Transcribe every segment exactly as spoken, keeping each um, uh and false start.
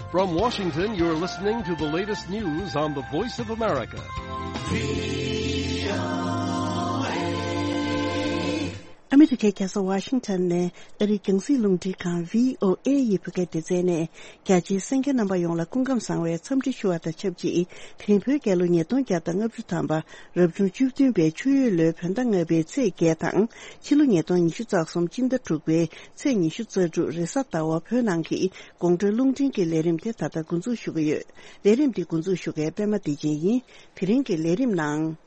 From Washington, you're listening to the latest news on the Voice of America. ཨ་མི་རི་ཀའི་རྒྱལ་ས་ཝ་ཤིང་ཊོན་ནས་ཨ་རིའི་རྒྱང་སྲིང་རླུང་འཕྲིན་ཁང་བྷི་ཨོ་ཨེ་ཡི་བོད་སྐད་སྡེ་ཚན་ནས། རྒྱ་ཆེའི་གསན་མཁན་རྣམ་པ་ཡོངས་ལ་སྐུ་ཁམས་བཟང་བའི་འཚམས་འདྲི་ཞུ་བ་དང་ཆབས་ཅིག་དེ་རིང་བོད་རྒྱལ་ལོ་ཉིས་སྟོང་བརྒྱ་དང་ལྔ་བཅུ་ཐམ་པ། རབ་བྱུང་བཅུ་བདུན་པའི་ཆུ་ཡོས་ལོའི་བོད་ཟླ་ལྔ་པའི་ཚེས་བརྒྱད་དང་། ཕྱི་ལོ་ཉིས་སྟོང་ཉི་ཤུ་རྩ་གསུམ་སྤྱི་ཟླ་དྲུག་པའི་ཚེས་ཉི་ཤུ་རྩ་དྲུག་རེས་གཟའ་ཟླ་བ། བོད་ནང་གི་དགོང་དྲོའི་རླུང་འཕྲིན་གྱི་ལས་རིམ་དེ་ད་ལྟ་འགོ་འཛུགས་ཞུ་གི་ཡོད། ལས་རིམ་འདི་འགོ་འཛུགས་ཞུ་མཁན་པད་མ་བདེ་ཆེན་ཡིན། དེ་རིང་གི་ལས་རིམ་ནང་།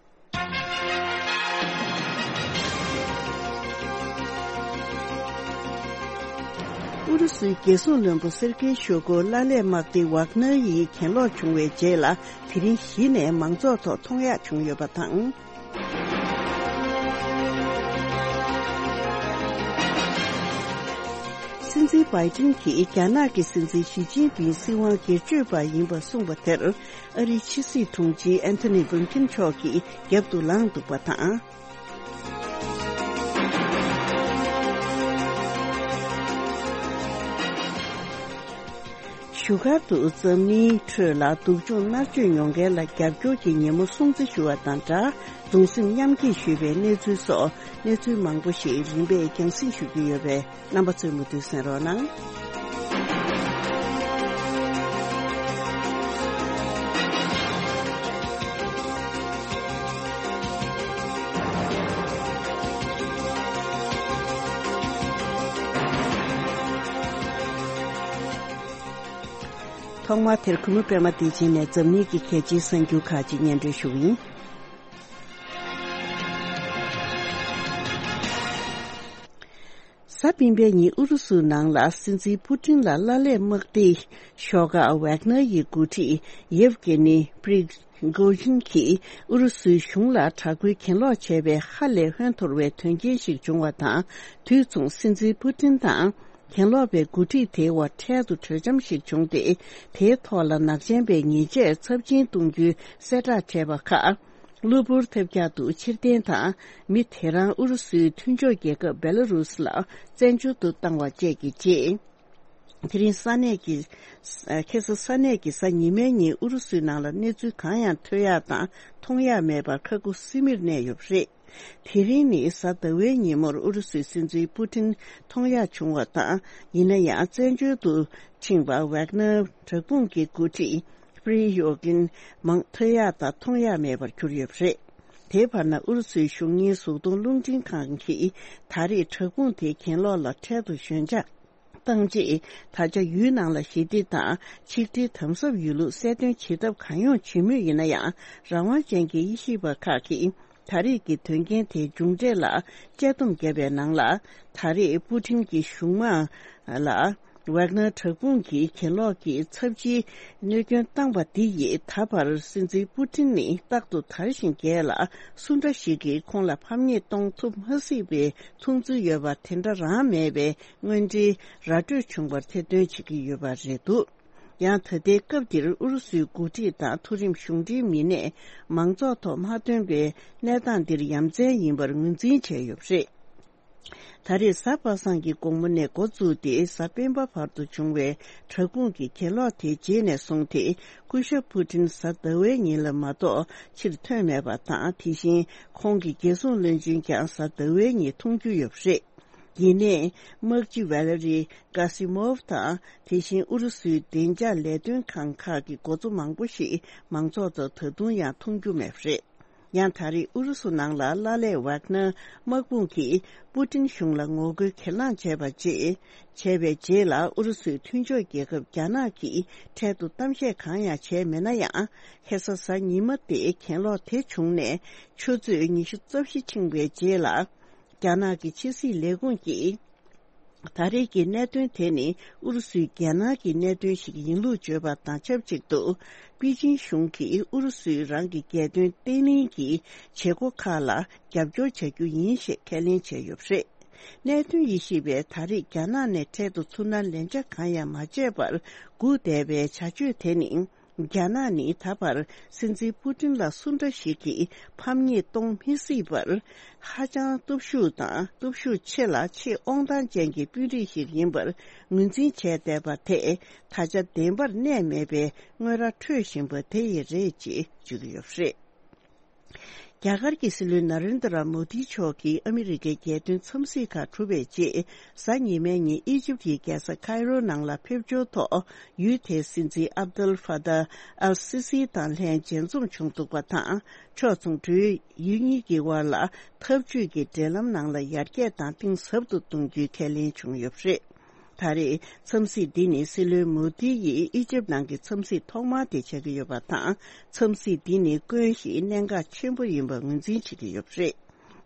ཨུ་རུ་སུའི་རྒྱལ་སྲུང་བློན་པོ་སེར་ཀེ་ཤོ་གོ་ལ་ལས་དམག་སྡེ་ཝག་ནར་ཡི་གྱེན་ལོག་བྱུང་བའི་རྗེས་ལ། དེ་རིང་གཞི་ནས་མང་ཚོགས་ཐོག་མཐོང་ཡག་བྱུང་ཡོད་པ་དང་། སྲིད་འཛིན་བྷའི་ཏིན་གྱིས་རྒྱ་ནག་གི་སྲིད་འཛིན་ཞི་ཅིན་ཕིང་སྲིད་དབང་སྒེར་གཅོད་པ་ཡིན་པ་གསུངས་པ་དེར། ཨ་རིའི་ཕྱི་སྲིད་དྲུང་ཆེ་ཨན་ཐོ་ནི་བྷིན་ཁིན་མཆོག་གིས་རྒྱབ་ཏུ་ལངས་འདུག་པ་དང་། བཞུགས་སྒར་དུ་འཛམ་གླིང་ཁྲོད་ལ་སྡུག་སྦྱོང་མནར་གཅོད་མྱོང་མཁན་ལ་རྒྱབ་སྐྱོར་གྱི་ཉིན་མོ་སྲུང་བརྩི་ཞུ་བ་དང་སྦྲགས། གདུང་སེམས་མཉམ་སྐྱེད་ཞུས་པའི་གནས་ཚུལ་སོགས་གནས་ཚུལ་མང་པོ་ཞིག་རིམ་པས་རྒྱང་སྲིང་ཞུ་རྒྱུ་ཡོད་པས། རྣམ་པ་ཚོས་མུ་མཐུད་གསན་རོགས་གནང་། ཐོག་མར་དེར་གུས་མོ་པད་མ་བདེ་ཆེན་ནས་འཛམ་གླིང་གི་གལ་ཆེའི་གསར་འགྱུར་ཁག་ཅིག་སྙན་སྒྲོན་ཞུ་གི་ཡིན། གཟའ་སྤེན་པའི་ཉིན་ཨུ་རུ་སུའི་ནང་ལ་སྲིད་འཛིན་པུ་ཏིན་ལ་ལ་ལས་དམག་སྡེའི་ཤོག་ཁག་ཝེག་ནར་ཡི་འགོ་ཁྲིད་ཡེབ་གེ་ནི་པྲི་གོ་ཞིན་གྱིས་ཨུ་རུ་སུའི་གཞུང་ལ་དྲག་པོའི་གྱེན་ལོག་བྱས་པའི་ཧ་ལས་ཧོན་འཐོར་བའི་དོན་རྐྱེན་ཞིག་བྱུང་བ་དང་། དུས་མཚུངས་སྲིད་འཛིན་པུ་ཏིན་དང་། གྱེན་ལོག་པའི་འགོ་ཁྲིད་དེའི་དབར་འཕྲལ་དུ་གྲོས་འཆམ་ཞིག་བྱུང་སྟེ། དེའི་ཐོག་ལ་ནག་ཅན་པའི་ཉེས་ཆད་ཚབས་ཆེན་གཏོང་རྒྱུའི་གསལ་བསྒྲགས་བྱས་པ་ཁག་གློ་བུར་ཐབས་བརྒྱ་དུ་ཕྱིར་འཐེན་དང་། མི་དེ་རང་ཨུ་རུ་སུའི་མཐུན་ཕྱོགས་རྒྱལ་ཁབ་བེ་ལ་རུས་ལ་བཙན་བྱོལ་དུ་བཏང་བ་བཅས་ཀྱི་རྗེས། དེ་རིང་ས་གནས་ཀྱི། ཁ་སང་ས་གནས་ཀྱི་གཟའ་ཉི་མའི་ཉིན་ཨུ་རུ་སུའི་ནང་ལ་གནས་ཚུལ་གང་ཡང་ཐོས་ཡག་དང་མཐོང་ཡག་མེད་པར་ཁ་ཁུ་སིམ་མེར་གནས་ཡོད་པ་རེད། དེ་རིང་ནི་གཟའ་ཟླ་བའི་ཉིན་མོར་ཨུ་རུ་སུའི་སྲིད་འཛིན་པུ་ཏིན་མཐོང་ཡག་བྱུང་བ་དང་། ཡིན་ན་ཡང་བཙན་བྱོལ་དུ་ཕྱིན་པ་ཝེག་ནར་དྲག་དཔུང་གི་འགོ་ཁྲིད་པྲི་ཡོ་གིན་མང་ཐོས་ཡག་དང་མཐོང་ཡག་མེད་པར་གྱུར་ཡོད་པ་རེད། དེའི་བར་ན་ཨུ་རུ་སུའི་གཞུང་གཉེར་གཟུགས་མཐོང་རླུང་འཕྲིན་ཁང་གིས་ད་རེས་དྲག་དཔུང་དེའི་གྱེན་ལོག་ལ་འཕྲལ་དུ་ཞོད་འཇགས་བཏང་རྗེས། ད་ཆ་ཡུལ་ནང་ལ་ཞི་བདེ་དང་ཆིག་སྒྲིལ་དམ་ཟབ་ཡོད་ལུགས་གསལ་སྟོན་བྱེད་ཐབས་གང་ཡོང་བྱེད་མུས་ཡིན་ན་ཡང་། རང་དབང་ཅན་གྱི་དབྱེ་ཞིབ་པ་ཁག་གིས་ད་རེས་ཀྱི་དོན་རྐྱེན་དེའི་མཇུག་འབྲས་ལ་དཔྱད་སྡོམ་བརྒྱབ་པའི་ནང་ལ། ད་རེས་པུ་ཏིན་གྱི་གཞུང་མང་ལ་ཝེག་ནར་དྲག་དཔུང་གི་གྱེན་ལོག་གི་ཚབས་ཆེའི་གནོད་སྐྱོན་བཏང་པ་འདི་ཡིས། ད་བར་སྲིད་འཛིན་པུ་ཏིན་ནི་རྟག་ཏུ་དར་ཞིང་རྒྱས་ལ། སུ་འདྲ་ཞིག་གིས་ཁོང་ལ་ཕམ་ཉེས་གཏོང་ཐུབ་མ་སྲིད་པའི་མཐོང་ཚུལ་ཡོད་པ་དེ་འདྲ་རང་མེད་པའི་དངོས་འབྲེལ་ར་སྤྲོད་བྱུང་བར་ཐེར་འདོན་བྱེད་ཀྱི་ཡོད་པ་རེད་འདུག། ཡང་ད་ལྟའི་སྐབས་འདིར་ཨུ་རུ་སུའི་འགོ་ཁྲིད་དང་མཐོ་རིམ་གཞུང་འབྲེལ་མི་སྣས་མང་ཚོགས་ཐོག་མ་ཐོན་པའི་གནས་སྟངས་འདིར་ཡ་མཚན་ཡིན་པར་ངོས་འཛིན་བྱས་ཡོད་པ་རེད། ད་རེས་གཟའ་པ་སངས་ཀྱི་དགོང་མོ་ནས་འགོ་བཙུགས་ཏེ། གཟའ་སྤེན་པ་བར་དུ་བྱུང་བའི་དྲག་དཔུང་གི་གྱེན་ལོག་དེའི་རྗེས་ནས་བཟུང་སྟེ། སྐུ་ཞབས་པུ་ཏིན་གཟའ་ཟླ་བའི་ཉིན་ལ་མ་གཏོགས་ཕྱིར་ཐོན་མེད་པ་དང་། དེ་བཞིན་ཁོང་གི་རྒྱལ་སྲུང་བློན་ཆེན་ཀྱང་གཟའ་ཟླ་བའི་ཉིན་མཐོང་རྒྱུ་ཡོད་པ་རེད། ཡིན་ནའི། དམག་སྤྱི་ཝེ་ལེ་རི་ཀ་སི་མོབ་དང་། དེ་བཞིན་ཨུ་རུ་སུའི་བདེ་འཇགས་ལས་དོན་ཁང་ཁག་གི་འགོ་གཙོ་མང་པོ་ཞིག་མང་ཚོགས་ཐོག་ད་དུང་ཡང་མཐོང་རྒྱུ་མེད་པ་རེད། ཡང་ད་རེས་ཨུ་རུ་སུ་ནང་ལ་ལ་ལས་ཝག་ནར་དམག་དཔུང་གིས་པུ་ཏིན་གཞུང་ལ་ངོ་རྒོལ་གྱེན་ལངས་བྱས་པ་རྗེས། བྱས་པའི་རྗེས་ལ། ཨུ་རུ་སུའི་མཐུན་ཕྱོགས་རྒྱལ་ཁབ་རྒྱ་ནག་གིས་འཕྲལ་དུ་གཏམ་བཤད་གང་ཡང་བྱས་མེད་ན་ཡང་། ཁ་སང་གཟའ་ཉི་མ་སྟེ་གྱེན་ལོག་དེ་བྱུང་ནས་ཆུ་ཚོད་ཉི་ཤུ་རྩ་བཞི་ཕྱིན་པའི་རྗེས་ལ། རྒྱ་ནག་གི་ཕྱི་སྲིད་ལས་ཁུངས་ཀྱིས། ད་རེས་ཀྱི་གནད་དོན་དེ་ནི་ཨུ་རུ་སུའི་རྒྱལ་ནང་གི་གནད་དོན་ཞིག་ཡིན་ལུགས་བརྗོད་པ་དང་ཆབས་ཅིག་ཏུ། པེ་ཅིན་གཞུང་གིས་ཨུ་རུ་སུས་རང་གི་རྒྱལ་དོན་བརྟན་ལྷིང་གི་བྱེད་སྒོ་ཁག་ལ་རྒྱབ་སྐྱོར་བྱ་རྒྱུ་ཡིན་ཞེས་ཁས་ལེན་བྱས་ཡོད་པ་རེད། གནད་དོན་དབྱེ་ཞིབ་པས་ད་རེས་རྒྱ་ནག་ནས་འཕྲལ་དུ་ཚུར་སྣང་ལན་ཆ་གང་ཡང་མ་བྱས་པར་སྒུག་བསྡད་པའི་བྱ་སྤྱོད་དེ་ནི། རྒྱ་ནག་ནི་ད་བར་སྲིད་འཛིན་པུ་ཏིན་ལ་སུ་འདྲ་ཞིག་གིས་ཕམ་ཉེས་གཏོང་མི་སྲིད་པར། ཧ་ཅང་སྟོབས་ཤུགས་དང་སྟོབས་ཤུགས་ཆེ་ལ་ཆེས་དབང་ཐང་ཅན་གྱི་དཔོན་རིགས་ཤིག་ཡིན་པར་ངོས་འཛིན་བྱས་བསྡད་པ་དེས། ད་ཆ་བདེན་པར་གནས་མེད་པའི་དངོས་ར་འཕྲོད་བཞིན་པ་དེ་ཡིན་རེད་ཅེས་བརྗོད་ཀྱི་ཡོད་པ་རེད། རྒྱ་གར་གྱི་སྲིད་བློན་ན་རེན་དྲ་མོ་དི་མཆོག་གིས་ཨ་མི་རི་ཀའི་རྒྱལ་དོན་འཚམས་གཟིགས་ཁག་གྲུབ་པའི་རྗེས། གཟའ་ཉི་མའི་ཉིན་ཨི་ཇིབ་ཀྱི་རྒྱལ་ས་ཁའི་རོ་ནང་ལ་ཕེབས་འབྱོར་ཐོག་ཡུལ་དེའི་སྲིད་འཛིན་ཨབ་དུལ་ཧྥ་ཏཱ་ཨལ་སི་སི་དང་ལྷན་མཇལ་འཛོམས་བྱུང་འདུག་པ་དང་། ཕྱོགས་མཚུངས་འབྲེལ་ཡོད་ཡུལ་གཉིས་ཀྱི་དབར་ལ་འཐབ་ཇུས་ཀྱི་འབྲེལ་ལམ་ནང་ལ་ཡར་རྒྱས་དང་གཏིང་ཟབ་ཏུ་གཏོང་རྒྱུའི་ཁས་ལེན་བྱུང་ཡོད་པ་རེད། ད་རེས་འཚམས་གཟིགས་འདི་ནི་སྲིད་བློན་མོ་དི་ཡིས་ཨི་ཇིབ་ནང་གི་འཚམས་གཟིགས་ཐོག་མ་དེ་ཆགས་ཀྱི་ཡོད་པ་དང་། འཚམས་གཟིགས་འདི་ནི་དཀོན་ཞིང་གནད་འགག་ཆེན་པོ་ཡིན་པ་ངོས་འཛིན་བྱེད་ཀྱི་ཡོད་པ་རེད།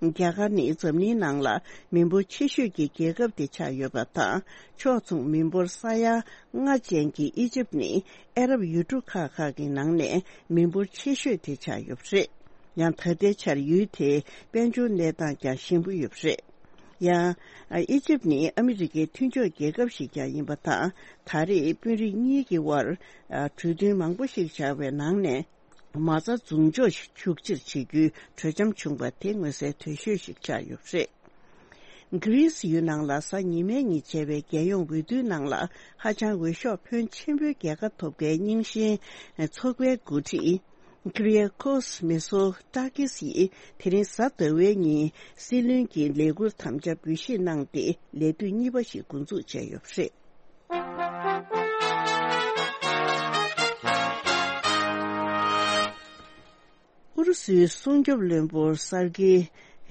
རྒྱ་གར་ནི་འཛམ་གླིང་ནང་ལ་མི་འབོར་ཆེ་ཤོས་ཀྱི་རྒྱལ་ཁབ་དེ་ཆགས་ཡོད་པ་དང་། ཕྱོགས་མཚུངས་མི་འབོར་ས་ཡ་ལྔ་ཅན་གྱི་ཨི་ཇིབ་ནི་ཨ་རབ་ཡུལ་གྲུ་ཁག་ཁག་གི་ནང་ནས་མི་འབོར་ཆེ་ཤོས་དེ་ཆགས་ཡོད་པ་རེད། ཡང་ད་ལྟའི་ཆར་ཡུལ་དེའི་དཔལ་འབྱོར་གནས་སྟངས་ཀྱང་ཞན་པོ་ཡོད་པ་རེད། ཡང་། ཨི་ཇིབ་ནི་ཨ་མི་རི་ཀའི་མཐུན་ཕྱོགས་རྒྱལ་ཁབ་ཞིག་ཀྱང་ཡིན་པ་དང་། ད་རེས་དཔོན་རིགས་གཉིས་ཀྱི་དབར་གྲོས་མཐུན་མང་པོ་ཞིག་བཞག་པའི་ནང་ནས། མ་རྩ་མཚམས་འཇོག་ཤུགས་ཆེར་བྱེད་རྒྱུའི་གྲོས་འཆམ་བྱུང་པ་དེ་མངོན་གསལ་དོད་ཤོས་ཤིག་ཆགས་ཡོད་པ་རེད། གྷི་རིས་ཡུལ་ནང་ལ་གཟའ་ཉི་མའི་ཉིན་བྱས་པའི་རྒྱལ་ཡོངས་འོས་བསྡུའི་ནང་ལ། ཧ་ཅང་འོས་ཤོག་ཕོན་ཆེན་པོའི་རྒྱལ་ཁ་ཐོབ་མཁན་རྙིང་ཞེན་ཚོགས་པའི་འགོ་ཁྲིད། ཀི་རི་ཡ་ཀོས་མེ་སོ་ཏཱ་ཀིས་ཡིས་དེ་རིང་གཟའ་ཟླ་བའི་ཉིན་སྲིད་བློན་གྱི་ལས་འཁུར་དམ་བཅའ་འབུལ་བཞེས་གནང་སྟེ། ལས་དུས་གཉིས་པ་ཞིག་འགོ་འཛུགས་བྱས་ཡོད་པ་རེད། ཨུ་རུ་སུའི་སྲུང་སྐྱོབ་བློན་པོ་སར་ཀི་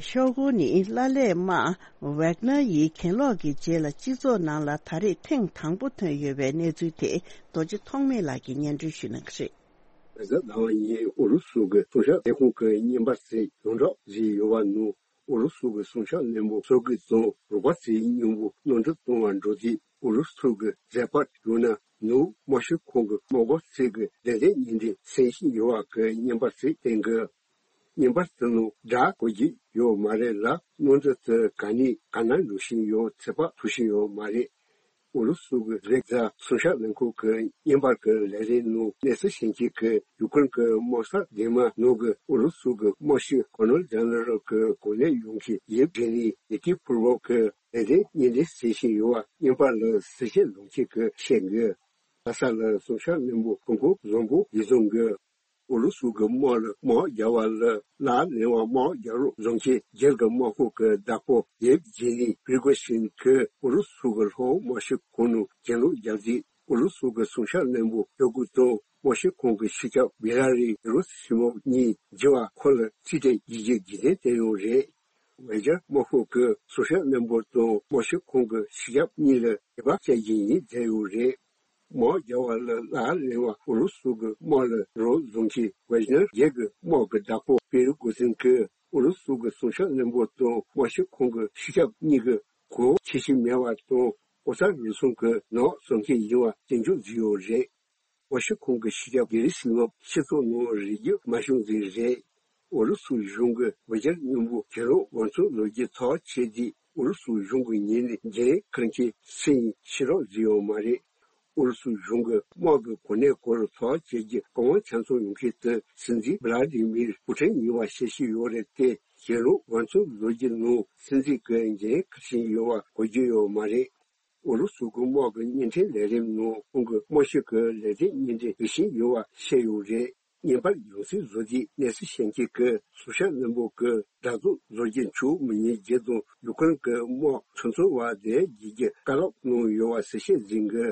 ཤོ་གོ་ནི་ཀླད་པ་དམར་ཝེག་ནར་ཡི་གྱེན་ལོག་གི་རྗེས་ལ་སྤྱི་ཚོགས་ནང་ལ་ད་རེས་ཐེངས་དང་པོ་ཐོན་ཡོད་པའི་གནས་ཚུལ་དེ། རྡོ་རྗེ་ཐོགས་མེད་ལགས་ཀྱིས་སྙན་སྒྲོན་ཞུ་གནང་གི་རེད། རེས་གཟའ་ཟླ་བ་ཉིན་ཨུ་རུ་སུ་གི་སྲུང་སྐྱོབ་ལས་ཁུངས་ཀྱི་བརྙན་པར་ཞིག་ཡོངས་གྲགས་བཟོས་ཡོད་པ་ནང་། ཨུ་རུ་སུ་གི་སྲུང་སྐྱོབ་བློན་པོ་སོ་ཀི་དང་རོགས་པ་ཚོས་སྙིང་པོ་གནམ་གྲུ་གཏོང་བར་འགྲོ་དུས། ཨུ་རུ་སུ་གི་མཛད་པ་ཡང་ན་ནུབ་དམག་སྤྱི་ཁང་གི་དམག་སྒར་ཞིག་གི་བདེ་བདེ་ཉིན་དེ་སེམས་ཤིང་ཡོད་པ་གི་བརྙན་པར་ཞིག་བསྟན་གི། བརྙན་པར་དེ་ནང་སྒྲ་གོ་རྒྱུ་ཡོད་མ་རེད་ལ། གནམ་གྲུ་དེ་ག་ནས་ག་ན་འགྲོ་བཞིན་ཡོད། ཚོད་དཔག་ཐུབ་བཞིན་ཡོད་མ་རེད། ཨུ་རུ་སུ་གི་རེས་གཟའ་སྲུང་སྐྱོབ་ལས་ཁུངས་ཀྱི་བརྙན་པར་གྱི་ལས་རིམ་ནང་གནས་ཚུལ་ཤེས་མཁན་གྱིས་ཡུ་ཀེ་རེན་གྱི་དམག་ས་སྡེ་མ་ནང་གི་ཨུ་རུ་སུ་གི་དམག་སྤྱི་ཀོ་ནོལ་ཇེ་ནེ་རལ་གྱི་གོ་གནས་ཡོད་མཁན་ཡེབ་གྷེ་ནི་ནི་ཀི་ཕུར་བོ་གི་ལས་རིམ་བརྙན་འཕྲིན་བཟོ་བཞིན་ཡོད་པ་བརྙན་པར་ལ་གཟིགས་ཞིབ་ལོངས་སྤྱོད་ཀྱིས་བཤད་འདུག། ལྷ་ས་ལ་སྲུང་སྐྱོབ་བློན་པོ་ཀུན་སྐོང་བཟང་པོ་ཡིད་བཟུང་གིས། ཨུ་རུ་སུ་གི་དམག་ལ་དམག་རྒྱག་པ་ལ་ལག་ལེན་པ་དམག་རྒྱག་རོགས་བཟང་ཁྱེད་སྒེར་གྱི་དམག་ཁོངས་ཀྱི་བདག་པོ་ཡེབ་ཇེ་ནི་པི་རི་གོ་ཤིན་གྱིས་ཨུ་རུ་སུ་གི་ལྷོ་དམག་སྤྱི་ཁང་ནང་གྱེན་ལོག་བརྒྱབ་རྗེས། ཨུ་རུ་སུ་གི་སྲུང་སྐྱོབ་བློན་པོ་ཤོ་གུ་དང་དམག་སྤྱི་ཁང་གི་སྤྱི་ཁྱབ་བི་ལ་རི་གེ་རུ་སི་མོབ་གཉིས་འགྱུར་བ་ཁོ་ལ་རྩིས་སྤྲད་བགྱིད་རྒྱུ་རྒྱུན་ལྡན་བསྟན་ཡོད་རེད། ཝེ་ཇར་དམག་ཁོངས་ཀྱི་སྲུང་སྐྱོབ་བློན་པོ་དང་དམག་སྤྱི་ཁང་གི་སྤྱི་ཁྱབ་གཉིས་ལ་དད་པ་བྱེད་ཀྱི་ཡིན་བསྡད་ཡོད་རེད། དམག་རྒྱག་པ་ལ་ལག་ལེན་པ་ཨུ་རུ་སུ་གི་དམག་ལ་རོགས་བཟང་ཁྱེད་ཝེ་ཇར་སྒེར་གྱི་དམག་གི་བདག་པོ་པི་རི་གོ་ཟིན་གྱིས་ཨུ་རུ་སུ་གི་སྲུང་སྐྱོབ་བློན་པོ་དང་དམག་སྤྱི་ཁང་གི་སྤྱི་ཁྱབ་གཉིས་ཀྱིས་གོ་ཆེ་ཤོས་མེད་པ་དང་ལྐོག་ཟ་རུལ་སུངས་ཀྱི་ནག་བཟོ་མཁན་ཡིན་པ་སྐྱོན་བརྗོད་བཟོས་ཡོད་རེད། དམག་སྤྱི་ཁང་གི་སྤྱི་ཁྱབ་གེ་རི་སི་མོབ་སྤྱི་ཚོགས་ནང་རིག་རྒྱུ་མ་བྱུང་ཟིན་རེད། ཨུ་རུ་སུ་གཞུང་གིས་ཝེ་ཇར་མཉམ་པོ་གྱེན་ལོག་འོས་ཚོད་བཟོ་རྒྱུ་ཐག་བཅད་དུས། ཨུ་རུ་སུ་གཞུང་གི་ངོས་ནས་འགན་འཁུར་མཁན་སུ་ཡིན་ཤེས་རོགས་བཟོས་ཡོད་མ་རེད། ཨུ་རུ་སུ་གཞུང་གི་དམག་གི་གོ་གནས་སྐོར་ཐག་བཅད་རྒྱུ་གང་ཆ་ཚང་ཡོང་མཁན་དེ་སྲིད་འཛིན་བྷི་ལ་ཏི་མིར་པུ་ཊིན་ཡིན་པ་ཤེས་ཀྱི་ཡོད་རེད་དེ། གྱེན་ལོག་འོས་ཚོད་བཟོ་རྒྱུ་ནང་སྲིད་འཛིན་གྱི་འགན་འཁུར་བཞིན་ཡོད་པ་གོ་རྒྱུ་ཡོད་མ་རེད། ཨུ་རུ་སུ་གི་དམག་གི་བརྙན་འཕྲིན་ལས་རིམ་ནང་ཁོང་གི་དམག་སྤྱི་གི་ལས་དོན་བརྙན་འཕྲིན་འབུལ་བཞིན་ཡོད་པ་བཤད་ཡོད་རེད། བརྙན་པར་ཡང་སེ་བཟོ་དུས་གནས་ཚུལ་ཤེས་མཁན་གྱིས་སྲུང་སྐྱོབ་བློན་པོ་གིས་འདྲ་རྫོང་བཟོ་རྒྱུ་འཆུག་མི་ཉན་རྒྱུ་དང་ཡུ་ཀེ་རེན་གྱི་དམག་ཚོང་ཚོང་བ་དེ་བརྗེ་རྒྱུའི་བཀའ་སློབ་གནང་ཡོད་པ་ཞིག་བཤད་ཟིན་གི།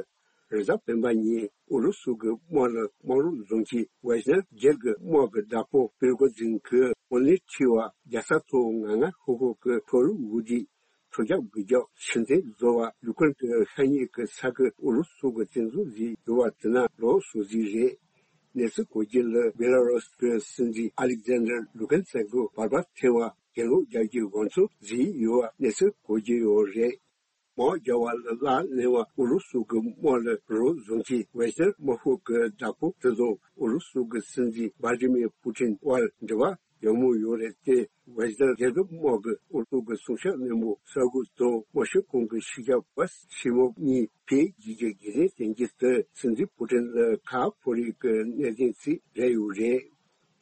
རེས་གཟའ་སྤེན་པ་ཉིན་ཨུ་རུ་སུ་གི་དམག་ལ་དམག་རོགས་བཟང་ཁྱེད་ཝེ་ཤ་ནར་སྒེར་གྱི་དམག་གི་བདག་པོ་པིར་གོ་ཛིན་གྱིས་དམག་མི་ཁྲི་བ་རྒྱལ་ས་ཐོག་ང་ང་ཧུ་ཧུ་གི་ཕོ་རུ་འུ་དི། ཁྲོ་རྒྱག་གི་རྒྱག་ཕྱི་འཐེན་བཟོ་བ་ཡུ་ཀེ་རེན་གྱི་ཤ་ཉེ་གི་ས་ཁུལ་ཨུ་རུ་སུ་གི་བཙན་འཛུལ་བཟོས་ཡོད་པ་དེ་ན་ལོགས་སུ་བཟོས་རེད། གནས་ཚུལ་གོ་རྒྱུ་ལ་བེ་ལ་རུ་སི་གི་སྲིད་འཛིན་ཨ་ལེག་ཛན་ཌར་ལུ་ཀན་སེན་ཀོ་བར་པར་ཐེ་བ་གྱེན་ལོག་རྒྱག་རྒྱུའི་འོས་ཚོད་བཟོས་ཡོད་པ་གནས་ཚུལ་གོ་རྒྱུ་ཡོད་རེད། དམག་རྒྱག་པ་ལ་ལག་ལེན་པ་ཨུ་རུ་སུ་གི་དམག་ལ་རོགས་བཟོ་མཁན་ཝེ་ཤ་ནར་དམག་ཤོག་གི་བདག་པོ་དེ་དང་ཨུ་རུ་སུ་གི་སྲིད་འཛིན་ཝ་ལ་ཏི་མིར་པུ་ཏིན་དབར་འབྲེལ་བ་ ཡག་མོ་ཡོད་རེད་དེ། ཝེ་སི་ནར་རྒྱལ་ཁབ་དམག་གི་འོག་ཏུ་གི་སྲུང་སྐྱོབ་བློན་པོ་གསར་འགོད་དང་མོ་ཤི་ཀོང་གི་ཕྱི་རྒྱལ་བ་ཤི་མོབ་གཉིས་ཕེབས་རྒྱུ་གི་རྒྱུན་ལྡན་བསྟན་རྒྱུ་དེ། སྲིད་འཛིན་པུ་ཀྲིན་ལ་ཁ་ཕོ་རེ་གི་གནད་དོན་ཞིག་རེད་ཡོད་རེད།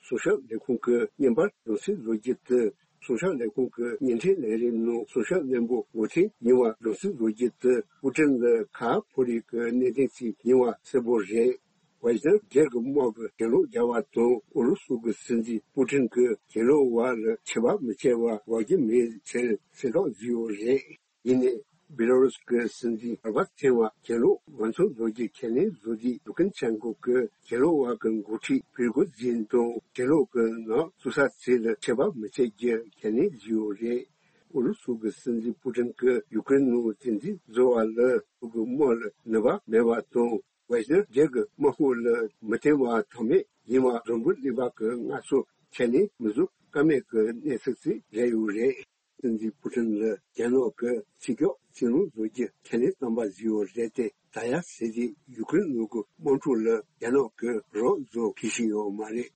སྲུང་སྐྱོབ་ལས་ཁུངས་ཀྱི་བརྙན་པར་རྫུན་ཞིག་བཟོ་རྒྱུ་དེ། སྲུང་སྐྱོབ་ལས་ཁུངས་ཀྱི་བརྙན་འཕྲིན་ལས་རིམ་ནང་སྲུང་སྐྱོབ་བློན་པོ་ངོ་ཐེན་ཡིན་པ་རྫུན་ཞིག་བཟོ་རྒྱུ་དེ། པུ་ཀྲིན་ལ་ཁ་ཕོ་རེ་གི་གནད་དོན་ཞིག་ཡིན་པ་གསལ་པོ་རེད། ཝེ་སི་ནར་རྒྱལ་གྱི་དམག་གི་གྱེན་ལོག་རྒྱག་པ་དང་ཨུ་རུ་སུ་གི་སྲིད་འཛིན་པུ་ཀྲིན་གྱི་གྱེན་ལོག་པ་ལ་ཆད་པ་མི་གཅོད་པ་འགོག་རྒྱུ་མེད་ཟེར་གསལ་བསྒྲགས་བཟོས་ཡོད་རེད། ཡིན་ནའི་བི་ལ་རུ་སི་གི་སྲིད་འཛིན་གོར་བ་ཆེན་པ་གྱེན་ལོག་ངོས་འཛིན་བཟོ་རྒྱུ་ཁས་ལེན་བཟོས་དུས། ལུ་ཀན་ཆན་ཀོ་གི་གྱེན་ལོག་པ་གི་འགོ་ཁྲིད་པིར་གོ་ཛིན་དང་གྱེན་ལོག་གི་ནང་བཙུགས་ས་ཚིག་ལ་ཆད་པ་མི་གཅོད་རྒྱུ་ཁས་ལེན་བཟོས་ཡོད་རེད། ཨུ་རུ་སུ་གི་སྲིད་འཛིན་པུ་ཀྲིན་གྱིས་ཡུ་ཀེ་རེན་ནང་རྩིས་འཛིན་བཟོ་བ་ལ་ཁོ་གི་དམག་ལ་ནུས་པ་མེད་པ་དང་། ཝེ་སི་ནར་རྒྱལ་གྱི་དམག་དཔུང་ལ་མི་བརྟེན་པ་དོན་མེད་ཡིན་པ་རང་འགུལ་གླེང་བ་གི་ངར་སོ་ཁས་ལེན་མི་བཟོ་ཀ་མེད་ཀྱི་གནས་ཚུལ་ཞིག་རེད་ཡོད་རེད། སྲིད་འཛིན་པུ་ཀྲིན་ལ་རྒྱ་ནག་གི་ཕྱི་ཕྱོགས་སྲིད་བློན་བཟོ་རྒྱུ་ཁས་ལེན་བཏང་པ་བཟོས་ཡོད་རེད་དེ། ད་ཡ་ཟེར་དེ་ཡུ་ཀེ་རེན་ནང་གི་དམག་འཁྲུག་ལ་རྒྱ་ནག་གི་རོགས་བཟོ་གི་ཤི་ཡོད་མ་རེད།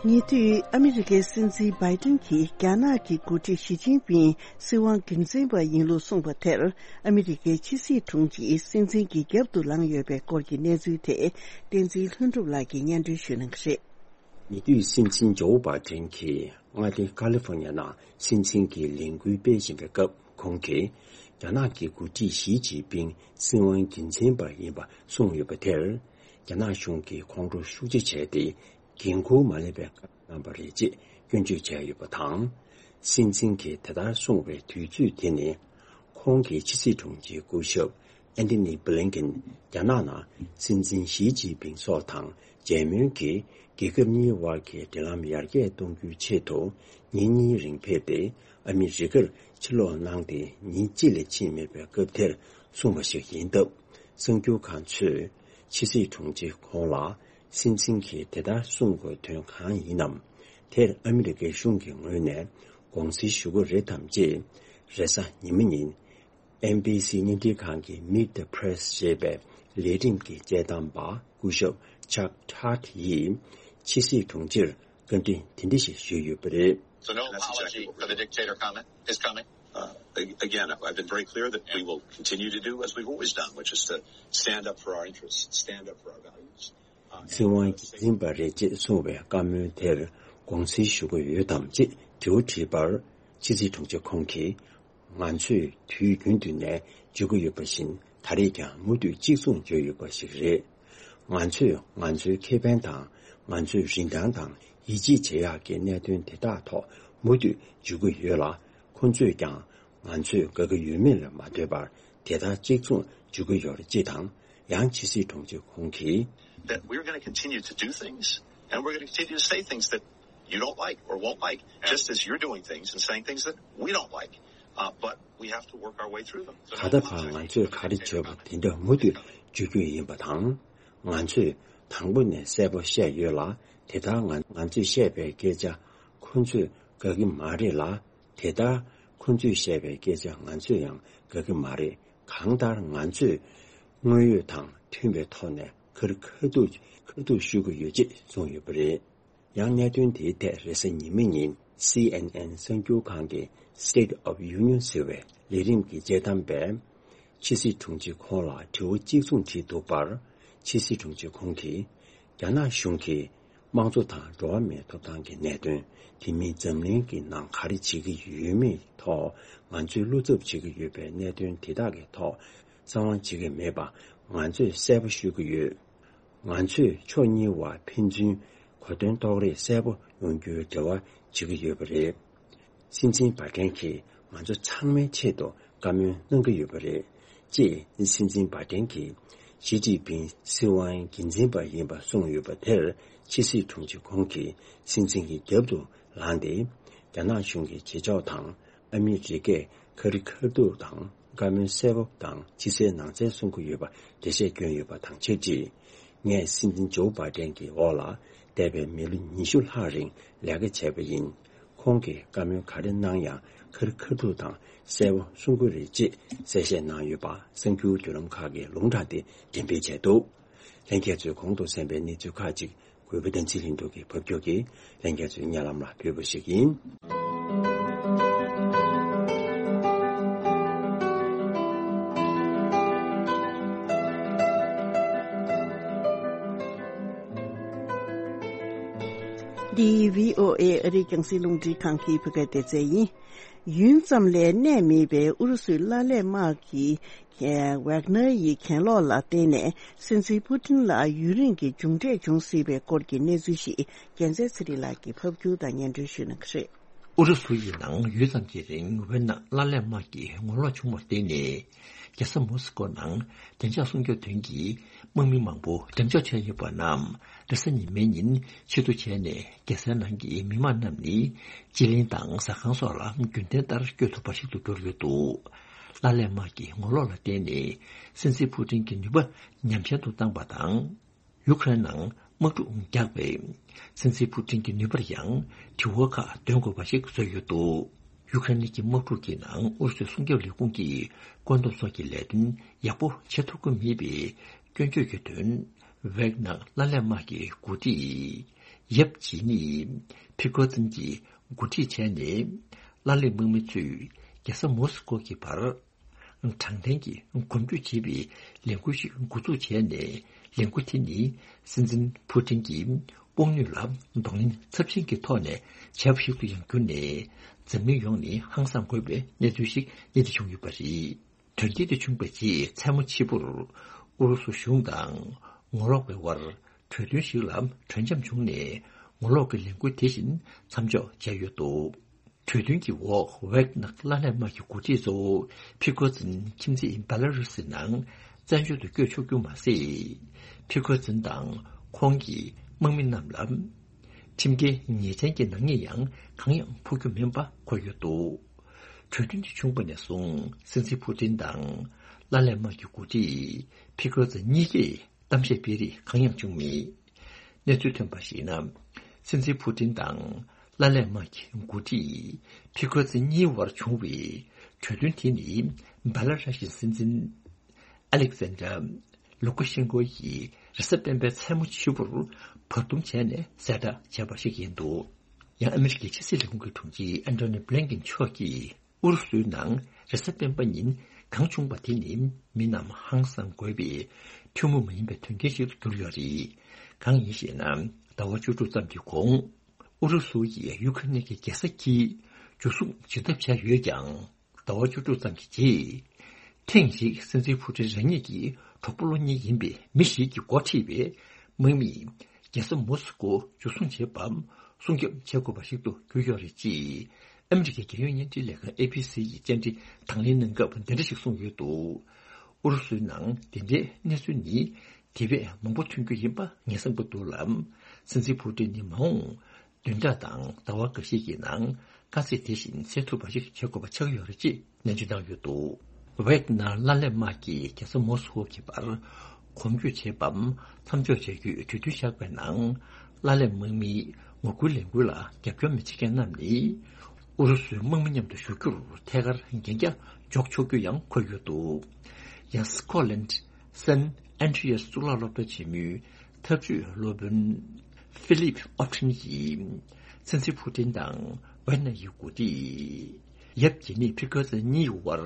ཉེ་དུས་ཨ་མི་རི་ཀའི་སྲིད་འཛིན་བྷའི་ཏིན་གྱིས་རྒྱ་ནག་གི་འགོ་ཁྲིད་ཞི་ཅིན་ཕིང་སྲིད་དབང་རྒྱུན་འཛིན་པ་ཡིན་ལུགས་གསུངས་པ་དེར། ཨ་མི་རི་ཀའི་ཕྱི་སྲིད་དྲུང་ཆེ་སྲིད་འཛིན་གྱི་རྒྱབ་ཏུ་ལངས་ཡོད་པའི་སྐོར་གྱི་གནས་ཚུལ་དེ། བསྟན་འཛིན་ལྷུན་གྲུབ་ལགས་ཀྱིས་སྙན་སྒྲོན་ཞུ་གནང་གི་རེད། ཉེ་དུས་སྲིད་འཛིན་ཇོ་བྷའི་ཏིན་གྱིས་མངའ་སྡེ་ཀ་ལི་ཧྥོ་ཉ་ནང་སྲིད་འཛིན་གྱི་ལས་འགུལ་སྤེལ་བཞིན་པའི་སྐབས། ཁོང་གིས་རྒྱ་ནག་གི་འགོ་ཁྲིད་ཞི་ཅིན་ཕིང་སྲིད་དབང་རྒྱུན་འཛིན་པ་ཡིན་པ་གསུངས་ཡོད་པ་དེར། རྒྱ་ནག་གཞུང་གིས་ཁོང་ཁྲོ་ཤུགས་ཆེ་བྱས་ཏེ། འགན་འཁུར་མ་ལེན་པའི་བཀའ་གནང་བ་རེད་ཅེས་སྐྱོན་བརྗོད་བྱས་ཡོད་པ་དང་། སྲིད་འཛིན་གྱིས་དེ་ལྟར་གསུངས་པའི་དུས་ཚོད་དེ་ནི། ཁོང་གི་ཕྱི་སྲིད་དྲུང་ཆེའི་སྐུ་ཞབས་ཨན་ཐི་ནི་བྷི་ལིན་ཀིན་རྒྱ་ནག་ནང་སྲིད་འཛིན་ཞི་ཅིན་ཕིང་སོགས་དང་མཇལ་མོལ་གྱིས། རྒྱལ་ཁབ་གཉིས་དབར་གྱི་འབྲེལ་ལམ་ཡར་རྒྱས་གཏོང་རྒྱུའི་ཆེད་དུ། ཉིན་གཉིས་རིང་ཕེབས་ཏེ། ཨ་མི་རི་ཀར་ཕྱིར་ལོག་གནང་སྟེ་ཉིན་གཅིག་ལས་ཕྱིན་མེད་པའི་སྐབས་དེར་གསུངས་པ་ཞིག་ཡིན་སྟབས། གསར་འགྱུར་ཁང་ཚོས་ཕྱི་སྲིད་དྲུང་ཆེ་ཁོང་ལ་སྲིད་འཛིན་གྱིས་དེ་ལྟར་གསུངས་དགོས་དོན་གང་ཡིན་ནམ། དེར་ཨ་མི་རི་ཀའི་གཞུང་གི་ངོས་ནས་དགོངས་སེལ་ཞུ་གི་རེད་དམ་ཅེས། རེས་གཟའ་ཉི་མ་ཉིན། ཨེན་བྷི་སི་བརྙན་འཕྲིན་ཁང་གི་Meet the Press ཞེས་པའི་ལས་རིམ་གྱི་དཔྱད་གཏམ་པ་སྐུ་ཞབས་Chuck Todd ཡིས་ཕྱི་སྲིད་དྲུང་ཆེར་བཀའ་འདྲི་དེ་འདྲ་ཞིག་ཞུས་ཡོད་པ་རེད། So no apology for the dictator comment is coming. Uh, ag- again, I've been very clear that we will continue to do as we've always done, which is to stand up for our interests, stand up for our values. Uh, and, uh, སྲིད་དབང་རྒྱུན་འཛིན་པ་རེད་ཅེས་གསུངས་པའི་བཀའ་མོལ་དེར་དགོངས་སེལ་ཞུ་གི་ཡོད་དམ་ཅེས་དྲི་བ་དྲིས་པར། ཕྱི་སྲིད་དྲུང་ཆེ་ཁོང་གིས། ང་ཚོས་དུས་རྒྱུན་དུ་ནས་བརྗོད་ཀྱི་ཡོད་པ་བཞིན། ད་རེས་ཀྱང་མུ་མཐུད་གཅིག་མཚུངས་བརྗོད་ཡོད་པ་ཞིག་རེད། ང་ཚོས་ང་ཚོའི་ཁེ་ཕན་དང་། ང་ཚོའི་རིན་ཐང་དང་ཡིད་ཆེས་བྱེད་ཡག་གི་གནད་དོན་དེ་དག་ཐོག་མུ་མཐུད་བརྗོད་ཀྱི་ཡོད་ལ། ཁོ་ཚོས་ཀྱང་ང་ཚོས་དགའ་གི་ཡོད་མེད་ལ་མ་ལྟོས་པར། དེ་ལྟར་གཅིག་མཚུངས་བརྗོད་ཀྱི་ཡོད་རེད་ཅེས་དང་། ཡང་ཕྱི་སྲིད་དྲུང་ཆེ་ཁོང་གིས། That we're going to continue to do things, and we're going to continue to say things that you don't like or won't like, just as you're doing things and saying things that we don't like. Uh, but we have to work our way through them. So ད་ལྟ་བར་ང་ཚོས་ག་རེ་བརྗོད་པ་དེ་འདྲ་མུ་མཐུད་བརྗོད་རྒྱུ་ཡིན་པ་དང་། ང་ཚོས་དང་པོ་ནས་གསལ་པོ་བཤད་ཡོད་ལ། དེ་ལྟར་ང་ང་ཚོས་བཤད་པའི་སྐད་ཆ་ཁོ་ཚོས་དགའ་གི་མ་རེད་ལ། དེ་ལྟར་ཁོ་ཚོས་བཤད་པའི་སྐད་ཆ་ང་ཚོས་ཡང་དགའ་གི་མ་རེད། གང་ལྟར་ང་ཚོས་དངོས་ཡོད་དང་མཐུན་པའི་ཐོག་ནས་ཁ་རི་ཁ་ཐུག་ཁ་ཐུག་ཞུ་གི་ཡོད་ཅེས་གསུངས་ཡོད་པ་རེད། ཡང་གནད་དོན་དེའི་ཐད་རེས་གཟའ་ཉི་མ་ཉིན་སི་ཨེན་ཨེན་གསར་འགྱུར་ཁང་གི་State of Union ཟེར་བའི་ལས་རིམ་གྱི་དཔྱད་གཏམ་པས། ཕྱི་སྲིད་དྲུང་ཆེ་ཁོང་ལ་དྲི་བ་གཅིག་མཚུངས་དྲིས་འདུག་པར། ཕྱི་སྲིད་དྲུང་ཆེ་ཁོང་གིས། རྒྱ་ནག་གཞུང་གིས་དམངས་གཙོ་དང་འགྲོ་བ་མིའི་ཐོབ་ཐང་གི་གནད་དོན། དེ་མིན་འཛམ་གླིང་གི་ནང་ག་རེ་བྱེད་ཀྱི་ཡོད་མེད་ཐོག་ང་ཚོས་བློ་འཚབ་བྱེད་ཀྱི་ཡོད་པའི་གནད་དོན་དེ་དག་གི་ཐོག་གསང་བ་བྱེད་ཀྱི་མེད་པ་ང་ཚོས་གསལ་པོ་ཤོད་ཀྱི་ཡོད། ང་ཚོས་ཕྱོགས་གཉིས་བར་ཕན་ཚུན་གོ་དོན་རྟོགས་རེས་གསལ་པོ་ཡོང་རྒྱུའི་འབྲེལ་བ་བྱེད་ཀྱི་ཡོད་པ་རེད། སྲིད་འཛིན་བྷ་ཏན་གྱིས་ང་ཚོ་ཚང་མའི་ཆེད་དུ་བཀའ་མོལ་གནང་གི་ཡོད་པ་རེད། ཅེས་སྲིད་འཛིན་བྷ་ཏན་གྱིས་ཞི་ཅིན་ཕིང་སྲིད་དབང་རྒྱུན་འཛིན་པ་ཡིན་པ་གསུངས་ཡོད་པ་དེར། ཕྱི་སྲིད་དྲུང་ཆེ་ཁོང་གིས་སྲིད་འཛིན་གྱི་རྒྱབ་ཏུ་ལངས་ཏེ། རྒྱ་ནག་གཞུང་གི་བྱེད་ཕྱོགས་དང་། ཨ་མི་རི་ཀས་ཁ་རི་ཁ་ཐུག་དང་བཀའ་མོལ་གསལ་པོ་དང་ཕྱི་གསལ་ནང་གསལ་གསུང་གི་ཡོད་པ་འགྲེལ་བཤད་བསྐྱོན་ཡོད་པ་དང་ཆབས་ཅིག་ངས་སྲིད་འཛིན་ཇོ་བྷ་ཏན་གྱི་འོག་ལ་འདས་པའི་མི་ལོ་ཉི་ཤུ་ལྷག་རིང་ལས་ཀ་བྱས་པ་ཡིན། ཁོང་གིས་བཀའ་མོལ་ག་རེ་གནང་ཡང་ཁ་རི་ཁ་ཐུག་དང་གསལ་པོ་གསུང་གི་རེད་ཅེས་གསལ་བཤད་གནང་ཡོད་པ་གསར་འགྱུར་བརྒྱུད་ལམ་ཁག་གིས་ལུང་དྲངས་ཏེ་འགྲེམས་སྤེལ་བྱས་འདུག། ལྷན་རྒྱས་ཚོས་གོང་དུ་གསན་པའི་གནས་ཚུལ་ཁག་ཅིག་གུས་པ་བསྟན་འཛིན་ལྷུན་གྲུབ་ཀྱིས་ཕབ་སྒྱུར་གྱིས་ལྷན་རྒྱས་ཚོའི་སྙན་ལམ་ལ་ཕུལ་བ་ཞིག་ཡིན། འདི་བྷི་ཨོ་ཨེ་ཨ་རིའི་རྒྱང་སྲིང་རླུང་འཕྲིན་ཁང་གི་བོད་སྐད་སྡེ་ཚན་ཡིན། ཡུན་ཙམ་ལས་གནས་མེད་པའི་ཨུ་རུ་སུའི་ཀླད་ཀོར་དམག་གི་ཝེག་ནར་ཡི་གྱེན་ལོག་ལ་བརྟེན་ནས་སྲིད་འཛིན་ཕུ་ཏིན་ལ་ཡུན་རིང་གི་མཇུག་འབྲས་འབྱུང་སྲིད་པའི་སྐོར་གྱི་གནས་ཚུལ་ཞིག་རྒྱལ་མཚན་ཚེ་རིང་ལགས་ཀྱིས་ཕབ་སྒྱུར་དང་སྙན་སྒྲོན་ཞུ་གནང་གི་རེད། ཨུ་རུ་སུ་ཡི་ནང་ཡུན་ཙམ་གྱི་རིང་ཝེག་ནར་ཀླད་ཀོར་དམག་གི་ངོ་ལོག་བྱུང་བར་བརྟེན་ནས། རྒྱལ་ས་མོ་སི་ཀོ་ནང་བདེ་འཇགས་སྲུང་སྐྱོབ་དོན་གྱི་དམག་མི་མང་པོ་འགྲེམས་འཇོག་བྱས་ཡོད་པ་རྣམས་རེས་གཟའ་ཉི་མའི་ཉིན་ཕྱིར་བསྡུ་བྱས་ནས། རྒྱལ་སའི་ནང་གི་མི་མང་རྣམས་ནི་སྤྱི་གླིང་དང་ཟ་ཁང་སོགས་ལ་རྒྱུན་ལྡན་ལྟར་བསྐྱོད་ཐུབ་པ་ཞིག་ཏུ་གྱུར་ཡོད་འདུག། ཀླད་ཀོར་དམག་གི་ངོ་ལོག་ལ་བརྟེན་ནས་སྲིད་འཛིན་ཕུ་ཏིན་གྱི་ནུས་པ་ཉམས་ཆག་ཏུ་བཏང་པ་དང་། ཡུ་ཁ་རེན་ནང་དམག་འཁྲུག་རྒྱག་པས་སྲིད་འཛིན་ཕུ་ཏིན་གྱི་ནུས་པར་ཡང་དྲི་བ་ཁག་འདོན་དགོས་པ་ཞིག་བཟོས་ཡོད་འདུག། ཡུ་ཁ་རེན་གྱི་དམག་འཁྲུག་གི་ནང་ཨུ་རུ་སུའི་སྲུང་སྐྱོབ་ལས་ཁུངས་ཀྱི་བཀོད་འདོམས་སོགས་ཀྱི་ལས་དོན་ཡག་པོ་བྱེད་ཐུབ་ཀྱི་མེད་པའི་སྐྱོན་བརྗོད་ཀྱི་དོན། ཝེག་ནར་ཀླད་ཀོར་དམག་གི་འགོ་ཁྲིད་ཡབ་ཇི་ནི་ཕི་ཀོ་ཙིན་གྱིས་འགོ་ཁྲིད་བྱས་ནས། ཀླད་ཀོར་དམག་མི་ཚོས་རྒྱལ་ས་མོ་སི་ཀོ་གི་བར་དྲང་བདེན་གྱི་གོམ་བགྲོད་བྱེད་པའི་ལས་འགུལ་ཞིག་འགོ་འཛུགས་བྱས་ནས། ལས་འགུལ་དེ་ནི་སྲིད་འཛིན་ཕུ་ཏིན་གྱི་དཔུང་ནུས་ལ་གདོང་ལེན་ཚབས་ཆེན་གྱི་ཐོག་ནས་བྱས་པ་ཞིག་ཏུ་ཡང་གྱུར་ནས། འཛམ་གླིང་ཡོངས་ནས་ཧང་སངས་དགོས་པའི་གནས་ཚུལ་ཞིག་གནས་འདི་བྱུང་ཡོད་པ་རེད། དོན་རྐྱེན་དེ་བྱུང་བའི་རྗེས་མཚན་མོ་ཕྱི་པོར་ཨུ་རུ་སུ་གཞུང་དང་ངོ་ལོག་པའི་དབར་གྲོས་མཐུན་ཞིག་ལ་གྲོས་འཆམ་བྱུང་ནས། ངོ་ལོག་གི་ལས་འགུལ་དེ་བཞིན་མཚམས་འཇོག་བྱས་ཡོད་འདུག། གྲོས་མཐུན་གྱི་འོག་ཝེག་ནར་ཀླད་ཀོར་དམག་གི་འགོ་ཁྲིད་གཙོ་བོ་ཕི་ཀོ་ཙིན་ཁྱིམ་མཚེས་བྷེ་ལ་རུ་སི་ནང་བཙན་བྱོལ་དུ་བསྐྱོད་ཆོག་རྒྱུ་མ་ཟད། ཕི་ཀོ་ཙིན་དང་ཁོང་གི་དམག་མི་རྣམས་ལ་ཁྲིམས་འགལ་ཉེས་ཅན་གྱི་ནག་ཉེས་ཡང་གང་ཡང་ཕོག་རྒྱུ་མིན་པ་འཁོད་ཡོད་འདུག། གྲོས་མཐུན་དེ་བྱུང་བ་ནས་བཟུང་སྲིད་འཛིན་ཕུ་ཏིན་དང་ཀླད་ཀོར་དམག་གི་འགོ་ཁྲིད་ཕི་ཀོ་ཙིན་གཉིས་ཀས་གཏམ་བཤད་སྤེལ་རེས་གང་ཡང་བྱུང་མེད། གནས་ཚུལ་ཐོན་པར་གཞིགས་ན། སྲིད་འཛིན་ཕུ་ཏིན་དང་ཀླད་ཀོར་དམག་གི་འགོ་ཁྲིད་ཕི་ཀོ་ཙིན་གཉིས་བར་བྱུང་བའི་གྲོས་མཐུན་དེ་ནི་བྷེ་ལ་ར་ཤི་སྲིད་འཛིན་ཨ་ལེག་ཟན་དྲ་ལུ་ཀ་ཤེན་ཀོ་ཡིས་རེས་གཟའ་སྤེན་པའི་མཚན་མོ་ཕྱི་པོར་བར་འདུམ་བྱས་ནས་གསལ་བསྒྲགས་བྱས་པ་ཞིག་ཡིན་འདུག། ཡང་ཨ་མི་རི་ཀའི་ཕྱི་སྲིད་ལས་ཁུངས་ཀྱི་དྲུང་ཆེ་ཨན་ཐོ་ནི་བྷི་ལིན་ཀིན་མཆོག་གིས། ཨུ་རུ་སུའི་ནང་རེས་གཟའ་སྤེན་པ་ཉིན་གང་བྱུང་བ་དེ་ནི་མི་རྣམས་ཧང་སང་དགོས་པའི་ཐུན་མོང་མ་ཡིན་པའི་དོན་རྐྱེན་ཞིག་ཏུ་གྱུར་ཡོད་རེད། གང་ཡིན་ཞེ་ན། ཟླ་བ་བཅུ་དྲུག་ཙམ་གྱི་གོང་ཨུ་རུ་སུ་ཡིས་ཡུ་ཁ་རེན་གྱི་རྒྱལ་ས་ཀྱིའུ་འཇུ་བཟུང་བྱེད་ཐབས་བྱས་ཡོད་ཀྱང་། ཟླ་བ་བཅུ་དྲུག་ཙམ་གྱི་རྗེས། ཐེངས་ཤིག་སྲིད་འཛིན་ཕུ་ཀྲིན་རང་ཉིད་ཀྱི་གྲོགས་པོ་ལོ་གཉིས་ཡིན་པའི་མི་ཞིག་གིས་འགོ་ཁྲིད་པའི་དམག་མིས་རྒྱལ་ས་མོ་སི་ཀོ་འཇུ་བཟུང་བྱེད་པར་སྲུང་སྐྱོབ་བྱེད་དགོས་པ་ཞིག་ཏུ་གྱུར་ཡོད་རེད་ཅེས། ཨ་མི་རི་ཀའི་རྒྱལ་ཡོངས་བརྙན་འཕྲིན་ལས་ཁང་ཨེ་བྷི་སི་ཡིས་བཅར་འདྲི་དང་ལེན་གནང་སྐབས་འདི་འདྲ་ཞིག་གསུངས་ཡོད་འདུག། ཨུ་རུ་སུའི་ནང་འདི་འདྲའི་གནས་ཚུལ་ནི་དེ་བས་མང་པོ་ཐོན་རྒྱུ་ཡིན་པ་ངེས་གསལ་པོ་འདུག་ལ། སྲིད་འཛིན་ཕུ་ཀྲིན་ནི་མ་འོངས་བདུན་ཕྲག་དང་ཟླ་བ་འགའ་ཤས་ཀྱི་ནང་དཀའ་ཚེགས་དེ་བཞིན་སེལ་ཐུབ་པ་ཞིག་བྱེད་དགོས་པ་ཆགས་ཡོད་རེད་ཅེས་ནན་བརྗོད་གནང་ཡོད་འདུག། ཝེག་ནར་ཀླད་ཀོར་དམག་གིས་རྒྱལ་ས་མོ་སི་ཀོ་གི་བར་གོམ་བགྲོད་བྱེད་པའམ་མཚམས་འཇོག་བྱ་རྒྱུའི་གྲོས་མཐུན་བཞག་པའི་ནང་། ཀླད་ཀོར་དམག་མིའི་ངོ་རྒོལ་ལས་འགུལ་ལ་རྒྱབ་སྐྱོར་མི་བྱེད་མཁན་རྣམས་ནི། ཨུ་རུ་སུའི་དམག་མི་མཉམ་དུ་བཞུགས་རྒྱུར་ཐད་ཀར་འགན་འཁྱེར་འཇོག་ཆོག་རྒྱུ་ཡང་འཁོད་ཡོད་འདུག། ཡང་སི་ཀོ་ལན་སན་ཨན་ཌི་ཡར་གཙུག་ལག་སློབ་གྲྭ་ཆེན་མོའི་ཐབས་ཇུས་སློབ་དཔོན་ཧྥི་ལིབ་ཨོ་ཁྲིན་གྱིས། སྲིད་འཛིན་ཕུ་ཀྲིན་དང་ཝེག་ནར་ཡི་འགོ་ཁྲིད་ཡབ་ཇི་ནི་ཕི་ཀོ་ཙིན་གཉིས་བར་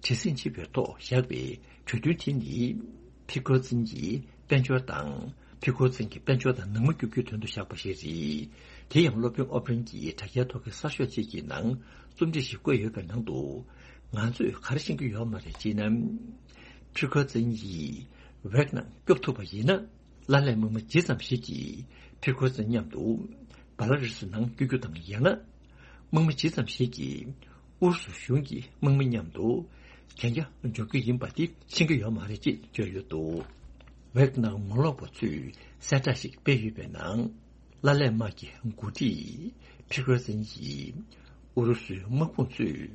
བྲེལ་ཟིང་ཆེ་བའི་ཐོག་བཞག་པའི་གྲོས་མཐུན་དེ་ནི། ཕི་ཀོ་ཙིན་གྱི་དཔལ་འབྱོར་དང་། ཕི་ཀོ་ཙིན་གྱི་དཔལ་འབྱོར་དང་ནང་མི་སྐྱོབ་རྒྱུའི་དོན་དུ་བཞག་པ་ཞིག་རེད། དེ་ཡང་སློབ་དཔོན་ཨོ་པྲིན་གྱིས་དྲ་རྒྱའི་ཐོག་གི་གསར་ཤོག་ཅིག་གི་ནང་རྩོམ་བྲིས་ཤིག་བཀོད་ཡོད་པའི་ནང་དུ། ང་ཚོས་ག་རེ་ཤེས་ཀྱི་ཡོད་མ་རེད་ཅེ་ན། ཕི་ཀོ་ཙིན་ཡིས་ཝེག་ནར་སྐྱོབ་ཐུབ་པ་ཡིན་ན། ཀླད་ཀོར་དམག་མི་ཇི་ཙམ་ཞིག་གིས་ཕི་ཀོ་ཙིན་མཉམ་དུ་བྷ་ལ་རུ་སི་ནང་བསྐྱོད་རྒྱུ་དང་། ཡང་ན་དམག་མི་ཇི་ཙམ་ཞིག་གིས་ཨུ་རུ་སུ་གཞུང་གི་དམག་མི་མཉམ་དུ་གན་རྒྱ་འཇོག་རྒྱུ་ཡིན་པ་དེ་ཤེས་ཀྱི་ཡོད་མ་རེད་ཅེས་བརྗོད་ཡོད་འདུག། ཝེག་ནར་ངོ་ལོག་པ་ཚོས་གསལ་བསྒྲགས་ཤིག་སྤེལ་ཡོད་པའི་ནང་། ཀླད་ཀོར་དམག་གི་འགོ་ཁྲིད་ཕི་ཀོ་ཙིན་གྱིས་ཨུ་རུ་སུའི་དམག་དཔུང་ཚོས་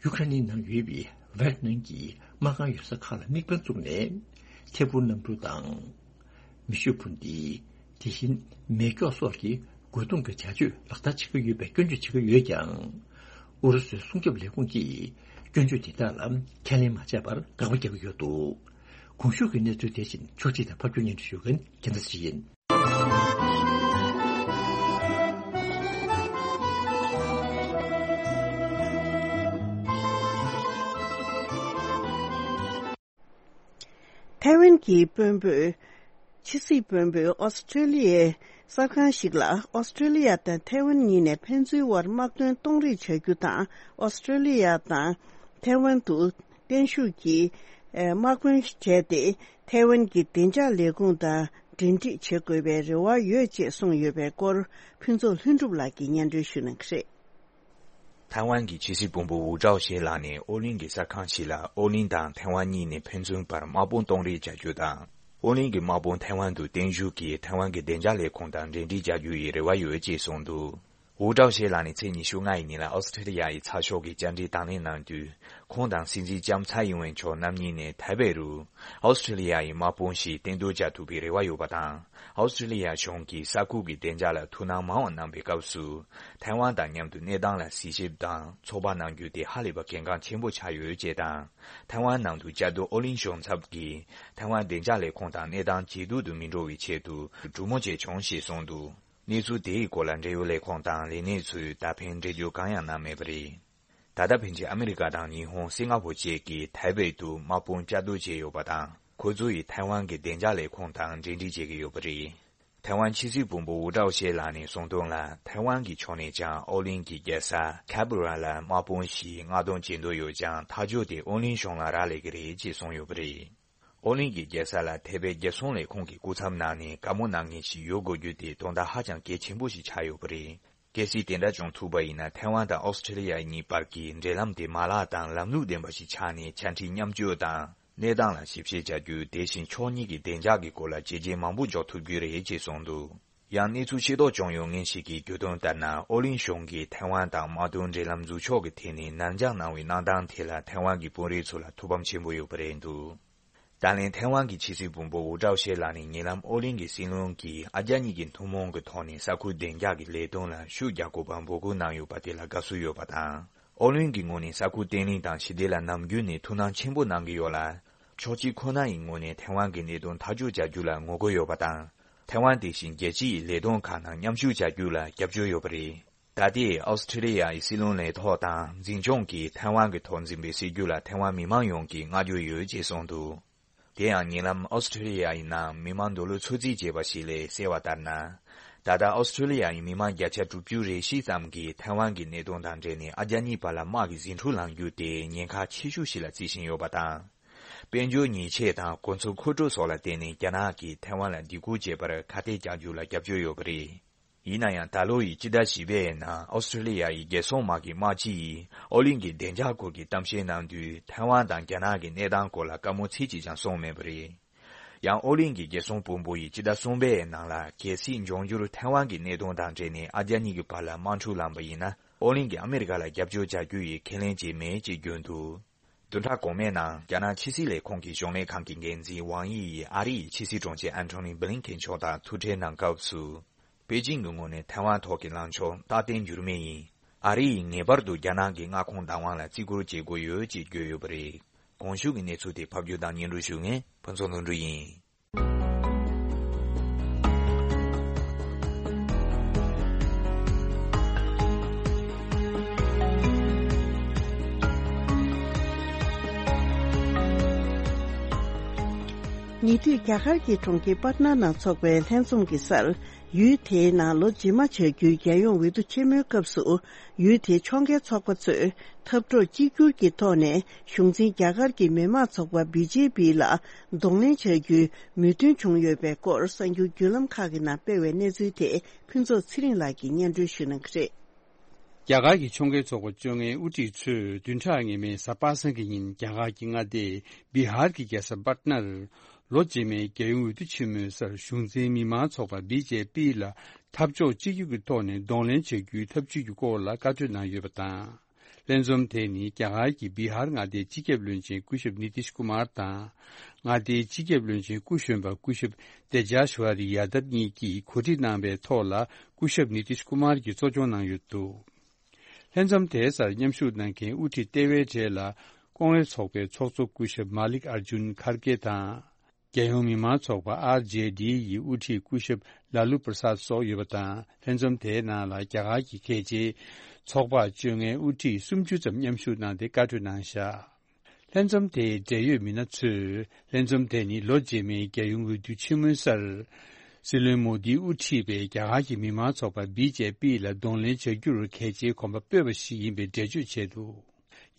ཡུ་ཁ་རེན་ནང་ཡོད་པའི་ཝེག་ནར་གྱི་དམག་ཁང་ཡོད་ས་ཁག་ལ་དམིགས་འབེན་བཙུགས་ནས། ཐད་འཕུར་གནམ་གྲུ་དང་། མེ་ཤུགས་འཕུར་མདེལ། དེ་བཞིན་མེ་སྒྱོགས་སོགས་ཀྱི་ རྒོལ་རྡུང་གི་བྱ་སྤྱོད་ལག་བསྟར་བྱེད་ཀྱི་ཡོད་པའི་སྐྱོན་བརྗོད་བྱེད་ཀྱི་ཡོད་ཀྱང་། ཨུ་རུ་སུའི་སྲུང་སྐྱོབ་ལས་ཁུངས་ཀྱིས་སྐྱོན་བརྗོད་དེ་དག་ལ་ཁས་ལེན་མ་བྱས་པར་དགག་པ་རྒྱག་གི་ཡོད་འདུག། གོང་ཞུས་ཀྱི་གནས་ཚུལ་དེ་བཞིན་ཕྱོགས་སྒྲིག་དང་ཕབ་སྒྱུར་སྙན་སྒྲོན་ཞུ་མཁན་རྒྱལ་མཚན་ཞིག་ཡིན། ཐའེ་ཝན་གྱི་དཔོན་པོས། ཕྱི་སྲིད་དཔོན་པོས་ཨོ་སི་ཁྲེ་ལི་ཡའི་གསར་ཁང་ཞིག་ལ་ཨོ་སི་ཁྲེ་ལི་ཡ་དང་ཐའེ་ཝན་གཉིས་ནས་ཕན་ཚུན་དབར་དམག་དོན་གཏོང་རེས་བྱ་རྒྱུ་དང་། ཨོ་སི་ཁྲེ་ལི་ཡ་དང་ཐའེ་ཝན་དུ་བརྟན་བཞུགས་ཀྱིས་དམག་དཔོན་བྱས་ཏེ། ཐའེ་ཝན་གྱི་བདེ་འཇགས་ལས་ཁུངས་དང་འབྲེལ་འདྲིས་བྱེད་དགོས་པའི་རེ་བ་ཡོད་ཅེས་གསུངས་ཡོད་པའི་སྐོར། ཕུན་ཚོགས་ལྷུན་གྲུབ་ལགས་ཀྱིས་སྙན་སྒྲོན་ཞུ་གནང་གི་རེད། ཐའེ་ཝན་གྱི་ཕྱི་སྲིད་དཔོན་པོ་ཝུ་ཀྲའོ་ཤེ་ལགས་ནས་ཨོ་གླིང་གི་གསར་ཁང་ཞིག་ལ་ཨོ་གླིང་དང་ཐའེ་ཝན་གཉིས་ནས་ཕན་ཚུན་བར་དམག་དཔུང་གཏོང་རེས་བྱ་རྒྱུ་དང་། ཨོ་གླིང་གི་དམག་དཔུང་ཐའེ་ཝན་དུ་བརྟན་བཞུགས་ཀྱིས་ཐའེ་ཝན་གྱི་བདེ་འཇགས་ལས་ཁུངས་དང་འབྲེལ་འདྲིས་བྱ་རྒྱུ་ཡི་རེ་བ་ཡོད་ཅེས་གསུངས་འདུག། ཝུ་ཀྲའོ་ཤེ་ལགས་ནས་ཚེས་ཉི་ཤུ་ལྔ་ཡི་ཉིན་ལ་ཨོ་སི་ཁྲེ་ལི་ཡ་ཡི་ཚགས་ཤོག་གི་བཅར་འདྲི་དང་ལེན་གནང་དུས། ཁོང་དང་སྲིད་འཛིན་ལྕམ་ཚའེ་ཡིན་ཝེན་མཆོག་རྣམ་གཉིས་ནས་ཐའེ་པེ་རུ་ཨོ་སི་ཁྲེ་ལི་ཡ་ཡི་དམག་དཔུང་ཞིག་གཏན་འདུ་བྱ་ཐུབ་པའི་རེ་བ་ཡོད་པ་དང་། ཨོ་སི་ཁྲེ་ལི་ཡ་གཞུང་གིས་ས་ཁུལ་གྱི་བདེ་འཇགས་ལ་ཐུགས་སྣང་མང་བ་གནང་པའི་སྐབས་སུ། ཐའེ་ཝན་དང་མཉམ་དུ་གནས་སྟངས་ལ་གཟིགས་ཞིབ་དང་ཚོད་དཔག་གནང་རྒྱུ་དེ་ཧ་ལས་པ་གལ་འགངས་ཆེན་པོ་ཆགས་ཡོད་ཅེས་དང་། ཐའེ་ཝན་ནང་དུ་བཅའ་སྡོད་ཨོ་གླིང་གཞུང་ཚབ་ཀྱིས་ཐའེ་ཝན་བདེ་འཇགས་ལས་ཁུངས་དང་གནས་སྟངས་ཇེ་སྡུག་ཏུ་མི་འགྲོ་བའི་ཆེད་དུ་གྲོས་མོལ་བྱས་བྱུང་ཞེས་གསུངས་འདུག། གནས་ཚུལ་དེའི་སྐོར་ལ་འབྲེལ་ཡོད་ལས་ཁུངས་དང་ལས་སྣེ་ཚོས་ད་ཕན་འགྲེལ་བརྗོད་གང་ཡང་གནང་མེད་པ་རེད། ད་ལྟ་ཕན་ཆད་ཨ་མི་རི་ཀ་དང་ཉི་ཧོང་། སིང་ག་ཕོར་བཅས་ཀྱིས་ཐའེ་པེ་དུ་དམག་དཔུང་བཅའ་སྡོད་བྱས་ཡོད་པ་དང་། ཁོ་ཚོ་ཡིས་ཐའེ་ཝན་གྱི་བདེ་འཇགས་ལས་ཁུངས་དང་འབྲེལ་འདྲིས་བྱེད་ཀྱི་ཡོད་པ་རེད། ཐའེ་ཝན་ཕྱི་སྲིད་དཔོན་པོ་ཝུ་ཀྲའོ་ཤེ་ལགས་ནས་གསུངས་དོན་ལ། ཐའེ་ཝན་གྱི་ཕྱོགས་ནས་ཀྱང་ཨོ་གླིང་གི་རྒྱལ་ས་ཁན་བྷེ་ར་ལ་དམག་དཔུང་ཞིག་མངགས་གཏོང་བྱེད་འདོད་ཡོད་ཀྱང་། ཐག་གཅོད་དེ་ཨོ་གླིང་གཞུང་ལ་རག་ལས་ཀྱི་རེད་ཅེས་གསུངས་ཡོད་པ་རེད། ཨོ་གླིང་གི་རྒྱལ་ས་ལ་ཐའེ་པེ་རྒྱལ་སྲུང་ལས་ཁུངས་ཀྱི་སྐུ་ཚབ་གནང་ནས་བཀའ་མོལ་གནང་མཁན་ཞིག་ཡོད་དགོས་རྒྱུ་དེ་དོན་དག་ཧ་ཅང་གལ་ཆེན་པོ་ཞིག་ཆགས་ཡོད་པ་རེད། གལ་སྲིད་དེ་འདྲ་བྱུང་ཐུབ་པ་ཡིན་ན། ཐའེ་ཝན་དང་ཨོ་སི་ཁྲེ་ལི་ཡ་གཉིས་བར་གྱི་འབྲེལ་ལམ་དེ་མ་ལག་དང་ལམ་ལུགས་ལྡན་པ་ཞིག་ཆགས་ནས། ཆ་འཕྲིན་མཉམ་སྤྱོད་དང་གནས་སྟངས་ལ་ཞིབ་བཤེར་བྱ་རྒྱུ། དེ་བཞིན་ཕྱོགས་གཉིས་ཀྱི་བདེ་འཇགས་ཀྱི་སྐོར་ལ་བྱས་རྗེས་མང་པོ་འཇོག་ཐུབ་རྒྱུ་རེད་ཅེས་གསུངས་འདུག། ཡང་གནས་ཚུལ་ཤེས་རྟོགས་བྱུང་ཡོད་མཁན་ཞིག་གིས་བརྗོད་དོན་ལྟར་ན། ཨོ་གླིང་གཞུང་གིས་ཐའེ་ཝན་དང་དམག་དོན་འབྲེལ་ལམ་འཛུགས་ཕྱོགས་ཀྱི་ཐད་ནས་ནར་འགྱངས་གནང་བའི་གནང་སྟངས་དེ་ལ་ཐའེ་ཝན་གྱི་དཔོན་རིགས་ཚོ་ལ་ཐུགས་ཕམ་ཆེན་པོ་ཡོད་པ་རེད་འདུག། ད་ལན་ཐའེ་ཝན་གྱི་ཕྱི་སྲིད་དཔོན་པོ་ཝུ་ཀྲའོ་ཤེ་ལགས་ནས་ཉེ་ལམ་ཨོ་གླིང་གི་སྲིད་བློན་གྱིས་ཨ་རྒྱ་གཉིས་ཀྱི་ཐུན་མོང་གི་ཐོག་ནས་ས་ཁུལ་བདེ་འཇགས་ཀྱི་ལས་དོན་ལ་ཤུགས་རྒྱག་དགོས་པར་འབོད་སྐུལ་གནང་ཡོད་པ་དེ་ལ་དགའ་བསུ་ཡོད་པ་དང་། ཨོ་གླིང་གི་ངོས་ནས་ས་ཁུལ་བརྟན་ལྷིང་དང་ཞི་བདེ་ལ་ནམ་རྒྱུན་ནས་ཐུགས་སྣང་ཆེན་པོ་གནང་གི་ཡོད་ལ། ཕྱོགས་གཅིག་ཁོ་ན་ཡི་ངོས་ནས་ཐའེ་ཝན་གྱི་གནད་དོན་ཐག་གཅོད་བྱ་རྒྱུ་ལ་ངོ་རྒོལ་ཡོད་པ་དང་། ཐའེ་ཝན་དེ་བཞིན་རྒྱལ་སྤྱི་ཡི་ལས་དོན་ཁག་ནང་མཉམ་ཞུགས་བྱ་རྒྱུ་ལ་རྒྱབ་སྐྱོར་ཡོད་པ་རེད། ད་ལྟའི་ཨོ་སི་ཁྲེ་ལི་ཡ་ཡི་སྲིད་བློན་ལས་ཐོག་དང་འཛིན་སྐྱོང་གིས་ཐའེ་ཝན་གྱི་ཐོག་འཛིན་པའི་སྲིད་ཇུས་ལ་ཐའེ་ཝན་མི་མང་ཡོངས་ཀྱིས་བསྔགས་བརྗོད་ཡོད་ཅེས་གསུངས་འདུག། དེ་ཡང་ཉེ་ལམ་ཨོ་སི་ཁྲེ་ལི་ཡ་ཡི་ནང་མི་མང་འདོད་བློ་ཚོད་རྩིས་བྱས་པ་ཞིག་ལས་གསལ་བ་ལྟར་ན། ད་ལྟ་ཨོ་སི་ཁྲེ་ལི་ཡ་ཡི་མི་མང་བརྒྱ་ཆ་དྲུག་ཅུ་རེ་བཞི་ཙམ་གྱིས་ཐའེ་ཝན་གྱི་གནད་དོན་དང་འབྲེལ་ནས་ཨ་རྒྱ་གཉིས་བར་ལ་དམག་གི་ཟིང་འཁྲུག་ལངས་རྒྱུ་དེ་ཉེན་ཁ་ཆེ་ཤོས་ཤིག་ལ་བརྩི་བཞིན་ཡོད་པ་དང་། དཔལ་འབྱོར་ཉེས་ཆད་དང་གོ་མཚོན་མཁོ་སྤྲོད་སོགས་ལ་བརྟེན་ནས་རྒྱ་ནག་གིས་ཐའེ་ཝན་ལ་སྡིགས་སྐུལ་བྱེད་པར་ཁ་གཏད་གཅོག་རྒྱུ་ལ་རྒྱབ་སྐྱོར་ཡོད་པ་རེད། ཡིན་ན་ཡང་། ད་ལོ་ཡི་སྤྱི་ཟླ་བཞི་པའི་ནང་ཨོ་སི་ཁྲེ་ལི་ཡ་ཡི་རྒྱལ་སྲུང་དམག་གི་དམག་སྤྱི་ཡིས་ཨོ་གླིང་གི་བདེ་འཇགས་སྐོར་གྱི་གཏམ་བཤད་གནང་དུས། ཐའེ་ཝན་དང་རྒྱ་ནག་གི་གནས་སྟངས་སྐོར་ལ་བཀའ་མོལ་ཚིག་གཅིག་ཀྱང་གསུངས་མེད་པ་རེད། ཡང་ཨོ་གླིང་གི་རྒྱལ་སྲུང་དཔོན་པོ་ཡིས་སྤྱི་ཟླ་གསུམ་པའི་ནང་ལ། གལ་སྲིད་འབྱུང་འགྱུར་ཐའེ་ཝན་གྱི་གནད་དོན་དང་འབྲེལ་ནས་ཨ་རྒྱ་གཉིས་ཀྱི་བར་ལ་དམག་འཁྲུག་ལངས་པ་ཡིན་ན། ཨོ་གླིང་གིས་ཨ་མི་རི་ཀ་ལ་རྒྱབ་སྐྱོར་བྱ་རྒྱུ་ཡི་ཁས་ལེན་བྱས་མེད་ཅེས་བརྗོད་འདུག། བདུན་ཕྲག་གོང་མའི་ནང་རྒྱ་ནག་ཕྱི་སྲིད་ལས་ཁུངས་ཀྱི་གཞུང་ལས་ཁང་གི་འགན་འཛིན་ཝང་དབྱི་ཡིས་ཨ་རི་ཡི་ཕྱི་སྲིད་དྲུང་ཆེ་ཨན་ཐོ་ནི་བྷི་ལིན་ཀེན་མཆོག་དང་ཐུག་འཕྲད་གནང་སྐབས་སུ། པེ་ཅིང་གི་ངོས་ནས་ཐའེ་ཝན་ཐོག་གི་ལངས་ཕྱོགས་རྟག་བརྟན་འགྱུར་མེད་ཡིན། ཨ་རི་ཡིས་ངེས་པར་དུ་རྒྱ་ནག་གི་མངའ་ཁོངས་བདག་དབང་ལ་བརྩི་བཀུར་བྱེད་དགོས་ཡོད་ཅེས་བརྗོད་ཡོད་པ་རེད། གོང་ཞུས་ཀྱི་གནས་ཚུལ་དེ་ཕབ་སྒྱུར་དང་སྙན་སྒྲོན་ཞུ་མཁན་ཕུན་ཚོགས་ལྷུན་གྲུབ་ཡིན། ཉེ་དུས་རྒྱ་གར་གྱི་གྲོང་ཁྱེར་པཊ་ན་ནང་འཚོགས་པའི་ལྷན་འཛོམས་ཀྱི་སར། ཡུལ་དེའི་ནང་ལོ་རྗེས་མ་བྱ་རྒྱུའི་རྒྱལ་ཡོངས་འོས་བསྡུ་ཆེན་མོའི་སྐབས་སུ། ཡུལ་དེའི་ཕྱོགས་འགལ་ཚོགས་པ་ཚོས་འཐབ་གྲོགས་གཅིག་གྱུར་གྱི་ཐོག་ནས་གཞུང་འཛིན་རྒྱ་གར་གྱི་མི་དམངས་ཚོགས་པ་བི་ཇེ་པི་ལ་གདོང་ལེན་བྱ་རྒྱུའི་མོས་མཐུན་བྱུང་ཡོད་པའི་སྐོར་གསར་འགྱུར་བརྒྱུད་ལམ་ཁག་གི་ནང་སྤེལ་བའི་གནས་ཚུལ་དེ་ཕུན་ཚོགས་ཚེ་རིང་ལགས་ཀྱིས་སྙན་སྒྲོན་ཞུ་གནང་གི་རེད། རྒྱ་གར་གྱི་ཕྱོགས་འགལ་ཚོགས་པ་བཅོ་ལྔའི་དབུ་ཁྲིད་ཚོས་བདུན་ཕྲག་སྔོན་མའི་གཟའ་པ་སངས་ཀྱི་ཉིན་རྒྱ་གར་གྱི་མངའ་སྡེ་བི་ཧར་གྱི་རྒྱལ་ས་པཊ་ནར་ལོ་རྗེས་མའི་རྒྱལ་ཡོངས་འོས་བསྡུ་ཆེན་མོའི་སར་གཞུང་འཛིན་མི་མང་ཚོགས་པ་བི་ཇེ་པི་ལ་འཐབ་ཕྱོགས་གཅིག་གྱུར་གྱི་ཐོག་ནས་གདོང་ལེན་བྱ་རྒྱུའི་ཐབས་ཇུས་ཀྱི་སྐོར་ལ་བཀའ་འཁྲོལ་གནང་ཡོད་པ་དང་། ལྷན་འཛོམས་དེ་ནི་རྒྱ་གར་གྱི་བི་ཧར་མངའ་སྡེའི་སྤྱི་ཁྱབ་བློན་ཆེན་སྐུ་ཞབས་ནི་ཏིཤ་ཀུ་མར་དང་། མངའ་སྡེའི་སྤྱི་ཁྱབ་བློན་ཆེན་སྐུ་གཞོན་པ་སྐུ་ཞབས་ཏེ་ཇཱ་ཤ་ཝ་རི་ཡ་དབ་གཉིས་ཀྱིས་གོ་སྒྲིག་གནང་བའི་ཐོག་ལ་སྐུ་ཞབས་ནི་ཏིཤ་ཀུ་མར་གྱིས་གཙོ་སྐྱོང་གནང་ཡོད་འདུག་ལྷན་འཛོམས་དེའི་སར་མཉམ་ཞུགས་གནང་མཁན་དབུ་ཁྲིད་ལྟེ་བའི་གྲས་ལ་ཀོང་རེ་ཚོགས་པའི་ཚོགས་གཙོ་སྐུ་ཞབས་མ་ལིག་ཨར་ཇུན་ཁར་གེ་དང་། རྒྱལ་ཡོངས་མི་མང་ཚོགས་པ་ཨར་ཇེ་ཌི་ཡི་དབུ་ཁྲིད་སྐུ་ཞབས་ལ་ལུ་པྲ་སཱད་སོགས་ཡོད་པ་དང་། ལྷན་འཛོམས་དེའི་ནང་ལ་རྒྱ་གར་གྱི་གལ་ཆེའི་ཚོགས་པ་བཅོ་ལྔའི་དབུ་ཁྲིད་སུམ་ཅུ་ཙམ་མཉམ་ཞུགས་གནང་སྟེ་བཀའ་གྲོས་གནང་བཞག་ལྷན་འཛོམས་དེའི་འབྲེལ་ཡོད་མི་སྣ་ཚོས་ལྷན་འཛོམས་དེ་ནི་ལོ་རྗེས་མའི་རྒྱལ་ཡོངས་འོས་བསྡུ་ཆེན་མོའི་སར། སྲིད་བློན་མོ་དིས་དབུ་ཁྲིད་པའི་རྒྱ་གར་གྱི་མི་མང་ཚོགས་པ་བི་ཇེ་པི་ལ་གདོང་ལེན་བྱ་རྒྱུར་གལ་ཆེའི་གོམ་པ་སྤོས་པ་ཞིག་ཡིན་པའི་འགྲེལ་བརྗོད་བྱས་འདུག་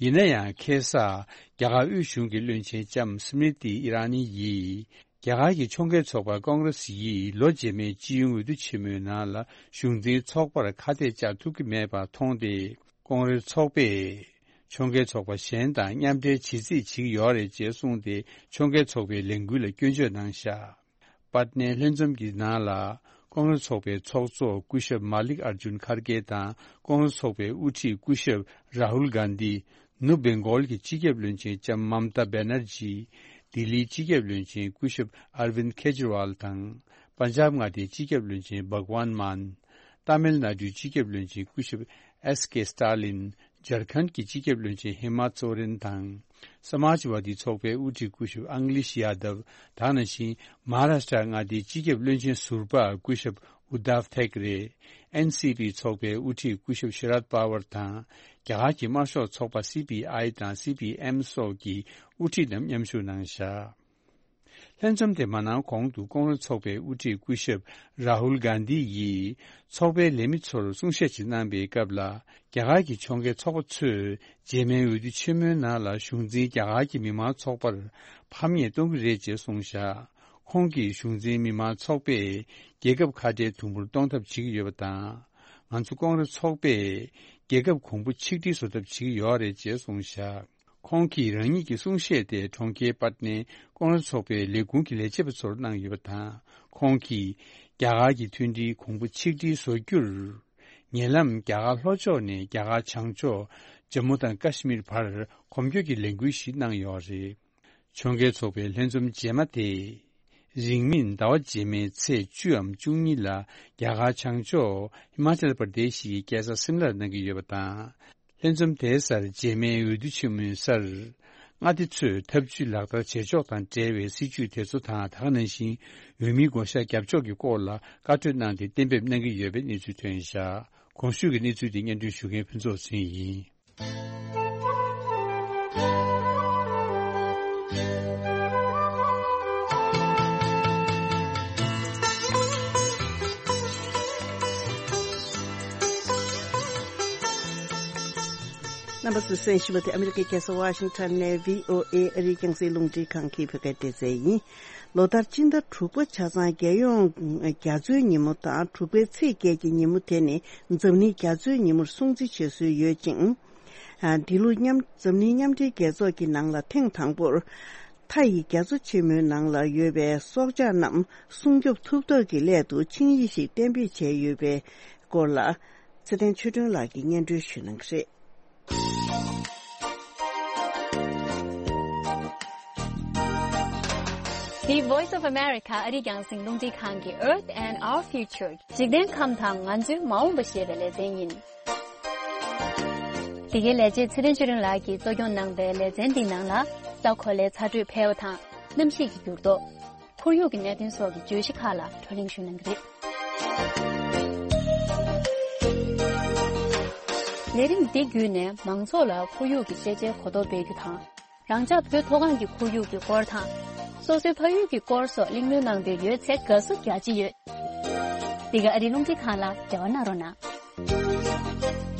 ཡིན་ན་ཡང་ཁ་སང་རྒྱ་གར་དབུས་གཞུང་གི་བློན་ཆེན་ལྕམ་སི་མྲི་ཏི་ཨི་ར་ནི་ཡིས། རྒྱ་གར་གྱི་ཕྱོགས་འགལ་ཚོགས་པ་ཀོང་རེ་སི་ཡིས་ལོ་རྗེས་མའི་སྤྱི་ཡོངས་འོས་བསྡུ་ཆེན་མོའི་ནང་ལ་གཞུང་འཛིན་ཚོགས་པར་ཁ་གཏད་བཅག་ཐུབ་ཀྱི་མེད་པ་མཐོང་སྟེ། ཀོང་རེ་སི་ཚོགས་པས་ཕྱོགས་འགལ་ཚོགས་པ་གཞན་དང་མཉམ་འབྲེལ་བྱེད་རྩིས་བྱེད་ཀྱི་ཡོད་རེད་ཅེས་གསུངས་ཏེ། ཕྱོགས་འགལ་ཚོགས་པའི་ལས་འགུལ་ལ་སྐྱོན་བརྗོད་གནང་བཞག་པ་ནས་ལྷན་འཛོམས་ཀྱི་ནང་ལ་ཀོང་རེ་སི་ཚོགས་པའི་ཚོགས་གཙོ་སྐུ་ཞབས་མ་ལིག་ཨར་ཇུན་ཁར་གེ་དང་། ཀོང་རེ་སི་ཚོགས་པའི་དབུ་ཁྲིད་སྐུ་ཞབས་རཱ་ཧུལ་གྷན་དྷི། ནུབ་བེང་གོལ་གྱི་སྤྱི་ཁྱབ་བློན་ཆེན་ལྕམ་མམ་ཏཱ་བེ་ནར་ཇི། ལྡི་ལིའི་སྤྱི་ཁྱབ་བློན་ཆེན་སྐུ་ཞབས་ཨར་ཝིན་ཁེ་ཇི་རི་ཝལ་དང་། པན་ཇབ་མངའ་སྡེའི་སྤྱི་ཁྱབ་བློན་ཆེན་བྷག་ཝན་མཱན། ཏཱ་མིལ་ནཱ་ཌུའི་སྤྱི་ཁྱབ་བློན་ཆེན་སྐུ་ཞབས་ཨེས་ཀེ་སི་ཏཱ་ལིན། ཇར་ཁན་གྱི་སྤྱི་ཁྱབ་བློན་ཆེན་ཧེ་མ་ཚོ་རེན་དང་། སྨཱཇ་ཝ་དི་ཚོགས་པའི་དབུ་ཁྲིད་སྐུ་ཞབས་ཨང་ལིཤ་ཡ་དབ། དེ་ནང་བཞིན་མ་ཧཱ་རཱ་ཤ་ཊ་མངའ་སྡེའི་སྤྱི་ཁྱབ་བློན་ཆེན་ཟུར་པ་སྐུ་ཞབས་ཨུ་དྷབ་ཐེག་རེ། ཨེན་སི་པི་ཚོགས་པའི་དབུ་ཁྲིད་སྐུ་ཞབས་ཤི་རད་པ་ཝར་དང་། རྒྱ་གར་གྱི་དམར་ཤོག་ཚོགས་པ་སི་པི་ཨའི་དང་སི་པི་ཨེམ་སོགས་ཀྱི་དབུ་ཁྲིད་རྣམས་མཉམ་ཞུགས་གནང་བཞག་ལྷན་འཛོམས་དེ་མ་གནང་གོང་དུ་ཀོང་རེ་སི་ཚོགས་པའི་དབུ་ཁྲིད་སྐུ་ཞབས་རཱ་ཧུལ་གྷན་དྷི་ཡིས་ཚོགས་པའི་ལས་མི་ཚོར་གསུང་བཤད་ཅིག་གནང་པའི་སྐབས་ལ། རྒྱ་གར་གྱི་ཕྱོགས་འགལ་ཚོགས་པ་ཚོས་རྗེས་མའི་འོས་བསྡུ་ཆེན་མོའི་ནང་ལ་གཞུང་འཛིན་རྒྱ་གར་གྱི་མི་མང་ཚོགས་པར་ཕམ་ཉེས་གཏོང་གི་རེད་ཅེས་གསུངས་བཞག་ཁོང་གིས་གཞུང་འཛིན་མི་མང་ཚོགས་པས་རྒྱལ་ཁབ་ཁ་བྲལ་དུམ་བུར་གཏོང་ཐབས་བྱེད་ཀྱི་ཡོད་པ་དང་། ང་ཚོ་ཀོང་རེ་སི་ཚོགས་པས་རྒྱལ་ཁབ་གོང་བུ་ཆིག་སྒྲིལ་བཟོ་ཐབས་བྱེད་ཀྱི་ཡོད་རེད་ཅེས་གསུངས་བཞག་ཁོང་གིས་རང་ཉིད་ཀྱི་གསུང་བཤད་དེ་གྲོང་ཁྱེར་པད་ནའི་ཀོང་རེ་སི་ཚོགས་པའི་ལས་ཁུངས་ཀྱི་ལས་བྱེད་པ་ཚོར་གནང་ཡོད་པ་དང་། ཁོང་གིས་རྒྱ་གར་གྱི་མཐུན་སྒྲིལ་གོང་བུ་ཆིག་སྒྲིལ་བཟོ་རྒྱུར། ཉེ་ལམ་རྒྱ་གར་ལྷོ་ཕྱོགས་ནས་རྒྱ་གར་བྱང་ཕྱོགས་ཇམ་མུ་དང་ཀ་ཤི་མིར་བར་གོམ་བགྲོད་ཀྱི་ལས་འགུལ་ཞིག་གནང་ཡོད་རེད། ཕྱོགས་འགལ་ཚོགས་པའི་ལྷན་འཛོམས་རྗེས་མ་དེ། རིང་མིན་ཟླ་བ་རྗེས་མའི་ཚེས་བཅུའམ་བཅུ་གཉིས་ལ་རྒྱ་གར་བྱང་ཕྱོགས་ཧི་མ་ཅལ་པར་དེ་ཤི་ཡི་རྒྱལ་ས་སིམ་ལར་གནང་གི་ཡོད་པ་དང་། ལྷན་འཛོམས་དེའི་སར་རྗེས་མའི་འོས་བསྡུ་ཆེན་མོའི་སར། མངའ་སྡེ་ཚོས་ཐབས་ཇུས་ལག་བསྟར་བྱེད་ཕྱོགས་དང་འབྲེལ་བའི་སྲིད་ཇུས་དེ་ཚོ་དང་། དེ་ག་ནང་བཞིན་འོས་མིའི་བགོ་བཤའ་རྒྱབ་ཕྱོགས་ཀྱི་སྐོར་ལ་བཀའ་གྲོས་གནང་སྟེ་གཏན་འབེབས་གནང་གི་ཡོད་པའི་གནས་ཚུལ་ཐོན་བཞག་གོང་ཞུས་ཀྱི་གནས་ཚུལ་དེ་སྙན་སྒྲོན་ཞུ་མཁན་ཕུན་ཚོགས་ཟིན་ཡིན། རྣམ་པ་ཚོས་གསན་བཞིན་པ་དེ་ཨ་མི་རི་ཀའི་རྒྱལ་ས་ཝ་ཤིང་ཊོན་ནས་བྷི་ཨོ་ཨེ་ཨ་རིའི་རྒྱང་སྲིང་རླུང་འཕྲིན་ཁང་གི་བོད་སྐད་སྡེ་ཚན་ཡིན། ལོ་ལྟར་སྤྱི་ཟླ་དྲུག་པ་ཆ་ཚང་རྒྱལ་ཡོངས་རྒྱ་མཚོའི་ཉིན་མོ་དང་། དྲུག་པའི་ཚེས་བརྒྱད་ཀྱི་ཉིན་མོ་དེ་ནི་འཛམ་གླིང་རྒྱ་མཚོའི་ཉིན་མོར་སྲུང་བརྩི་བྱེད་སྲོལ་ཡོད་ཅིང་། ཨ། འདི་ལོ་མཉམ། འཛམ་གླིང་མཉམ་འབྲེལ་རྒྱལ་ཚོགས་ཀྱི་ནང་ལ་ཐེངས་དང་པོར། མཐའ་ཡི་རྒྱ་མཚོ་ཆེན་མོའི་ནང་ལ་ཡོད་པའི་སྲོག་ཆགས་རྣམས་སྲུང་སྐྱོབ་ཐུབ་ཐབས་ཀྱི་སླད་དུ་ཆིངས་ཡིག་ཞིག་གཏན་འབེབས་བྱས་ཡོད་པའི་སྐོར་ལ། ཚེ་བརྟན་ཆོས་སྒྲོན་ལགས་ཀྱིས་སྙན་སྒྲོན་ཞུ་གནང་གི་རེད། འདི་Voice of America ཨ་རིའི་རྒྱང་སྲིང་རླུང་འཕྲིན་ཁང་གི་Earth and Our Future འཇིག་རྟེན་ཁམས་དང་ང་ཚོའི་མ་འོངས་པ་ཞེས་པའི་ལེ་ཚན་ཡིན། འདི་གའི་ལས་བྱེད་ཚེ་བརྟན་ཆོས་སྒྲོན་ལགས་ཀྱིས་གཙོ་སྐྱོང་གནང་པའི་ལེ་ཚན་འདིའི་ནང་ལ། ས་གོ་ལའི་ཚ་དྲོད་འཕེལ་བ་དང་། གནམ་གཤིས་ཀྱི་འགྱུར་ལྡོག་ཁོར་ཡུག་གི་གནད་དོན་སོགས་ཀྱི་བརྗོད་གཞི་ཁག་ལ་བགྲོ་གླེང་ཞུ་གནང་གི་རེད། ལས་རིམ་འདི་བརྒྱུད་ནས་མང་ཚོགས་ལ་ཁོར་ཡུག་གི་ཤེས་བྱའི་གོ་རྟོགས་སྤེལ་རྒྱུ་དང་། རང་ཅག་བོད་མཐོ་སྒང་གི་ཁོར་ཡུག་གི་སྐོར་དང་། སོ་སོའི་ཕ་ཡུལ་གྱི་སྐོར་སོགས་གླེང་མོལ་གནང་འདོད་ཡོད་ཚེ་དགའ་བསུ་རྒྱ་ཆེ་ཡོད། འདི་ག་ཨ་རིའི་རླུང་འཕྲིན་ཁང་ལ་འབྲེལ་བ་གནང་རོགས་གནང་།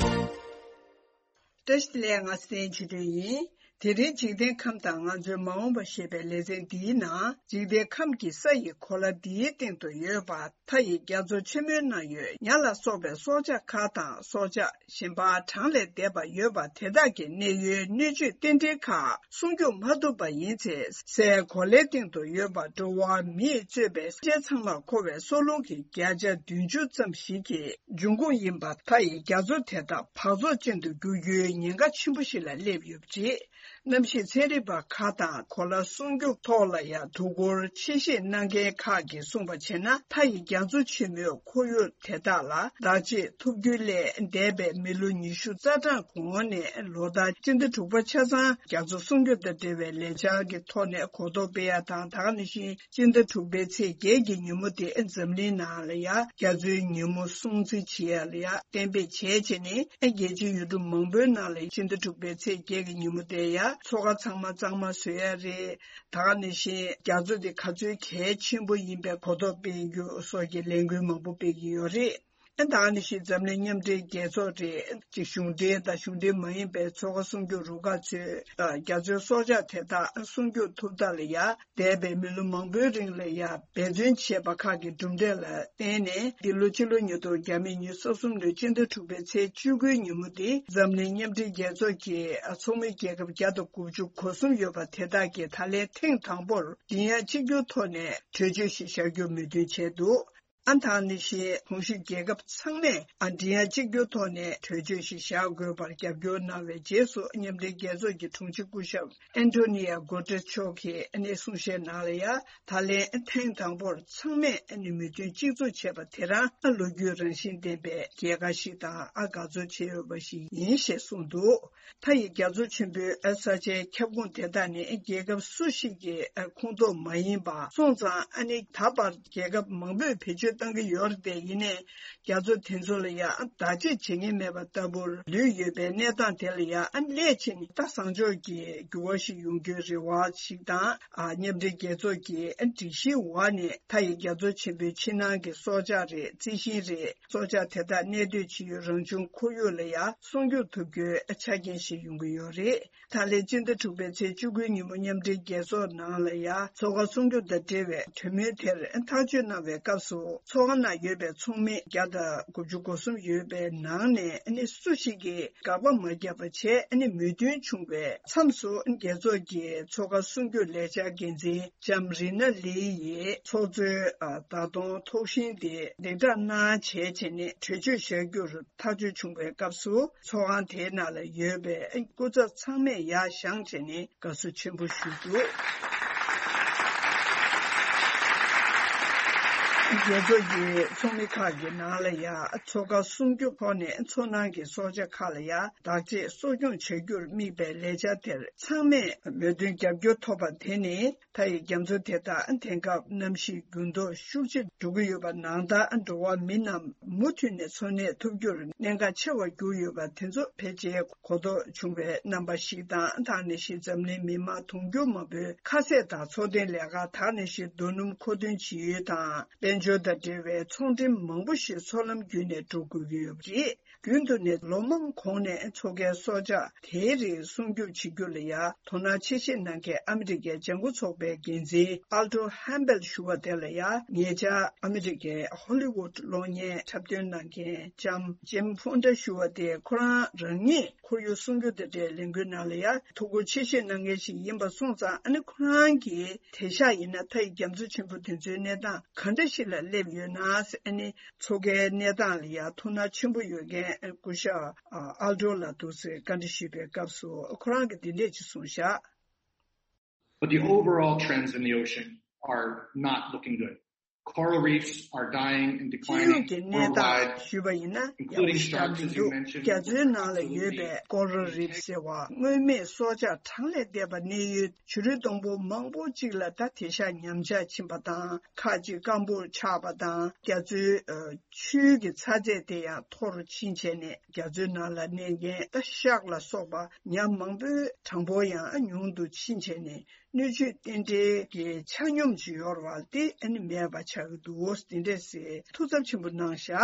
བཀྲ་ཤིས་བདེ་ལེགས། ང་ཚེ་བརྟན་ཆོས་སྒྲོན་ཡིན། དེ་རིང་འཇིག་རྟེན་ཁམས་དང་ང་ཚོའི་མ་འོངས་པ་ཞེས་པའི་ལེ་ཚན་འདིའི་ནང་། འཇིག་རྟེན་ཁམས་ཀྱི་ས་ཡི་གོ་ལ་འདིའི་སྟེང་དུ་ཡོད་པ། མཐའ་ཡི་རྒྱ་མཚོ་ཆེན་མོའི་ནང་ཡོད་ཉ་ལ་སོགས་པའི་སྲོག་ཆགས་ཁག་དང་། སྲོག་ཆགས་གཞན་པ་གྲངས་ལས་འདས་པ་ཡོད་པ་དེ་དག་གི་གནས་ཡུལ་སྣོད་བཅུད་རྟེན་འབྲེལ་ཁག་སྲུང་སྐྱོབ་མ་ཐུབ་པ་ཡིན་ཚེ། སའི་གོ་ལའི་སྟེང་དུ་ཡོད་པ་འགྲོ་བ་མིས་གཙོས་པའི་སེམས་ཅན་ཚང་མར་མཁོ་བའི་སྲོག་རླུང་གི་བརྒྱ་ཆ་བདུན་ཅུ་ཙམ་ཞིག་གི་འབྱུང་ཁུངས་ཡིན་པ། མཐའ་ཡི་རྒྱ་མཚོ་དེ་དག་འབག་བཙོག་ཅན་དུ་འགྱུར་རྒྱུའི་ཉེན་ཁ་ཆེན་པོ་ཞིག་ལ་སླེབས་ཡོད་པ་རེད། གནམ་གཤིས་ཚན་རིག་པ་ཁག་དང་གོ་ལ་སྲུང་སྐྱོབ་ཐོག་ལ་ཡང་དོ་ཁུར་ཆེ་བཞེས་གནང་མཁན་ཁག་གིས་གསུངས་པ་བྱས་ན། མཐའ་ཡི་རྒྱ་མཚོ་ཆེན་མོའི་ཁོར་ཡུག་དེ་དག་ལ་བདག་གཅེས་ཐུབ་རྒྱུ་ལས་འདས་པའི་མི་ལོ་ཉི་ཤུ་རྩ་གྲངས་གོང་ནས་ལོ་ལྟར་སྤྱི་ཟླ་དྲུག་པ་ཆ་ཚང་རྒྱ་མཚོ་སྲུང་སྐྱོབ་དང་འབྲེལ་བའི་ལས་འཆར་གྱི་ཐོག་ནས་གོ་རྟོགས་སྤེལ་ཡ་དང་། ད་ག་ནང་བཞིན་སྤྱི་ཟླ་དྲུག་པའི་ཚེས་བརྒྱད་ཀྱི་ཉིན་མོ་དེ་འཛམ་གླིང་ནང་ལ་ཡང་རྒྱ་མཚོའི་ཉིན་མོ་སྲུང་བརྩི་བྱེད་ཡ་ལ་ཡང་གཏན་འབེབས་བྱས་བྱས་ནས། རྒྱལ་སྤྱིའི་ཡུལ་གྲུ་མང་པོའི་ནང་ལ་སྤྱི་ཟླ་དྲུག་པའི་ཚེས་བརྒྱད་ཀྱི་ཉིན་མོ་དེ་ཡང་མཚོ་ཁ་ཚང་མ་གཙང་མ་བཟོ་ཡ་རེད། ད་ག་ནང་བཞིན་རྒྱ་མཚོ་དེ་ག་ཚོད་གལ་ཆེན་པོ་ཡིན་པའི་གོ་རྟོགས་སྤེལ་རྒྱུ་སོགས་ཀྱི་ལས་འགུལ་མང་པོ་སྤེལ་གྱི་ཡོད་རེད། ཨ། ད་ག་ནང་བཞིན་འཛམ་གླིང་མཉམ་འབྲེལ་རྒྱལ་ཚོགས་རེད། གཅིག་གཞུང་འབྲེལ་དང་གཞུང་འབྲེལ་མ་ཡིན་པའི་མཚོ་ཁ་སྲུང་སྐྱོབ་རུ་ཁག་ཚོས་རྒྱ་མཚོའི་སྲོག་ཆགས་དེ་དག་སྲུང་སྐྱོབ་ཐུབ་ཐབས་ལ་ཡང་འདས་པའི་མི་ལོ་མང་པོའི་རིང་ལ་ཡང་འབད་བརྩོན་བྱས་པ་ཁག་གི་གྲུབ་འབྲས་ལ་བརྟེན་ནས། འདི་ལོ་ཕྱི་ལོ་ཉིས་སྟོང་ཉི་ཤུ་རྩ་གསུམ་ལོའི་སྤྱི་ཟླ་དྲུག་པའི་ཚེས་བཅུ་དགུའི་ཉིན་མོ་འདི་འཛམ་གླིང་མཉམ་འབྲེལ་རྒྱལ་ཚོགས་ཀྱི་ཚོགས་མི་རྒྱལ་ཁབ་བརྒྱ་དང་དགུ་བཅུ་གོ་གསུམ་ཡོད་པ་དེ་དག་གིས་ད་ལན་ཐེངས་དང་པོར་མགྲིན་དབྱངས་གཅིག་གྱུར་ཐོག་ནས་གྲོས་ཆོད་ཞིག་བཞག་རྒྱུར་མོས་མཐུན་བྱས་འདུག་ཨ། ད་ག་ནང་བཞིན་གོང་ཞུས་རྒྱལ་ཁབ་ཚང་མས། ཨ། མགྲིན་དབྱངས་གཅིག་གྱུར་ཐོག་ནས་གྲོས་ཆོད་ཞིག་བཞག་དགོས་པར་རྒྱབ་སྐྱོར་གནང་བའི་རྗེས་སུ། མཉམ་འབྲེལ་རྒྱལ་ཚོགས་ཀྱི་དྲུང་ཆེ་སྐུ་ཞབས་ཨན་ཐོ་ནི་ཡ་གོ་ཏྲེས་མཆོག་གིས་ཨ་ནི་གསུང་བཤད་ནང་ལ་ཡང་། ད་ལན་ཐེངས་དང་པོར་ཚང་མས་ཨ་ནི་མོས་མཐུན་གཅིག་མཚུངས་བྱས་པ་དེ་རང་། ཨ། ལོ་རྒྱུས་རང་བཞིན་ལྡན་པའི་རྒྱལ་ཁ་ཞིག་དང་། ཨ། དགའ་ཚོར་བྱེད་འོས་པ་ཞིག་ཡིན་ཞེས་གསུངས་འདུག་མཐའ་ཡི་རྒྱ་མཚོ་ཆེན་པོའི། ཨ། ས་ཆའི་ཁྱབ་ཁོངས་དེ་དག་ནི་རྒྱལ་ཁབ་སུ་ཞིག་གི། ཨ། ཁོངས་གཏོགས་མ་ཡིན་པ་སོང་ཙང་། ཨ་ནི་ད་བར་རྒྱལ་ཁབ་མང་པོས་བེད་སྤྱོད་གཏང་གི་ཡོད་རེད་དེ། ཡིན་ནའི་རྒྱ་མཚོ་དེ་ཚོ་ལ་ཡང་བདག་གཅེས་བྱེད་མཁན་མེད་པ་ལྟ་བུར་ལུས་ཡོད་པའི་གནས་སྟངས་དེ་ལ་ཡང་། ཨ། སླད་ཕྱིན་ད་བཟང་ཕྱོགས་ཀྱི་འགྱུར་བ་ཞིག་ཡོང་རྒྱུའི་རེ་བ་ཞིག་དང་། ཨ། མཉམ་འབྲེལ་རྒྱལ་ཚོགས་ཀྱི། ཨ། སྒྲིག་གཞིའི་འོག་ནས་མཐའ་ཡི་རྒྱ་མཚོ་ཆེན་པོའི་ཕྱི་ནང་གི་སྲོག་ཆགས་རེད། རྩི་ཤིང་རེད། སྲོག་ཆགས་དེ་དག་གནས་སྡོད་བྱེད་ཡུལ་རང་བྱུང་ཁོར་ཡུག་ལ་ཡང་སྲུང་སྐྱོབ་ཐུབ་རྒྱུའི་ཆ་རྐྱེན་ཞིག་ཡོང་གི་ཡོད་རེད། ད་ལན་སྤྱི་ཟླ་དྲུག་པའི་ཚེས་བཅུ་དགུའི་ཉིན་མོ་མཉམ་འབྲེལ་རྒྱལ་ཚོགས་ནང་ལ་ཡང་མཚོ་ཁ་སྲུང་སྐྱོབ་དང་འབྲེལ་བའི་གྲོས་མོལ་དེར་ཐག་གཅོད་གནང་བའི་སྐབས་སུ། མཚོ་ཁ་ནང་ཡོད་པའི་ཚོགས་མི་བརྒྱ་དང་དགུ་བཅུ་གོ་གསུམ་ཡོད་པའི་ནང་ནས་ནི་སུ་ཞིག་གིས་དགག་པ་མ་བརྒྱབ་པ་བྱས། ནི་མོས་མཐུན་བྱུང་བའི་མཚམས་སུ། རྒྱལ་ཚོགས་ཀྱི་མཚོ་ཁ་སྲུང་སྐྱོབ་ལས་འཆར་འགན་འཛིན་ལྕམ་རི་ན་ལི་ཡིས་ཚོགས་གཙོའི། ཨ། བརྡ་གཏོང་ཐོག་ཤིང་དེ་སྡིངས་ཆ་ནང་བྱས་བྱས་ནས་གྲོས་ཆོད་བཞག་རྒྱུར་ཐག་གཅོད་བྱུང་བའི་སྐབས་སུ། ཚོགས་ཁང་དེའི་ནང་ལ་ཡོད་པའི་སྐུ་ཚབ་ཚང་མས་ཡར་བཞེངས་བྱས་ནས་དགའ་བསུ་ཆེན་པོ་ཞུས་འདུག་རྒྱལ་ཚོགས་ཀྱི་ཚོགས་མི་ཁག་གི་ནང་ལ་ཡང་མཚོ་ཁ་སྲུང་སྐྱོབ་ཐོག་ནས་མཚོ་ནང་གི་སྲོག་ཆགས་ཁག་ལ་ཡང་བདག་གཅེས་གསོ་སྐྱོང་བྱ་རྒྱུར་དམིགས་པའི་ལས་འཆར་དེར་ཚང་མས་མོས་མཐུན་རྒྱབ་སྐྱོར་ཐོབ་པ་དེ་ནི། མཐའ་ཡི་རྒྱ་མཚོ་དེ་དག་དེང་སྐབས་གནམ་གཤིས་འགྱུར་ལྡོག་ཤུགས་ཆེ་འགྲོ་གི་ཡོད་པ་ནང་ལྟར། འགྲོ་བ་མི་རྣམས་མུ་མཐུད་ནས་འཚོ་གནས་ཐུབ་རྒྱུར་གནད་འགག་ཆེ་བར་གྱུར་ཡོད་པ་དེ་ཚོ་ཕལ་ཆེར་གོ་རྟོགས་བྱུང་བའི་རྣམ་པ་ཞིག་དང་། ད་ག་ནང་བཞིན་འཛམ་གླིང་མི་མང་དུང་ཕྱུར་མང་པོའི་ཁ་ཟས་དང་འཚོ་རྟེན་ལས་ཀ། ད་ག་ནང་བཞིན་རྡོ་སྣུམ་མཁོ་འདོན་བྱེད་ཡུལ་དང་། དཔལ་འབྱོར་དང་འབྲེལ་བའི་ཚོང་འགྲེམས་མང་པོ་ཞིག་མཚོ་ལམ་བརྒྱུད་ནས་འགྲོ་དགོས་ཀྱི་ཡོད་པ་རེད། རྒྱུན་དུ་ནས་ལོ་མང་གོང་ནས་མཚོ་ཁའི་སྲོག་ཆགས་དེའི་རིགས་སྲུང་སྐྱོབ་བྱེད་རྒྱུ་ལ་ཡང་དོ་སྣང་ཆེ་བཞེས་གནང་མཁན་ཨ་མི་རི་ཀའི་ལྗང་ཁུ་ཚོགས་པའི་འགན་འཛིན་ཨལ་ཏོ་ཧན་བེལ་ཞུ་བ་དེ་ལ་ཡང་། ཉེ་ཆར་ཨ་མི་རི་ཀའི་ཧོ་ལི་ཝུད་གློག་བརྙན་འཁྲབ་སྟོན་གནང་མཁན་ལྕམ་ཇེམ་ཕོན་ཏྲ་ཞུ་བ་དེ། ཁོ་རང་རང་ཉིད་ཁོར་ཡུག་སྲུང་སྐྱོབ་དང་འབྲེལ་ལས་འགུལ་ནང་ལ་ཡང་ཐུགས་ཁུར་ཆེ་བཞེས་གནང་མཁན་ཞིག་ཡིན་པ་སོང་ཙང་། ཨ་ནི་ཁོ་རང་གིས་དེང་སང་ཡིན་ན་མཐའ་ཡི་རྒྱ་མཚོ་ཆེན་པོ་དེ་ཚོའི་གནས་སྟངས་ག་འདྲ་ཞིག་ལ་སླེབས་ཡོད་ན། ཨ་ནི་མཚོ་ཁའི་གནས་སྟངས་ལ་ཡང་ཐུགས་སྣང་ཆེན་པོ་ཡོད་མཁན་སྐུ་ཞབས་ཨལ་ཏོ་ལགས་འདུག་ཟེར་བཀའ་འདྲི་ཞུས་པའི་སྐབས་སུ། ཁོ་རང་གིས་འདི་འདྲས་ཅིག་གསུངས་བཞག But the overall trends in the ocean are not looking good. Coral reefs are dying and སྤྱི་ཡོངས་ཀྱི་declining གནས་སྟངས་worldwide, ཞུས་པ་ཡིན་ན་ཡག་པོ་ཞེ་དྲག་མི་འདུག་རྒྱ་མཚོའི་ནང་ལ་ཡོད་པའི་ཀོ་རལ་རིབ་ཟེར་བ། མངོན་མེད་སྲོག་ཆགས་གྲངས་ལས་འདས་པ་གནས་ཡུལ་བྱུ་རུ་སྡོང་པོ་མང་པོ་ཅིག་ལ་ད་དེང་སང་ཉམས་ཆག་ཕྱིན་པ་དང་། ཁག་ཅིག་སྐམ་པོར་ཆགས་པ་དང་། རྒྱ་མཚོའི་ཆུའི་གི་ཚ་ཚད་དེ་ཡང་མཐོ་རུ་ཕྱིན་བྱས་ནས། རྒྱ་མཚོའི་ནང་ལ་གནས་མཁན་ད་ཤག་ལ་སོགས་པ་ཉ་མང་པོའི་གྲངས་འབོར་ཡང་ཉུང་དུ་ཕྱིན་བྱས་ནས། སྣོད་བཅུད་རྟེན་འབྲེལ་གྱི་ཆ་སྙོམས་ཅིག་ཡོད་རེད་པ། དེ་ཨ་ནི་མེད་པ་ཆགས་ཀྱི་འདུག་འདི་འདྲས་ཟེར་ཐུགས་འཚབ་ཆེན་པོ་གནང་བཞག་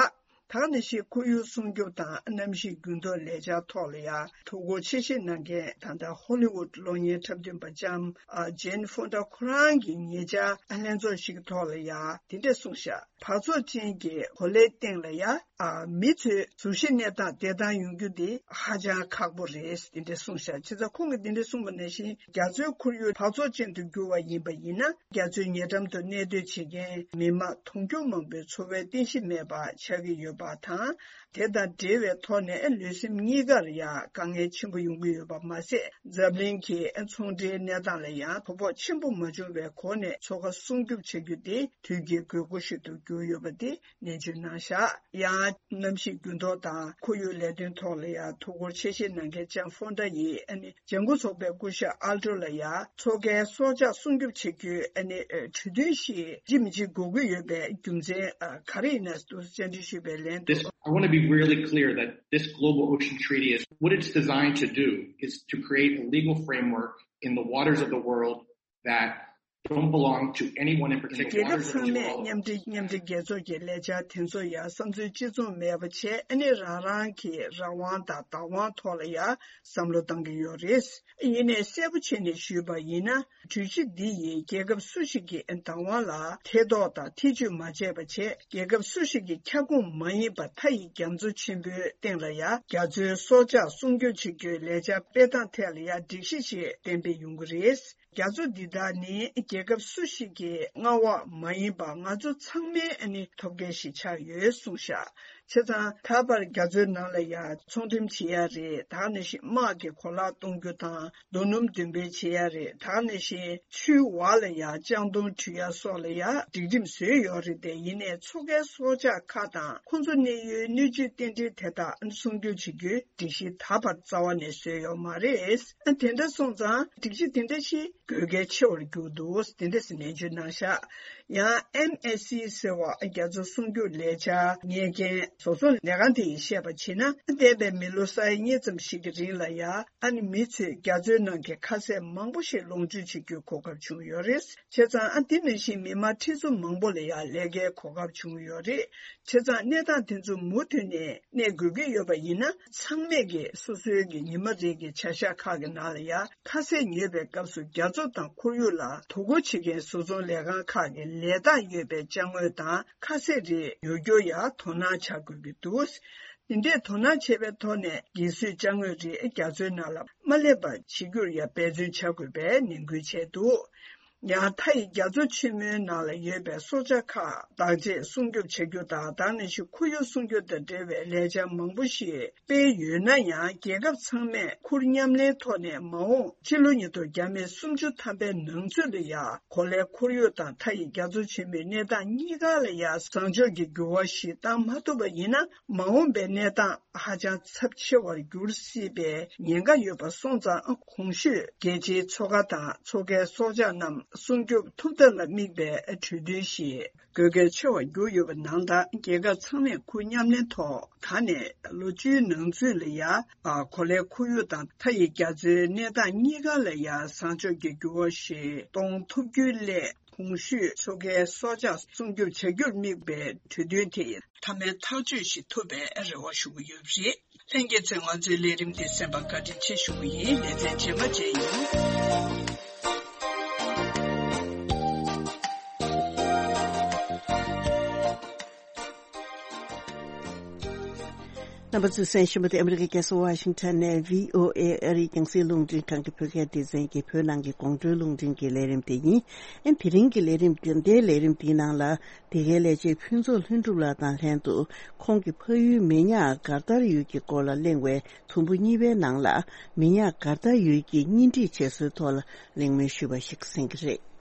ད་ག་ནང་བཞིན་ཁོར་ཡུག་སྲུང་སྐྱོབ་དང་གནམ་གཤིས་འགྱུར་ལྡོག་ལས་འཆར་ཐོག་ལ་ཡང་དོ་ཁུར་ཆེ་བཞེས་གནང་མཁན་ད་ལྟ་ཧོ་ལི་ཝུད་གློག་བརྙན་འཁྲབ་སྟོན་པ་ལྕམ་ཨ་ཇེན་ཧྥོན་ཌ་ཁོ་རང་གི་ཉེ་ཆར་ལྷན་ཚོགས་ཤིག་གི་ཐོག་ལ་ཡང་དེ་འདྲ་གསུངས་ཤག་འབག་བཙོག་ཅན་གྱི་གོ་ལའི་སྟེང་ལ་ཡང་ཨ་མི་ཚོའི་གཟུགས་གཞི་གནས་སྟངས་བདེ་ཐང་ཡོང་རྒྱུ་དེ་ཧ་ཅང་ཁག་པོ་རེད། དེ་འདྲ་གསུངས་ཤག་བྱས་ཙང་ཁོང་གིས་དེ་འདྲ་གསུངས་པ་ནང་བཞིན་རྒྱ་མཚོའི་ཁོར་ཡུག་འབག་བཙོག་ཅན་དུ་གྱུར་བ་ཡིན་པ་ཡིན་ན། རྒྱ་མཚོའི་ཉེ་འགྲམ་དུ་གནས་སྡོད་བྱེད་མཁན་མི་མང་དུང་ཕྱུར་མང་པོའི་འཚོ་བའི་རྟེན་གཞི་མེད་པ་ཆགས་ཀྱི་ཡོད་པ་དང་། དེ་དང་འབྲེལ་བའི་ཐོག་ནས་ལུས་སེམས་གཉིས་ཀར་ཡང་དཀའ་ངལ་ཆེན་པོ་ཡོང་གི་ཡོད་པ་མ་ཟད། འཛམ་གླིང་གི་ཚོང་འབྲེལ་གནས་སྟངས་ལ་ཡང་དོ་ཕོག་ཆེན་པོ་མ་བྱུང་བའི་སྒོ་ནས་མཚོ་ཁ་སྲུང་སྐྱོབ་བྱ་རྒྱུ་དེ་དུས་ཀྱི་དགོས་མཁོ་ཞིག་ཏུ་གྱུར་ཡོད་པ་དེ་ནན་བརྗོད་གནང་བཞག་ཡང་གནམ་གཤིས་འགྱུར་ལྡོག་དང་ཁོར་ཡུག་ལས་དོན་ཐོག་ལ་ཡང་དོ་ཁུར་ཆེ་བཞེས་གནང་མཁན་ལྕམ་ཧྥོན་ཌ་ཡིས་ཨ་ནི་ལྗང་ཁུ་ཚོགས་པའི་སྐུ་ཞབས་ཨལ་ཏྲོ་ལ་ཡང་མཚོ་ཁའི་སྲོག་ཆགས་སྲུང་སྐྱོབ་བྱེད་རྒྱུའི་ཨ་ནི་ཨ་གྲོས་མཐུན་ཞིག་ཇི་མི་ཇི་དགོས་ཀྱི་ཡོད་པའི་རྒྱུ་མཚན་ཨ་ག་རེ་ཡིན་ན་འདུག་བཅར་འདྲི་ཞུས་པའི་ལན་དུ། This, I want to be really clear that this global ocean treaty is, what it's designed to do is to create a legal framework in the waters of the world that don't belong to anyone in particular. རྒྱལ་ཁབ་ཚང་མས་མཉམ་འབྲེལ་མཉམ་འབྲེལ་རྒྱལ་ཚོགས་ཀྱི་ལས་འཆར་དེ་ཚོ་ཡང་བསམ་ཚུལ་གཅིག་མཚུངས་མེད་པ་བྱས་ཨ་ནི་རང་རང་གི་རང་དབང་དང་བདག་དབང་ཐོག་ལ་ཡང་བསམ་བློ་བཏང་གི་ཡོད་རེད། ཡིན་ནའི་གསལ་པོ་བྱས་ནས་ཞུས་པ་ཡིན་ན། གྲོས་གཞི་འདི་ཡིས་རྒྱལ་ཁབ་སུ་ཞིག་གི་བདག་དབང་ལ་ཐེ་གཏོགས་དང་ཐེ་བྱུས་མ་བྱས་པ་བྱས། རྒྱལ་ཁབ་སུ་ཞིག་གི་ཁྱབ་ཁོངས་མ་ཡིན་པ་མཐའ་ཡི་རྒྱ་མཚོ་ཆེན་པོའི་སྟེང་ལ་ཡང་རྒྱ་མཚོའི་སྲོག་ཆགས་སྲུང་སྐྱོབ་བྱེད་རྒྱུའི་ལས་འཆར་སྤེལ་སྟངས་ཐད་ལ་ཡང་སྒྲིག་གཞི་ཞིག་གཏན་འབེབས་ཡོང་གི་རེད། རྒྱ་མཚོ་འདི་དག་ནི་རྒྱལ་ཁབ་སུ་ཞིག་གི་མངའ་འོག་མ་ཡིན་པ་ང་ཚོ་ཚང་མའི་ཨ་ནི་ཐོབ་སྐལ་ཞིག་ཆགས་ཡོད་གསུངས་ཤག་བྱས་ཙང་ད་བར་རྒྱ་མཚོའི་ནང་ལ་ཡང་ཚོང་འགྲེམས་བྱེད་ཡ་རེད། ད་ག་ནང་བཞིན་དམག་གི་གོ་ལག་གཏོང་རྒྱུ་དང་རྡོ་སྣུམ་འདོན་སྤེལ་བྱེད་ཡ་རེད། ད་ག་ནང་བཞིན་ཆུའི་འོག་ལ་ཡང་ལྕང་སྡོང་འདྲུད་ཡ་སོགས་ལ་ཡང་སྒྲིག་ཁྲིམས་བཟོས་ཡོད་རེད་དེ། ཡིན་ནའི་མཚོ་ཁའི་སྲོག་ཆགས་ཁག་དང་ཁོང་ཚོ་གནས་ཡུལ་སྣོད་བཅུད་རྟེན་འབྲེལ་དེ་དག་སྲུང་སྐྱོབ་བྱེད་རྒྱུའི་སྒྲིག་གཞི་ད་བར་རྩ་བ་ནས་བཟོས་ཡོད་མ་རེད། དེ་འདྲ་སོང་ཙང་སྒྲིག་གཞི་དེ་འདྲ་ཞིག་དགོས་གལ་ཆེ་བར་གྱུར་འདུག་དེ་འདྲ་ཟེར་ནན་བརྗོད་གནང་ཤག་ཡང་ཨེམ་ཨེ་སི་ཟེར་བ་རྒྱ་མཚོ་སྲུང་སྐྱོབ་ལས་འཆར་གཉེར་མཁན་བཟོ་ཚོང་ལས་ཁང་དེ་ཡིས་བཤད་པར་བྱས་ན། འདས་པའི་མི་ལོ་ས་ཡ་གཉིས་ཙམ་ཞིག་གི་རིང་ལ་ཡང་ཨ་ནི་མི་ཚོས་རྒྱ་མཚོའི་ནང་གི་ཁ་ཟས་མང་པོ་ཞིག་ལོངས་སྤྱོད་བྱེད་རྒྱུའི་གོ་སྐབས་བྱུང་ཡོད་རེད། བྱས་ཙང་ཨ་འདི་ནང་བཞིན་མི་མང་ཁྲི་ཚོ་མང་པོ་ལ་ཡང་ལས་ཀའི་གོ་སྐབས་བྱུང་ཡོད་རེད། བྱས་ཙང་གནས་སྟངས་དེ་ཚོ་མུ་མཐུད་ནས་གནས་དགོས་ཀྱི་ཡོད་པ་ཡིན་ན། ཚང་མས་ཀྱིས་སོ་སོའི་གི་ཉི་མ་རེ་གི་བྱ་གཞག་ཁག་གི་ནང་ལ་ཡང་ཁ་ཟས་ཉོས་པའི་སྐབས་སུ་རྒྱ་མཚོ་དང་ཁོར་ཡུག་ལ་དོ་ཁུར་བྱེད་མཁན་བཟོ་ཚོང་ལས་ཁང་ཁག་གི་ལས་རྟགས་ཡོད་པའི་ཅ་དངོས་དང་ཁ་ཟས་རིགས་ཉོ་རྒྱུར་ཡང་དོ་སྣང་བྱ་དགོས་ཀྱི་འདུག་དེ་འདྲས་དོ་སྣང་བྱས་པའི་ཐོག་ནས་རྒས་གསོའི་ཅ་དངོས་རིགས་རྒྱ་མཚོའི་ནང་ལ་མ་སླེབས་པ་བྱེད་རྒྱུར་ཡང་འབད་བརྩོན་བྱ་དགོས་པའི་ནན་སྐུལ་བྱས་འདུག་ཡང་མཐའ་ཡི་རྒྱ་མཚོ་ཆེན་མོའི་ནང་ལ་ཡོད་པའི་སྲོག་ཆགས་ཁག་བདག་གཅེས་སྲུང་སྐྱོབ་བྱ་རྒྱུ་དང་། ད་ག་ནང་བཞིན་ཁོར་ཡུག་སྲུང་སྐྱོབ་དང་འབྲེལ་བའི་ལས་འཆར་མང་པོ་ཞིག་སྤེལ་ཡོད་ན་ཡང་། རྒྱལ་ཁབ་ཚང་མས་ཁུར་མཉམ་ལེན་ཐོག་ནས་མ་འོངས་ཕྱི་ལོ་ཉིས་སྟོང་བརྒྱ་མེད་སུམ་ཅུ་ཐམ་པའི་ནང་ཚུད་ལ་ཡང་གོ་ལའི་ཁོར་ཡུག་དང་མཐའ་ཡི་རྒྱ་མཚོ་ཆེན་མོའི་གནས་སྟངས་གཉིས་ཀ་ལ་ཡང་བཟང་ཕྱོགས་ཀྱི་འགྱུར་བ་ཞིག་བཏང་མ་ཐུབ་པ་ཡིན་ན། མ་འོངས་པའི་གནས་སྟངས་ཧ་ཅང་ཚབས་ཆེ་བར་འགྱུར་སྲིད་པའི་ཉེན་ཁ་ཡོད་པ་སོང་ཙང་། གོང་ཞུས་རྒྱལ་སྤྱིའི་མཚོ་ཁ་དང་མཚོ་ཁའི་སྲོག་ཆགས་རྣམས་སྲུང་སྐྱོབ་ཐུབ་ཐབས་ལ་དམིགས་པའི་གྲོས་མཐུན་ཞིག་དགོས་གལ་ཆེ་བར་གྱུར་ཡོད་པ་ནང་ལྟར། རྒྱལ་ཁབ་ཚང་མས་ཁུར་མཉམ་ལེན་ཐོག་ད་ནས་ལོ་བཅུའི་ནང་ཚུད་ལ་ཡང་། ཨ། གོ་ལའི་ཁོར་ཡུག་དང་མཐའ་ཡི་རྒྱ་མཚོའི་གནས་སྟངས་གཉིས་ཀ་ལ་ཡང་བཟང་ཕྱོགས་ཀྱི་འགྱུར་བ་ཞིག་གཏོང་ཐུབ་རྒྱུའི་སླད། གོང་ཞུས་མཚོ་ཁའི་སྲོག་ཆགས་སྲུང་སྐྱོབ་བྱ་རྒྱུར་དམིགས་པའི་གྲོས་མཐུན་དེ་མཐའ་མའི་ཐག་གཅོད་ཞིག་ཐུབ་པའི་རེ་བ་ཞུ་གི་ཡོད་པ་རེད། ལྷན་རྒྱས་ཚོས་ང་ཚོའི་ལས་རིམ་འདི་གསན་པར་བཀའ་དྲིན་ཆེ་ཞུ་གི་ཡིན། ལེ་ཚན་རྗེས་མ་མཇལ་ཡོང་། རྣམ་པ་ཚོས་གསན་བཞིན་པ་དེ་ཨ་མི་རི་ཀའི་རྒྱལ་ས་ཝ་ཤིང་ཊོན་ནས་བྷི་ཨོ་ཨེ་ཨ་རིའི་རྒྱང་སྲིང་རླུང་འཕྲིན་ཁང་གི་བོད་སྐད་སྡེ་ཚན་གྱི་བོད་ནང་གི་དགོང་དྲོའི་རླུང་འཕྲིན་གྱི་ལས་རིམ་དེ་ཡིན། ཨ་ནི་དེ་རིང་གི་ལས་རིམ་འདི། འདིའི་ལས་རིམ་འདིའི་ནང་ལ། འདི་གའི་ལས་བྱེད་ཕུན་ཚོགས་ལྷུན་གྲུབ་ལགས་དང་ལྷན་དུ། ཁོང་གི་ཕ་ཡུལ་མི་ཉག་གར་དར་ཡུལ་གྱི་སྐོར་ལ་གླེང་བའི་དུམ་བུ་གཉིས་པའི་ནང་ལ། མི་ཉག་གར་དར་ཡུལ་གྱི་གཉེན་སྒྲིག་བྱེད་སྲོལ་ཐོག་ལ་གླེང་མོལ་ཞུས་པ་ཞིག་གསན་གྱི་རེད།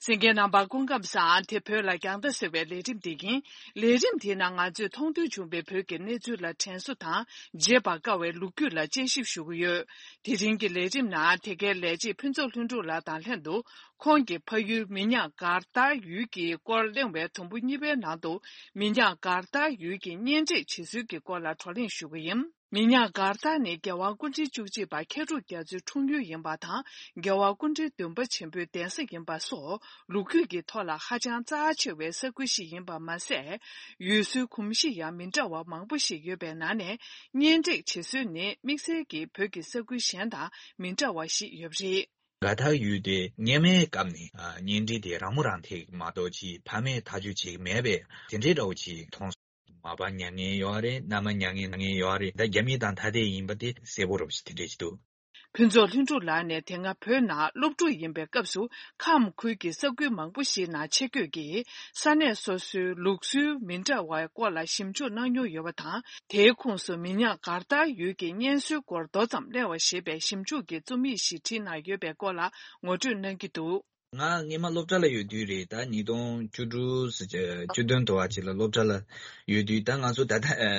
གསན་མཁན་རྣམ་པ་སྐུ་ཁམས་བཟང་། དེ་བོད་ལ་རྒྱང་ལྟ་ཟེར་བའི་ལས་རིམ་དེ་ཡིན། ལས་རིམ་དེའི་ནང་ང་ཚོས་མཐོང་ཐོས་བྱུང་བའི་བོད་ཀྱི་གནས་ཚུལ་ལ་དྲན་གསོ་དང་། བརྗེད་པར་དཀའ་བའི་ལོ་རྒྱུས་ལ་དཔྱད་ཞིབ་ཞུ་གི་ཡོད། དེ་རིང་གི་ལས་རིམ་ནང་དེ་གའི་ལས་བྱེད་ཕུན་ཚོགས་ལྷུན་གྲུབ་ལགས་དང་ལྷན་དུ། ཁོང་གི་ཕ་ཡུལ་མི་ཉག་གར་དར་ཡུལ་གྱི་སྐོར་གླེང་བའི་དུམ་བུ་གཉིས་པའི་ནང་དུ། མི་ཉག་གར་དར་ཡུལ་གྱི་གཉེན་སྒྲིག་བྱེད་སྲོལ་གྱི་སྐོར་ལ་བགྲོ་གླེང་ཞུ་གི་ཡིན། མི་ཉག་མགར་ཐང་ནི་རྒྱལ་བ་སྐུ་ཕྲེང་བཅུ་གཅིག་པ་མཁས་གྲུབ་རྒྱ་མཚོའི་འཁྲུངས་ཡུལ་ཡིན་པ་དང་། རྒྱལ་བ་སྐུ་ཕྲེང་བདུན་པ་ཆེན་པོའི་གདན་ས་ཡིན་པ་སོགས་ལོ་རྒྱུས་ཀྱི་ཐོག་ལ་ཧ་ཅང་རྩ་ཆེ་བའི་ས་ཁུལ་ཞིག་ཡིན་པ་མ་ཟད། ཡུལ་སྲོལ་གོམས་གཤིས་ཡང་མི་འདྲ་བ་མང་པོ་ཞིག་ཡོད་པའི་ནང་ནས། གཉེན་སྒྲིག་བྱེད་སྲོལ་ནི་དམིགས་བསལ་གྱིས་བོད་ཀྱི་ས་ཁུལ་གཞན་དང་མི་འདྲ་བ་ཞིག་ཡོད་པ་རེད། མགར་ཐང་ཡུལ་དེ་སྔོན་མའི་སྐབས་ནས་ཨ་གཉེན་སྒྲིག་དེ་རང་མོས་རང་འཐད་མ་གཏོགས་ཅིག་ཕ་མས་ཐག་གཅོད་བྱེད་ཀྱི་མེད་པས་དེ་འདྲའི་འདྲ་བོ་ཅིག་མཐོང་སོང་། མ་པ་མྱ་ངན་ཡོད་རེད། མནའ་མ་མྱ་ངན་མྱ་ངན་ཡོད་རེད། ད་རྒྱ་མི་དང་ཐ་དད་ཡིན་པ་དེ་གསལ་པོ་རེད་པ་ཞིག་དེ་འདྲས་ཅིག་འདུག། ཕུན་ཚོགས་ལྷུན་གྲུབ་ལགས་ནས་དེ་སྔ་བོད་ནང་སློབ་ཕྲུག་ཡིན་པའི་སྐབས་སུ་ཁམས་ཁུལ་གྱི་ས་ཁུལ་མང་པོ་ཞིག་ནང་ཆེད་བསྐྱོད་ཀྱིས་ས་གནས་སོ་སོའི་ལུགས་སྲོལ་མི་འདྲ་བའི་སྐོར་ལ་ཞིབ་འཇུག་གནང་མྱོང་ཡོད་པ་དང་། དེའི་ཁོངས་སུ་མི་ཉག་མགར་ཐང་ཡུལ་གྱི་གཉེན་སྲོལ་སྐོར་མདོ་ཙམ་གླེང་བ་ཞེས་པའི་ཞིབ་འཇུག་གི་རྩོམ་ཡིག་ཞིག་བྲིས་གནང་ཡོད་པའི་སྐོར་ལ་ངོ་སྤྲོད་གནང་གི་འདུག། ང་སྔོན་མ་སློབ་གྲྭ་ལ་ཡོད་དུས་རེད། ད་ཉིས་སྟོང་བཅུ་དྲུག་བཅུ་བདུན་དུ་བ་ཅིག་ལ་སློབ་གྲྭ་ལ་ཡོད་དུས། ད་ང་ཚོ་ད་ལྟ་ཨ་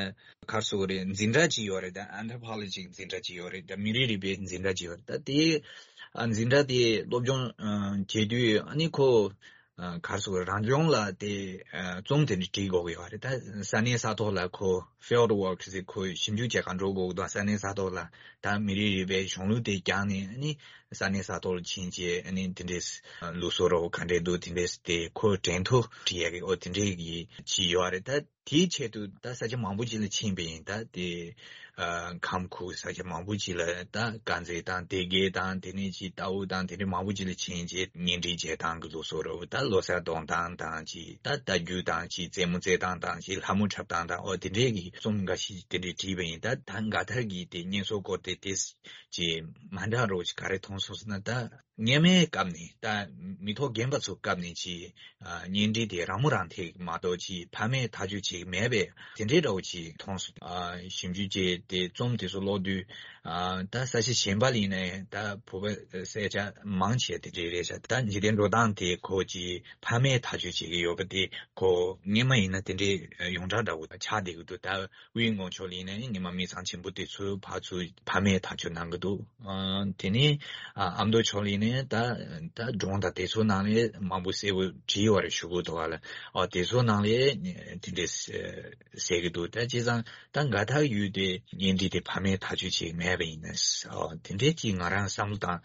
ག་རེ་ཟེར་དགོས་རེད། འཛིན་གྲྭ་ཅིག་ཡོད་རེད། ད་Anthropology འཛིན་གྲྭ་ཅིག་ཡོད་རེད། ད་མི་རིགས་རིག་པའི་འཛིན་གྲྭ་ཅིག་ཡོད་རེད། ད་དེ་ཨ་འཛིན་གྲྭ་དེ་སློབ་སྦྱོང་ཨ་བྱེད་དུས། ཨ་ནི་ཁོ་ཨ་ག་རེ་ཟེར་དགོས་རེད། རང་སྦྱོང་ལ་དེ་ཨ་རྩོམ་དེ་འདྲ་བྲིས་དགོས་ཀྱི་ཡོད་རེད། ད་ས་གནས་ས་ཐོག་ལ་ཁོ་field work ཟེར། ཁོ་ཞིབ་འཇུག་བྱེད་གར་འགྲོ་དགོས་ཀྱི་འདུག། ས་གནས་ས་ཐོག་ལ་ད་མི་རིགས་རིག་པའི་གཞུང་ལུགས་དེ་སྦྱངས་ནས། ཨ་ནི་ས་གནས་ས་ཐོག་ལ་ཕྱིན་བྱས། ཨ་ནི་དེ་འདྲས་ལུགས་སྲོལ་རོ་ག་འདྲས་འདུག། དེ་འདྲས་དེ་ཁོ་དྲན་ཐོ་བྲིས་ཡག་གི་འོ་དེ་འདྲས་ཀྱི་ཅིག་ཡོད་རེད། ད་དེའི་ཆེད་དུ་ད་ས་ཆ་མང་པོ་ཅིག་ལ་ཕྱིན་པ་ཡིན། ད་དེ་ཨ་ཁམས་ཁུལ་ས་ཆ་མང་པོ་ཅིག་ལ། ད་དཀར་མཛེས་དང་སྡེ་དགེ་དང་། དེ་ནས་ཅིག་རྟའུ་དང་། དེ་འདྲས་མང་པོ་ཅིག་ལ་ཕྱིན་བྱས་གཉེན་སྒྲིག་བྱེད་སྟངས་ཀྱི་ལུགས་སྲོལ་རོ། ད་ལོ་གསར་གཏོང་སྟངས་དང་། ཅིག་ད་རྟ་རྒྱུག་སྟངས། ཅིག་རྩེད་མོ་རྩེ་སྟངས་དང་། ཅིག་ལྷ་མོ་འཁྲབ་སྟངས་དང་། འོ་དེ་འདྲས་ཀྱི་རྩོམ་འགའ་ཞིག་དེ་འདྲས་བྲིས་པ་ཡིན། ད་ད་མགར་ཐང་གི་དེ་གཉེན་སྲོལ་སྐོར་དེ་དེ་ཅིག་མ་འདྲ་རོ་ཅིག་ག་རེ་མཐོང་སོང་ཟེར་ན། ད་སྔོན་མའི་སྐབས་ནས། ད་མི་ཐོག་རྒན་པ་ཚོའི་སྐབས་ནས་ཅིག་ཨ་གཉེན་སྒྲིག་དེ་རང་མོས་རང་འཐད་མ་གཏོགས་ཅིག་ཕ་མས་ཐག་གཅོད་བྱེད་ཀྱི་མེད་པས་དེ་འདྲའི་འདྲ་བོ་ཅིག་མཐོང་སོང་། ཨ་ཞིབ་འཇུག་བྱས་ཏེ་རྩོམ་དེ་ཚོ་ཀློག་དུས། ཨ་ད་ས་ཆ་གཞན་པ་ལ་ཡིན་ནའི་ད་བོད་པ་ས་ཆ་མང་ཆེ་དེ་འདྲའི་རེད་ཤག། ད་འཇིག་རྟེན་འགྲོ་སྟངས་དེ་ཁོ་ཅིག་ཕ་མས་ཐག་གཅོད་བྱེད་ཀྱི་ཡོད་པ་དེ་ཁོ་སྔོན་མ་ཡིན་ན་དེ་འདྲའི་ཡོངས་གྲགས་འདྲ་བོ་ཆགས་བསྡད་ཀྱི་འདུག། ད་དབུས་མགོན་ཕྱོགས་ལ་ཡིན་ནའི་སྔོན་མ་མི་ཚང་ཆེན་པོ་དེ་ཚོའི་ཕར་ཚུར་ཕ་མས་ཐག་གཅོད་གནང་གི་འདུག། ཨ་དེ་ནས་ཨ་ཨ་མདོ་ཕྱོགས་ལ་ཡིན་ནའི་ད་ད་སྒྲུང་དང་དེ་ཚོའི་ནང་ལས་མང་པོ་གསལ་པོ་བྲིས་ཡོད་རེད། ཞུ་དགོས་འདུག་བ་ལ། ཨ་དེ་ཚོའི་ནང་ལས་དེ་འདྲས་གསལ་གི་འདུག། ད་བྱས་ཙང་ད་མགར་ཐང་ཡུལ་དེ་གཉེན་སྒྲིག་དེ་ཕ་མས་ཐག་གཅོད་བྱེད་མེད་པ་ཡིན་ན། ཨ་དེ་འདྲས་ཀྱི་ང་རང་བསམ་བློ་བཏང་།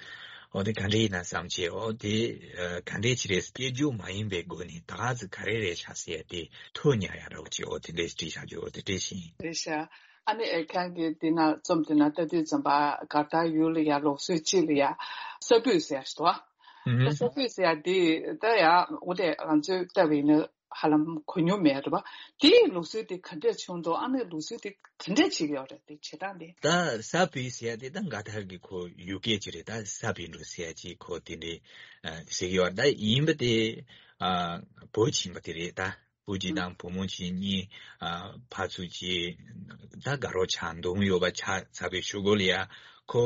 ཨོ་དེ་ག་འདྲས་ཡིན་ན་བསམ་བྱས། ཨོ་དེ་ཨ་ག་འདྲས་ཅིག་རེད། སྐད་སྒྱུར་མ་ཡིན་པའི་སྒོ་ནས་ད་ག་ཟེ་ག་རེ་རེད་ཤག་ཟེར་ཏེ་ཐུགས་ཉར་ཡག་འདྲ་བོ་ཅིག། ཨོ་དེ་འདྲས་བྲིས་བཞག་རྒྱུ། ཨོ་དེ་འདྲས་ཤིག་ཡིན། རེད་ཤག། ཨ་ནི་ཨེ་ཁྱེད་ཀྱིས་འདི་ན་རྩོམ་འདི་ན་ལྟ་དུས་ཙམ་པ་མགར་ཐང་ཡུལ་ལ་ཡ་ལུགས་སྲོལ་གཅིག་ལ་ཡ་ས་སྤོས་ཟེར་ཡ་ཞིག་འདུག་བ། ཨ་ས་སྤོས་ཟེར་ཡ་འདི་ད་ཡ་འོ་དེ་ང་ཚོས་ལྟ་བ་ཡིན་ན་ཧ་ལམ་གོ་མྱོང་མེད་རེད་བ། དེའི་ལུགས་སྲོལ་དེ་ག་འདྲས་བྱུང་འདུག། ཨ་ནི་ལུགས་སྲོལ་དེ་ག་འདྲས་བྱེད་ཀྱི་ཡོད་རེད། དེ་བྱེད་སྟངས་དེ། ད་ས་སྤོས་ཟེར་ཡ་དེ་ད་མགར་ཐང་གི་ཁོ་ཡུལ་སྐད་ཅིག་རེད། ད་ས་སྤོས་འགྲོ་ཟེར་ཡ་ཅིག་ཁོ་དེ་འདྲས་ཨ་ཟེར་གྱི་ཡོད་རེད། ད་ཡིན་པ་དེ་ཨ་བོད་ཕྱིན་པ་དེ་རེད། ད་བུ་གཅིག་དང་བུ་མོ་གཅིག་གཉིས་ཨ་ཕར་ཚུར་གཅིག་ད་དགའ་རོགས་ཆགས་འདུག་ཡོད་པ་ཆགས་ཚར་བའི་གཞུག་གུ་ལ་ཡ། ཁོ་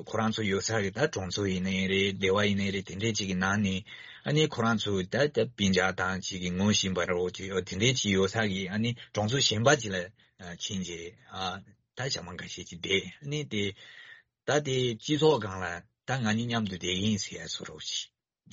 ཁོ་རང་ཚོ་ཡོད་ས་གི་ད་གྲོང་ཚོ་ཡིན་ནའི་རེད། སྡེ་བ་ཡིན་ནའི་རེད། དེ་འདྲས་ཅིག་གི་ནང་ནས་ཨ་ནི་ཁོ་རང་ཚོ་ད་ད་སྤུན་ཀྱག་དང་ཅིག་གི་ངོ་ཤེས་པ་རོ་ཅིག་ཡོད། དེ་འདྲས་ཅིག་ཡོད་ས་གི་ཨ་ནི་གྲོང་ཚོ་གཞན་པ་ཅིག་ལ་ཨ་ཕྱིན་རྗེས་ཨ་ད་ཞག་མ་འགའ་ཤས་ཅིག་བསྡད། ཨ་ནི་དེ་ད་དེ་སྤྱི་ཚོགས་སྒང་ལ་ད་ང་གཉིས་མཉམ་དུ་བསྡད་ཀྱི་ཡིན་ཟེར་ཡ་བཟོ་འདྲ་བོ་ཅིག།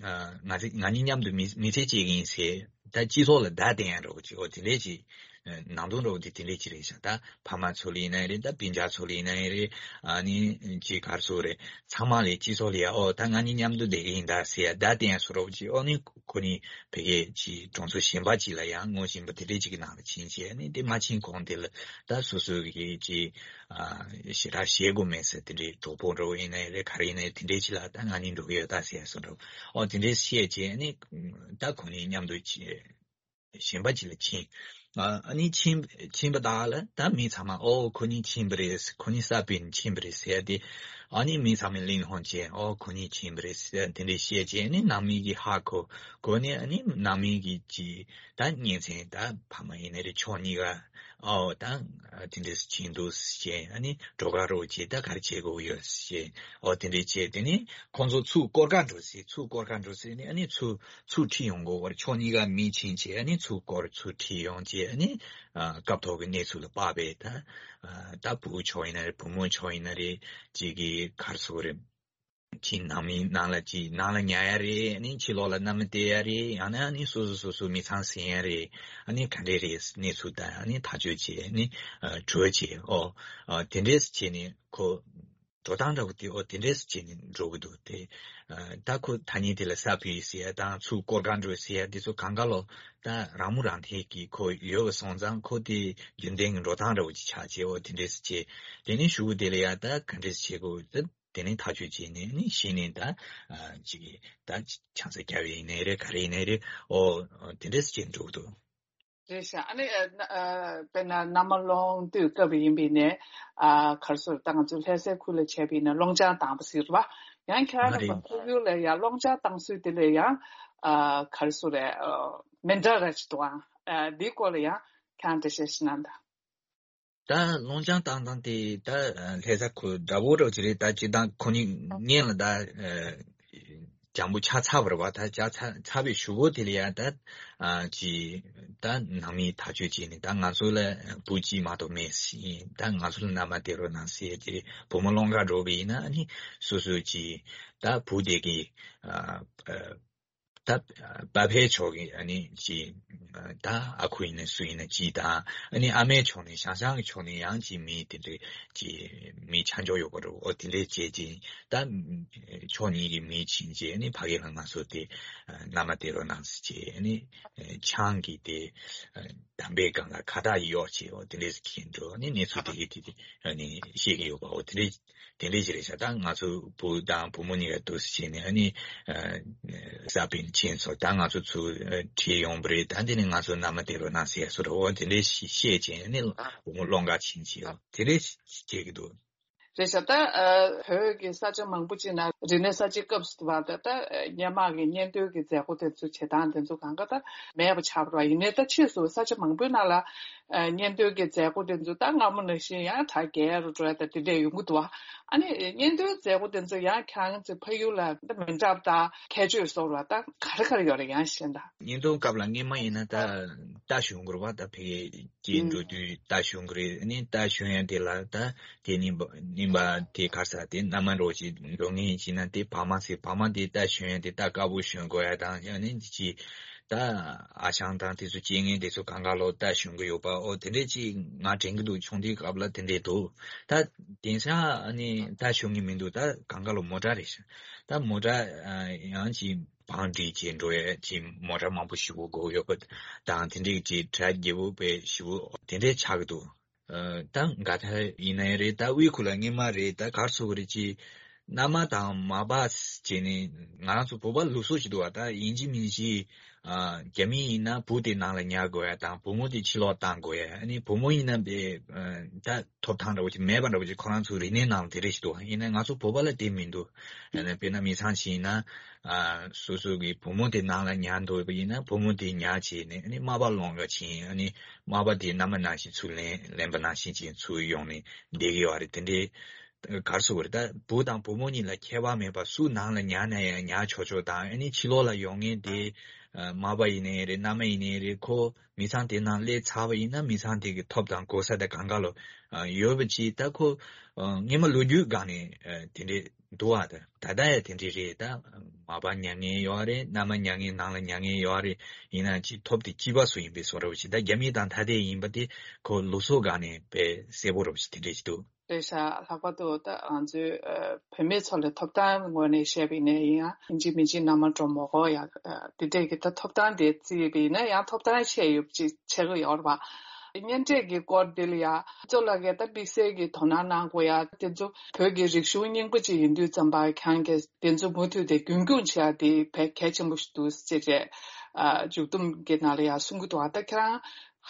ཨ་ང་ཚོ་ང་གཉིས་མཉམ་དུ་མི་མི་ཚེ་སྐྱེལ་གྱི་ཡིན་ཟེར། ད་སྤྱི་ཚོགས་ལ་བརྡ་བསྟན་ཡ་འདྲ་བོ་ཅིག། ཨོ་དེ་འདྲས་ཅིག་ནང་དོན་འདྲ་བོ་དེ་དེ་འདྲས་ཅིག་རེད་ཤག། ད་ཕ་མ་ཚོ་ལ་ཡིན་ན་རེད། ད་སྤུན་ཀྱག་ཚོ་ལ་ཡིན་ན་རེད། ཨ་ནི་ཅིག་ག་རེ་ཟེར་དགོས་རེད། ཚང་མ་ལ་སྤྱི་ཚོགས་ལ་ཡ། ཨོ་ད་ང་གཉིས་མཉམ་དུ་བསྡད་ཀྱི་ཡིན་ད་ཟེར་ཡ་བརྡ་བསྟན་ཡ་བཟོ་འདྲ་བོ་ཅིག། ཨོ་ནི་ཁོ་གཉིས་ཕ་གིར་ཅིག་གྲོང་ཚོ་གཞན་པ་ཅིག་ལ་ཡང་ངོ་ཤེས་པ་དེ་འདྲས་ཅིག་གི་ནང་ལ་ཕྱིན་བྱས། ཨ་ནི་དེ་མ་ཕྱིན་གོང་དེ་ལ་ད་སོ་སོ་གི་ཅིག་ཨ་ཞེ་དྲག་བཤད་དགོས་མེད་ཟེར། དེ་འདྲའི་གྲོགས་པོ་འདྲ་བོ་ཡིན་ནའི་རེད། ག་རེ་ཡིན་ནའི་དེ་འདྲའི་ཅིག་ལ་ད་ང་གཉིས་འགྲོ་གི་ཡོད་ད་ཟེར་ཡ་བཟོ་འདྲ་བོ། ཨོ་དེ་འདྲའི་བཤད་བྱས་ནི་ད་ཁོ་གཉིས་མཉམ་དུ་ཅི་གཞན་པ་ཅིག་ལ་ཕྱིན། ཨ་ཨ་ནི་ཕྱིན་ཕྱིན་པ་དག་ལ་ད་མི་ཚང་མ་ཨོ་ཁོ་གཉིས་ཕྱིན་པ་རེད། ཁོ་གཉིས་ས་སྤོས་ནས་ཕྱིན་པ་རེད་ཟེར་ཏེ། ཨ་ནི་མི་ཚང་མས་གླེང་སློང་བྱས། ཨོ་ཁོ་གཉིས་ཕྱིན་པ་རེད་ཟེར་དེ་འདྲའི་བཤད་བྱས་ནི་ནང་མི་གིས་ཧ་གོ་གོ་ནས། ཨ་ནི་ནང་མི་གིས་ཅི་ད་གཉེན་ཚན་ད་ཕ་མ་ཡིན་ནའི་རེད། ཕྱོགས་གཉིས་ཀ་ཨོ་ད་དེ་འདྲས་ཕྱིན་འདུག་ཟེར། ཨ་ནི་འགྲོ་ཁ་རོགས་བྱེད། ད་ག་རེ་བྱེད་དགོས་ཡོད་ཟེར། ཨོ་དེ་འདྲས་བྱས་དེ་ནས་ཁོང་ཚོ་ཚུར་སྐོར་ག་འགྲོ་ཟེར། ཚུར་སྐོར་ག་འགྲོ་ཟེར་ནས། ཨ་ནི་ཚུར་ཚུར་ཁྲིད་ཡོང་དགོས་པར་ཕྱོགས་གཉིས་ཀ་མི་ཕྱིན་བྱས། ཨ་ནི་ཚུར་སྐོར་ཚུར་ཁྲིད་ཡོང་བྱས། ཨ་ནི་ཨ་སྐབས་ཐོག་གི་གནས་ཚུལ་ལ་དཔག་པའི་ད་ཨ་ད་བུ་ཕྱོགས་ཡིན་ན་རེད། བུ་མོ་ཕྱོགས་ཡིན་ན་རེད། ཅིག་གིས་ག་རེ་ཟེར་དགོས་རེད། ཅིག་ནང་མི་ནང་ལ་ཅིག་ནང་ལ་ཉལ་ཡ་རེད། ཨ་ནི་ཕྱི་ལོགས་ལ་མནའ་མ་སྟེར་ཡ་རེད། ཡང་ན་ཨ་ནི་སོ་སོ་སོ་སོ་མི་ཚང་ཟིན་ཡ་རེད། ཨ་ནི་ག་འདྲས་རེད་གནས་ཚུལ་དང་ཨ་ནི་ཐག་གཅོད་བྱས། ཨ་ནི་ཨ་གྲོས་བྱས། ཨོ་ཨ་དེ་འདྲས་བྱས་ནས་ཁོ་འགྲོ་སྟངས་འདྲ་བོ་དེ་ཨོ་དེ་འདྲས་བྱས་ནས་འགྲོ་གི་འདུག་དེ་ཨ་ད་ཁོ་ཐ་སྙད་དེ་ལ་ས་ཕུད་ཟེར་ཡ་དང་ཚུར་སྐོར་ག་འགྲོ་ཟེར་ཡ་དེ་ཚོ་གང་ག་ལོ་ད་རང་མོས་རང་འཐད་ཀྱིས་ཁོ་ཡོད་པ་སོང་ཙང་ཁོ་དེ་རྒྱུན་ལྡན་གྱི་འགྲོ་སྟངས་འདྲ་བོ་ཅིག་ཆགས་བྱས། ཨོ་དེ་འདྲས་བྱས། དེ་ནས་གཞུག་གུ་དེ་ལ་ཡ་ད་ག་འདྲས་བྱེད་དགོས། ད་དེ་ནས་ཐག་གཅོད་བྱས་ནས་ནི་གཞི་ནས་ད་ཨ་ཅིག་ད་ཆང་ས་རྒྱབ་ཡིན་ནའི་རེད། ག་རེ་ཡིན་ནའི་རེད། ཨོ་དེ་འདྲས་བྱས་འགྲོ་གི་འདུག་རེད་ཤག་ཨ་ནི་ཨ་ན་ཨ་དཔེར་ན་མནའ་མ་སློང་དུས་སྐབས་ཡིན་པས་ནས་ཨ་ག་རེ་ཟེར། ད་ང་ཚོ་ལྷ་སའི་ཁུལ་ལ་བྱས་པས་ན་སློང་ཆང་བཏང་བ་ཟེར་བ། ཡང་ཁྱེད་རང་ཨ་རེད། ལ་ཕ་ཡུལ་ལ་ཡང་སློང་ཆང་བཏང་སྲོལ་དེ་ལ་ཡང་ཨ་ག་རེ་ཟེར་རེད། ཨ་མི་འདྲ་ར་ཅིག་འདུག་ཨ་ཨ་འདིའི་སྐོར་ལ་ཡང་ཁྱེད་རང་འགྲེལ་བཤད་ཞིག་གནང་དང་། ད་སློང་ཆང་བཏང་སྟངས་དེ་ད་ལྷ་ས་ཁུལ་འདྲ་པོ་འདྲ་པོ་ཅིག་རེད། ད་སྤྱིར་བཏང་ཁོ་གཉིས་སྔོན་ལ་ད་ཨ་འཇམ་པོ་ཆགས་ཚར་བ་རེད་བ། ད་ཆགས་ཚར་ཚར་བའི་གཞུག་གུ་དེ་ལ་ཡ་ད་ཨ་ཅིག་ད་ནང་མིས་ཐག་གཅོད་བྱས་ནས་ད་ང་ཚོ་ལ་བུ་གཅིག་མ་གཏོགས་མེད་ཟེར། ད་ང་ཚོ་ལ་མནའ་མ་སྟེར་རོགས་གནང་ཟེར་ཏེ་བུ་མོ་སློང་གར་འགྲོ་བ་ཡིན་ན་ཨ་ནི་སོ་སོ་ཅིག་ད་བུ་དེ་གི་ཨ་ཨ་ད་པ་ཕའི་ཕྱོགས་ཀྱི་ཨ་ནི་ཅིག་ད་ཨ་ཁུ་ཡིན་ན་སུ་ཡིན་ན་ཅིག་དང་། ཨ་ནི་ཨ་མའི་ཕྱོགས་ནས་ཞང་ཞང་གི་ཕྱོགས་ནས་ཡང་ཅིག་མི་དེ་འདྲའི་ཅིག་མི་ཆ་འཇོག་ཡོད་པ་རེད། ཨོ་དེ་འདྲའི་བྱས་ཅིག་ད་ཕྱོགས་གཉིས་ཀྱི་མི་ཕྱིན་བྱས་ཨ་ནི་ཕ་གི་ལ་ང་ཚོ་དེ་མནའ་མ་སྟེར་རོགས་གནང་ཟེར་བྱས། ཨ་ནི་ཆང་གི་དེ་དམ་པའི་སྒང་ལ་ཁ་བཏགས་གཡོགས་བྱས། ཨོ་དེ་འདྲའི་ཟེར་གྱིན་འགྲོ། ཨ་ནི་གནས་ཚུལ་དེ་གི་དེ་དེ་ཨ་ནི་བཤད་ཀྱི་ཡོད་པ། ཨོ་དེ་འདྲའི་དེ་འདྲའི་ཅིག་རེད་ཤག་ད་ང་ཚོ་བུ་དང་བུ་མོ་གཉིས་ཀ་འདུག་སེ་བྱས་ནས་ཨ་ནི་ཨ་ས་པིན་ཆེན་ཚོ་ད་ང་ཚོ་ཚུར་ཨ་ཁྲིད་ཡོང་པ་རེད། ད་འདི་ནས་ང་ཚོ་མནའ་མ་སྟེར་རོགས་གནང་ཟེར་སོ་རེད། འོ་དེ་འདྲའི་ཞིག་བཤད་བྱས་ནས་བུ་མོ་སློང་གར་ཕྱིན་བྱས། འོ་དེ་འདྲའི་ཞིག་བྱེད་ཀྱི་འདུག་རེད་ཤག་ད་ཨ་བོད་ཀྱི་ས་ཆ་མང་པོ་ཅིག་ན་རིག་གནས་གསར་བརྗེའི་སྐབས་སུ་བར་དུ་ད་ཨ་སྔོན་མ་གི་གཉེན་སྟོན་གྱི་མཛད་སྒོ་དེ་ཚོ་བྱེད་སྟངས་དེ་ཚོ་གང་ག་ད་མེད་པ་ཆགས་པ་རེད་བ། ཡིན་ནའི་ད་ཕྱིས་སུ་ས་ཆ་མང་པོའི་ནང་ལ་ཨ་གཉེན་སྟོན་གྱི་མཛད་སྒོ་དེ་ཚོ་ད་སྔ་མོ་ནང་བཞིན་ཡང་གྲ་རྒྱས་རུ་འགྲོ་ཡ་ད་དེ་འདྲས་ཡོང་གི་འདུག་བ། ཨ་ནི་གཉེན་སྟོན་མཛད་སྒོ་དེ་ཚོ་ཡང་ཁྱེད་རང་ཚོའི་ཕ་ཡུལ་ལ་ད་མི་འདྲ་བ་ད་ཁྱད་ཆོས་བཟོ་བ་ད་ག་རེ་ག་རེ་ཡོད་རེད། ཡང་གཞན་དག་གཉེན་སྟོན་སྐབས་ལ་སྔོན་མ་ཡིན་ན་ད་རྟ་ཞོན་དགོས་རེད་བ། ད་ཕ་གིར་སྐྱེལ་འགྲོ་དུས་རྟ་ཞོན་གི་རེད། ཨ་ནི་རྟ་ཞོན་ཡ་དེ་ལ་ད་དེ་ནི་ནིམ་པ་དེ་གར་ས་དེ་མནའ་མ་འགྲོ་ཅིག་འགྲོ་ངེས་ཡིན་ན་དེ་བག་མ་ཟེར། བག་མ་དེ་རྟ་ཞོན་ཡ་དེ་རྟ་དཀར་པོ་ཞོན་དགོས་ཡ་དང་། ཨ་ནི་ཅི་ད་ཨ་ཞང་དང་དེ་ཚོ་སྐྱེལ་མཁན་དེ་ཚོ་གང་ག་ལོ་རྟ་ཞོན་གི་ཡོད་པ། ཨོ་དེ་འདྲས་ཅིག་ང་དྲན་གི་འདུག་ཆུང་དུས་སྐབས་ལ་དེ་འདྲས་འདུག་ད་དེང་སང་ཨ་ནི་རྟ་ཞོན་གི་མི་འདུག་ད་གང་ག་ལོ་མོ་ཊ་རེད་ཤག་ད་མོ་ཊ་ཨ་ཡང་ཅིག་བང་སྒྲིག་བྱས་འགྲོ་ཡ་ཅིག་མོ་ཊ་མང་པོ་ཞེ་པོ་དགོས་ཡོད་པ་དང་། དེ་འདྲས་ཅིག་གྲ་རྒྱས་པོ་དཔེ་ཞེ་པོ་དེ་འདྲས་ཆགས་གི་འདུག་ཨ་ད་ག་ད་ཡིན་ནའི་རེད། ད་དབུས་ཁུལ་ལ་སྔོན་མ་རེད། ད་གར་སོང་གི་རེད། ཅི་མནའ་མ་དང་མ་པ་བྱས་ནས་ང་རང་ཚོ་བོད་པ་ལུགས་སྲོལ་ཞིག་འདུག་བ། ད་ཡིན་གཅིག་མིན་གཅིག་ཨ་རྒྱ་མི་ཡིན་ན་བུ་དེ་ནང་ལ་ཉར་དགོས་ཡ་དང་བུ་མོ་དེ་ཕྱི་ལོགས་བཏང་དགོས་ཡ། ཨ་ནི་བུ་མོ་ཡིན་ན་དཔེ་ཨ་ད་ཐོབ་ཐང་འདྲ་བོ་ཅིག་མེད་པ་འདྲ་བོ་ཅིག་ཁོ་རང་ཚོའི་རིག་གནས་ནང་ལ་དེ་འདྲ་ཞིག་འདུག་ཡིན་ན་ང་ཚོ་བོད་པ་ལ་དེ་མི་འདུག་ཨ་ནི་དཔེར་ན་མི་ཚང་ཞིག་ཡིན་ན་ཨ་སོ་སོ་གི་བུ་མོ་དེ་ནང་ལ་ཉར་འདོད་པ་ཡིན་ན་བུ་མོ་དེ་ཉར་བྱས་ནས་ཨ་ནི་མ་པ་སློང་ག་ཕྱིན། ཨ་ནི་མ་པ་དེ་མནའ་མ་ནང་བཞིན་ཚུར་ལེན་ལེན་པ་ནང་བཞིན་ཅིག་ཚུར་ཡོང་ནས་བསྡད་ཀྱི་ཡོད་རེད། དེ་འདྲའི་གར་སོང་བ་རེད། ད་བུ་དང་བུ་མོ་གཉིས་ལ་ཁྱད་པར་མེད་པ་སུ་ནང་ལ་ཉར་ན་ཡང་ཉར་ཆོག་ཆོག་དང་། ཨ་ནི་ཕྱི་ལོགས་ལ་ཡོང་མཁན་དེ་ཨ་མ་པ་ཡིན་ནའི་རེད། མནའ་མ་ཡིན་ནའི་རེད། ཁོ་མི་ཚང་དེ་ནང་སླེབས་ཚར་བ་ཡིན་ན་མི་ཚང་དེ་གི་ཐོབ་དང་གོ་ས་དེ་གང་ག་ལོ་ཨ་ཡོད་པ་ཅིག་ད་ཁོ་ཨ་སྔོན་མ་ལོ་རྒྱུས་སྒང་ནས་ཨ་དེ་འདྲས་འདུག་བ། ད་ད་ལྟ་ཡང་དེ་འདྲས་རེད། ད་མ་པ་ཉར་མཁན་ཡོད་རེད། མནའ་མ་ཉར་མཁན་ནང་ལ་ཉར་མཁན་ཡོད་རེད། ཡིན་ན་ཅིག་ཐོབ་དེ་གཅིག་པ་སུ་ཡིན་པའི་བཟོ་འདྲ་བོ་ཅིག་ད་རྒྱ་མི་དང་ཐ་དད་ཡིན་པ་དེ་ཁོ་ལུགས་སྲོལ་སྒང་ནས་དཔེ་གསལ་པོ་འདྲ་བོ་ཅིག་དེ་འདྲས་ཅིག་འདུག་རེད་ཤག་ལྷག་པར་དུ་ད་ང་ཚོའི་ཨ་བུད་མེད་ཚོ་ལ་ཐོབ་ཐང་ངོས་ནས་བཤད་པ་ཡིན་ན་ཡིན་ཡང་ཡིན་གཅིག་མིན་གཅིག་མནའ་མ་འགྲོ་མ་དགོས་ཡ་ཨ་དེ་འདྲས་ཀྱི་ད་ཐོབ་ཐང་དེ་བརྩིས་པ་ཡིན་ན་ཡང་ཐོབ་ཐང་ཆེ་ཡོད་ཅིག་ཆགས་ཀྱི་ཡོད་རེད་པ། གཉེན་འཕྲད་ཀྱི་སྐོར་འདི་ལ་ཡ་གཙོ་ལགས་ཀྱིས་ད་དམིགས་བསལ་གྱི་དོ་སྣང་གནང་དགོས་ཡ་དེ་ཚོ་བོད་ཀྱི་རིག་གཞུང་རྙིང་པ་ཅིག་ཡིན་དུས་ཙམ་པ་ཁྱེད་རང་གིས་དེ་ཚོ་མུ་མཐུད་དེ་རྒྱུན་སྐྱོང་བྱེད་ཡ་དེ་དཔེ་གལ་ཆེན་པོ་ཞིག་འདུག་ཅེས་རེད། ཨ་མཇུག་བསྡོམས་ཀྱི་ནང་ལ་ཡ་གསུང་གི་འདུག་ཨ་ད་ཁྱེད་རང་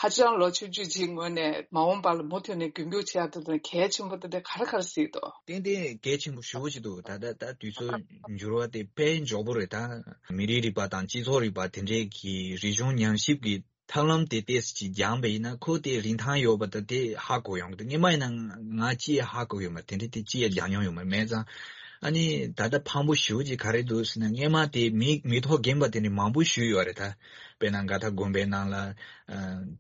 ཧ་ཅང་ལོ་ཆུང་ཆུང་ཅིག་ངོས་ནས་མ་འོངས་པ་ལ་མུ་མཐུད་ནས་རྒྱུན་སྐྱོང་བྱེད་ཡ་དེ་ཚོ་གལ་ཆེན་པོ་དེ་འདྲ་ག་རེ་ག་རེ་གཟིགས་འདུག་ཏན་ཏན་གལ་ཆེན་པོ་ཞེ་པོ་ཅིག་འདུག་ད་ལྟ་ད་དུས་ཚོད་འགྱུར་བ་དེ་དཔེ་མགྱོགས་པོ་རེད། ད་མི་རིགས་རིག་པ་དང་སྤྱི་ཚོགས་རིག་པ་དེ་འདྲའི་གི་རིག་གཞུང་ཉམས་ཞིབ་ཀྱི་ཐབས་ལམ་དེ་ཏོག་ཙམ་ཅིག་སྦྱངས་པ་ཡིན་ན་ཁོ་དེ་རིན་ཐང་ཡོད་པ་དང་དེ་ཧ་གོ་ཡོང་གི་འདུག་སྔོན་མ་ཡིན་ན་ང་ཅི་ཡང་ཧ་གོ་ཡོད་མ་རེད། དེ་འདྲ་དེ་ཅི་ཡང་སྦྱང་མྱོང་ཡོད་མ་རེད། མེད་ཙང་ཨ་ནི་ད་ལྟ་ཕངས་པོ་ཞེ་པོ་ཅིག་ག་རེ་འདུག་ཟེར་ན་སྔོན་མ་དེ་མི་མི་ཐོག་རྒན་པ་དེ་འདྲ་མང་པོ་ཞིག་ཡོད་རེད། ད་དཔེར་ན་མགར་ཐང་དགོན་པའི་ནང་ལ་ཨ་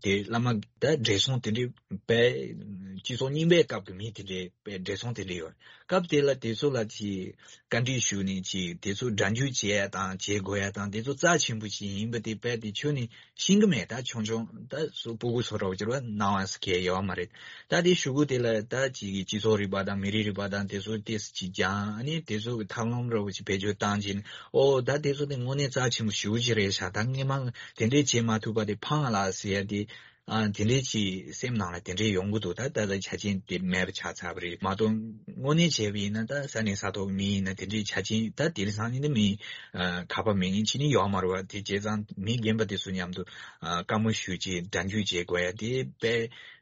དེ་བླ་མ་ད་བགྲེས་སོང་དེ་འདྲ་དཔེ་ སྤྱི་ཚོགས་རྙིང་པའི་སྐབས་ཀྱི་མི་དེ་འདྲའི་དཔེ་བགྲེས་སོང་དེ་འདྲ་ཡོད། སྐབས་དེ་ལ་དེ་ཚོ་ལ་ཅིག་བཀའ་འདྲི་ཞུས་ནས་ཅིག་དེ་ཚོ་སྒྲ་འཇུག་བྱེད་ཡ་དང་བྱེད་དགོས་ཡ་དང་དེ་ཚོ་རྩ་ཆེན་པོ་ཞིག་ཡིན་པ་དེ་དཔེ་དེ་ཁྱོན་ནས་ཤེས་ཀྱི་མེད། ད་ཆུང་ཆུང་ད་སོ་སྤུ་གུ་ཚོ་འདྲ་བོ་ཅིག་ལ་སྣང་བ་ཟེར་མཁན་ཡོད་མ་རེད། ད་དེ་གཞུག་གུ་དེ་ལ་ད་ཅིག་གི་སྤྱི་ཚོགས་རིག་པ་དང་མི་རིགས་རིག་པ་དང་དེ་ཚོ་ཏོག་ཙམ་ཅིག་སྦྱངས་ནས་དེ་ཚོ་གི་ཐབས་ལམ་འདྲ་བོ་ཅིག་བེད་སྤྱོད་བཏང་བྱས་ནས། ཨོ་ད་དེ་ཚོ་དེ་དངོས་གནས་རྩ་ཆེན་པོ་ཞེ་པོ་ཅིག་རེད་ཤག་ད་སྔས་མ་དེ་འདྲས་བྱེད་མ་ཐུབ་པ་དེ་ཕངས་ལ་ཟེར་ཡ་དེ། ཨ་དེ་འདྲས་ཅིག་སེམས་ནང་ལ་དེ་འདྲས་ཡོང་གི་འདུག་ད་ད་ལྟ་ཆ་རྐྱེན་དེ་མེད་པ་ཆགས་ཚར་བ་རེད་མ་གཏོགས། དངོས་གནས་བྱས་པ་ཡིན་ན་ད་ས་གནས་ས་ཐོག་མི་ཡིན་ན་དེ་འདྲས་ཆ་རྐྱེན་ད་དེང་སང་ནི་མི་ཨ་ཁ་པར་མེད་མཁན་ཅིག་ནི་ཡོད་མ་རེད་བ། དེ་བྱས་ཙང་མི་རྒན་པ་དེ་ཚོ་མཉམ་དུ་ཨ་བཀའ་མོལ་ཞུ་བྱས་སྒྲ་འཇུག་བྱེད་དགོས་ཡ་དེ་དཔེ་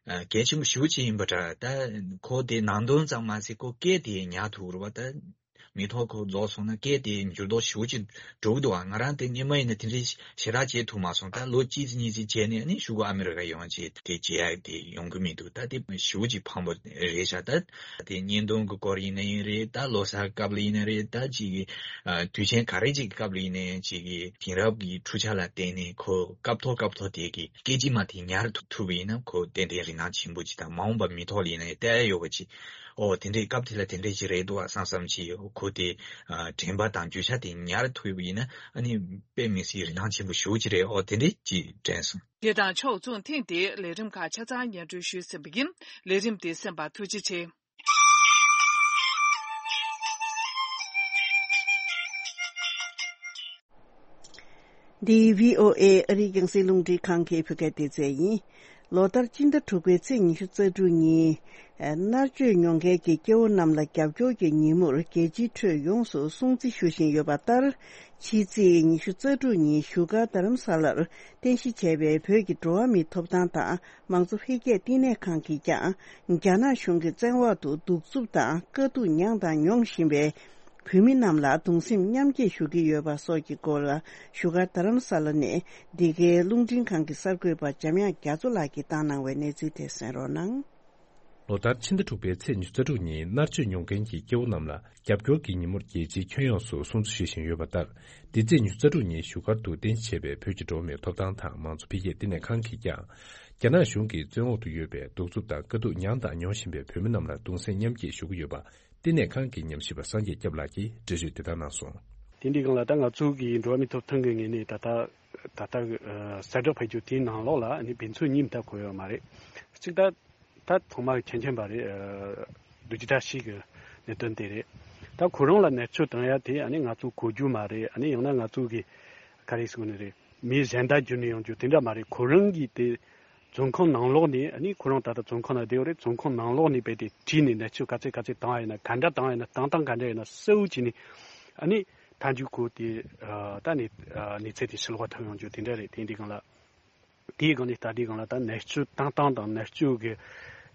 ཨ་གལ་ཆེན་པོ་ཞེ་པོ་ཅིག་ཡིན་པ་འདྲ། ད་ཁོ་དེ་ནང་དོན་ཙམ་མ་ཟད་ཁོ་སྐད་དེ་ཉར་ཐུབ་རེད་བ། ད་མི་ཐོག་ཁོ་རྫོགས་སོང་ན་སྐད་དེ་འགྱུར་ལྡོག་ཞེ་པོ་ཅིག་འགྲོ་གི་འདུག་ཨ། ང་རང་དེ་སྔས་མ་ཡིན་ན་དེ་འདྲའི་ཞེ་དྲག་བྱེད་ཐུབ་མ་སོང་། ད་ལོ་གཅིག་ཙམ་གཉིས་ཙམ་བྱས་ནས་ནི་གཞུག་གུ་ཨ་མི་རི་ཀ་ཡོང་བྱས་དེ་བྱེད་ཡ་དེ་ཡོང་གི་མི་འདུག་ད་དེ་ཞེ་པོ་ཅིག་ཕངས་པོ་རེད་ཤག་ད་དེ་གཉེན་སྟོན་གྱི་སྐོར་ཡིན་ན་ཡིན་རེད། ད་ལོ་གསར་སྐབས་ལ་ཡིན་ན་རེད། ད་ཅིག་གི་ཨ་དུས་ཆེན་ག་རེ་ཅིག་གི་སྐབས་ལ་ཡིན་ན་ཡང་ཅིག་གི་དེང་རབས་ཀྱི་འཕྲུལ་ཆ་ལ་བརྟེན་ནས་ཁོ་སྐབས་ཐོག་སྐབས་ཐོག་དེ་གི་སྐད་ཅིག་མ་དེ་ཉར་ཐུབ་ཐུབ་པ་ཡིན་ན་ཁོ་ཏན་ཏན་རིན་ཐང་ཆེན་པོ་ཅིག་དང་མ་འོངས་པ་མི་ཐོག་ལ་ཡིན་ན་ཡང་བལྟ་ཡ་ཡོད་པ་ཅིག་ཨོ་དེ་འདྲའི་སྐབས་དེ་ལ་དེ་འདྲའི་ཅིག་རེད་འདུག་བསམ་བསམ་ཅིག་ཁོ་དེ་ཨ་དྲན་པ་དང་རྒྱུ་ཆ་དེ་ཉར་ཐུབ་པ་ཡིན་ན་ཨ་ནི་དཔེ་མི་སྲིད་རིན་ཐང་ཆེན་པོ་ཞེ་པོ་ཅིག་རེད། ཨོ་དེ་འདྲའི་ཅིག་དྲན་སོང་། དེ་དང་ཕྱོགས་མཚུངས་ཐེངས་འདིའི་ལས་རིམ་ཁག་ཆ་ཚང་སྙན་སྒྲོན་ཞུས་ཟིན་པ་ཡིན། ལས་རིམ་འདི་གསན་པར་ཐུགས་རྗེ་ཆེ། འདི་བྷི་ཨོ་ཨེ་ཨ་རིའི་རྒྱང་སྲིང་རླུང་འཕྲིན་ཁང་གི་བོད་སྐད་སྡེ་ཚན་ཡིན། ལོ་ལྟར་སྤྱི་ཟླ་དྲུག་པའི་ཚེས་ཉི་ཤུ་རྩ་དྲུག་ཉིན། མནར་གཅོད་མྱོང་མཁན་གྱི་སྐྱེ་བོ་རྣམས་ལ་རྒྱབ་སྐྱོར་གྱི་ཉིན་མོར་རྒྱལ་སྤྱིའི་ཁྲོད་ཡོངས་སུ་སྲུང་བརྩི་ཞུ་བཞིན་ཡོད་པ་ལྟར། ཕྱི་ཚེས་ཉི་ཤུ་རྩ་དྲུག་ཉིན་བཞུགས་སྒར་རྡ་རམ་ས་ལར་རྟེན་གཞི་བྱས་པའི་བོད་ཀྱི་འགྲོ་བ་མིའི་ཐོབ་ཐང་དང་མང་གཙོ་འཕེལ་རྒྱས་བསྟི་གནས་ཁང་གིས་ཀྱང་། རྒྱ་ནག་གཞུང་གི་བཙན་འོག་ཏུ་གདུག་རྩུབ་དང་དཀའ་སྡུག་མྱངས་དང་མྱོང་བཞིན་པའི་བོད་མི་རྣམས་ལ་གདུང་སེམས་མཉམ་སྐྱེད་ཞུ་གི་ཡོད་པ་སོགས་ཀྱི་སྐོར་ལ། བཞུགས་སྒར་རྡ་རམ་ས་ལ་ནས་འདི་གའི་རླུང་འཕྲིན་ཁང་གི་གསར་འགོད་པ་འཇམ་དབྱངས་རྒྱ་མཚོ་ལགས་ཀྱིས་བཏང་གནང་བའི་གནས་ཚུལ་དེ་གསན་རོགས་གནང་། ལོ་ལྟར་ཕྱི་ཟླ་དྲུག་པའི་ཚེས་ཉི་ཤུ་རྩ་དྲུག་ཉིན་མནར་གཅོད་མྱོང་མཁན་གྱི་སྐྱེ་བོ་རྣམས་ལ་རྒྱབ་སྐྱོར་གྱི་ཉིན་མོར་རྒྱལ་སྤྱིའི་ཁྱོན་ཡོངས་སུ་སྲུང་བརྩི་ཞུ་བཞིན་ཡོད་པ་ལྟར། འདི་ཚེས་ཉི་ཤུ་རྩ་དྲུག་ཉིན་བཞུགས་སྒར་དུ་རྟེན་གཞི་བྱས་པའི་བོད་ཀྱི་འགྲོ་བ་མིའི་ཐོབ་ཐང་དང་མང་གཙོ་འཕེལ་རྒྱས་བསྟི་གནས་ཁང་གིས་ཀྱང་། རྒྱ་ནག་གཞུང་གིས་བཙན་འོག་ཏུ་ཡོད་པའི་གདུག་རྩུབ་དང་དཀའ་སྡུག་མྱངས་དང་མྱོང་བཞིན་པའི་བོད་མི་རྣམས་ལ་གདུང་སེམས་མཉམ་སྐྱེད་ཞུ་གི་ཡོད་པ། བསྟི་གནས་ཁང་གི་ཉམས་ཞིབ་པ་སངས་རྒྱས་སྐྱབས་ལགས་ཀྱིས་འགྲེལ་བརྗོད་དེ་ལྟར་གནང་སོང་། དེ་འདྲའི་སྒང་ལ་ད་ང་ཚོ་གི་འགྲོ་བ་མིའི་ཐོབ་ཐང་གི་ངོས་ནས་ད་ལྟ་ད་ལྟ་གསལ་བསྒྲགས་ཕེབས་རྒྱུ་དེའི་ནང་ལོགས་ལ་ནི་དཔེ་མཚོན་གཉིས་མ་གཏོགས་འཁོད་ཡོད་མ་རེད། གཅིག་ད་ད་ཚང་མ་མཁྱེན་མཁྱེན་པ་རེད། རྡོ་རྗེ་བཀྲ་ཤིས་ཀྱི་གནད་དོན་དེ་རེད། ད་ཁོ་རང་ལ་མནར་གཅོད་བཏང་ཡ་དེ་ཨ་ནི་ང་ཚོ་གོ་རྒྱུ་མ་རེད། ཨ་ནི་ཡང་ན་ང་ཚོ་གི་ག་རེ་ཟེར་དགོས་ནི་རེད། མིའི་གཞན་དག་བརྒྱུད་ནས་ཡོང་རྒྱུ་དེ་འདྲ་མ་རེད། ཁོ་རང་གིས་དེ་བཙོན་ཁང་ནང་ལོགས་ནས་ཨ་ནི་ཁོ་རང་ད་ལྟ་བཙོན་ཁང་ནང་བསྡད་ཡོད་རེད། བཙོན་ཁང་ནང་ལོགས་ནས་རྦད་དེ་བྲིས་ནས་མནར་གཅོད་ག་ཚད་ག་ཚད་བཏང་ཡ་ཡིན་ན། ག་འདྲ་བཏང་ཡ་ཡིན་ན། བཏང་སྟངས་ག་འདྲ་ཡིན་ན་གསལ་བོ་བྱས་ནས་ཨ་ནི་མཐའ་མཇུག་ཁོ་དེ་ད་ནི་གནས་ཚུལ་དེ་ཕྱི་ལོགས་ཐོན་ཡོང་རྒྱུ་དེ་འདྲ་རེད། དེ་འདྲའི་སྒང་ལ། དེའི་སྒང་ནས་ད་ལྟའི་སྒང་ལ་ད་མནར་གཅོད་བཏང་སྟངས་དང་མནར་གཅོད་ཀྱི་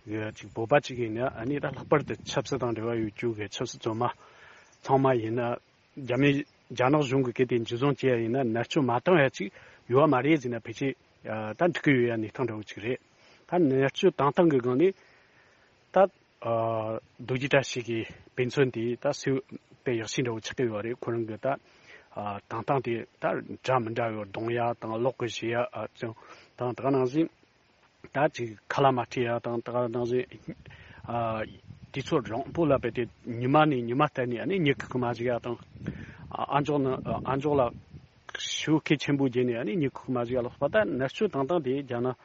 ཀྱི་ཅིག་བོད་པ་ཅིག་ཡིན་ན་ཨ་ནི་ད་ལྷག་པར་དུ་ཆབ་སྲིད་དང་འབྲེལ་བ་ཡོད་རྒྱུ་གི་ཆབ་སྲིད་བཙོན་མ་ཚང་མ་ཡིན་ན། རྒྱ་མི་རྒྱ་ནག་གཞུང་གི་སྐད་དེ་འཇུ་བཟུང་བྱས་ཡ་ཡིན་ན་མནར་གཅོད་མ་བཏང་ཡ་ཅིག་ཡོད་མ་རེད་ཟེར་ན་ཕལ་ཆེར་ད་འགྲིག་གི་ཡོད་ཡ་གནས་སྟངས་འདྲ་བོ་ཅིག་རེད། ད་མནར་གཅོད་བཏང་སྟངས་ཀྱི་སྒང་ནས་ད་རྡོ་རྗེ་བཀྲ་ཤིས་ཀྱི་དཔེ་མཚོན་དེ་ད་སུས་དཔེ་ཡག་ཤོས་འདྲ་བོ་ཆགས་ཀྱི་ཡོད་རེད། ཁོ་རང་གི་ད་བཏང་སྟངས་དེ་ད་འདྲ་མི་འདྲ་བའི་རྡུང་ཡ་དང་ལོག་གི་བྱེད་ཡ་ཅང་དང་། ད་ག་ནང་བཞིན་ད་ཅིག་ཁ་ལག་མ་སྤྲད་ཡ་དང་། ད་ག་ནང་བཞིན་དུས་ཚོད་རིང་པོ་ལ་བབས་ཏེ་ཉི་མ་ནས་ཉི་མ་བསྟར་ནས་ཨ་ནི་མྱི་ཁུག་གི་མ་བཞག་ཡ་དང་། ཨ་མཆོག་ནི་ཨ་མཆོག་ལ་ཞེ་པོ་གལ་ཆེན་པོ་བརྗོད་ནས་ཨ་ནི་མྱི་ཁུག་གི་མ་བཞག་ཡ་ལ་སོགས་པ། ད་མནར་གཅོད་བཏང་སྟངས་དེ་རྒྱ་ནག་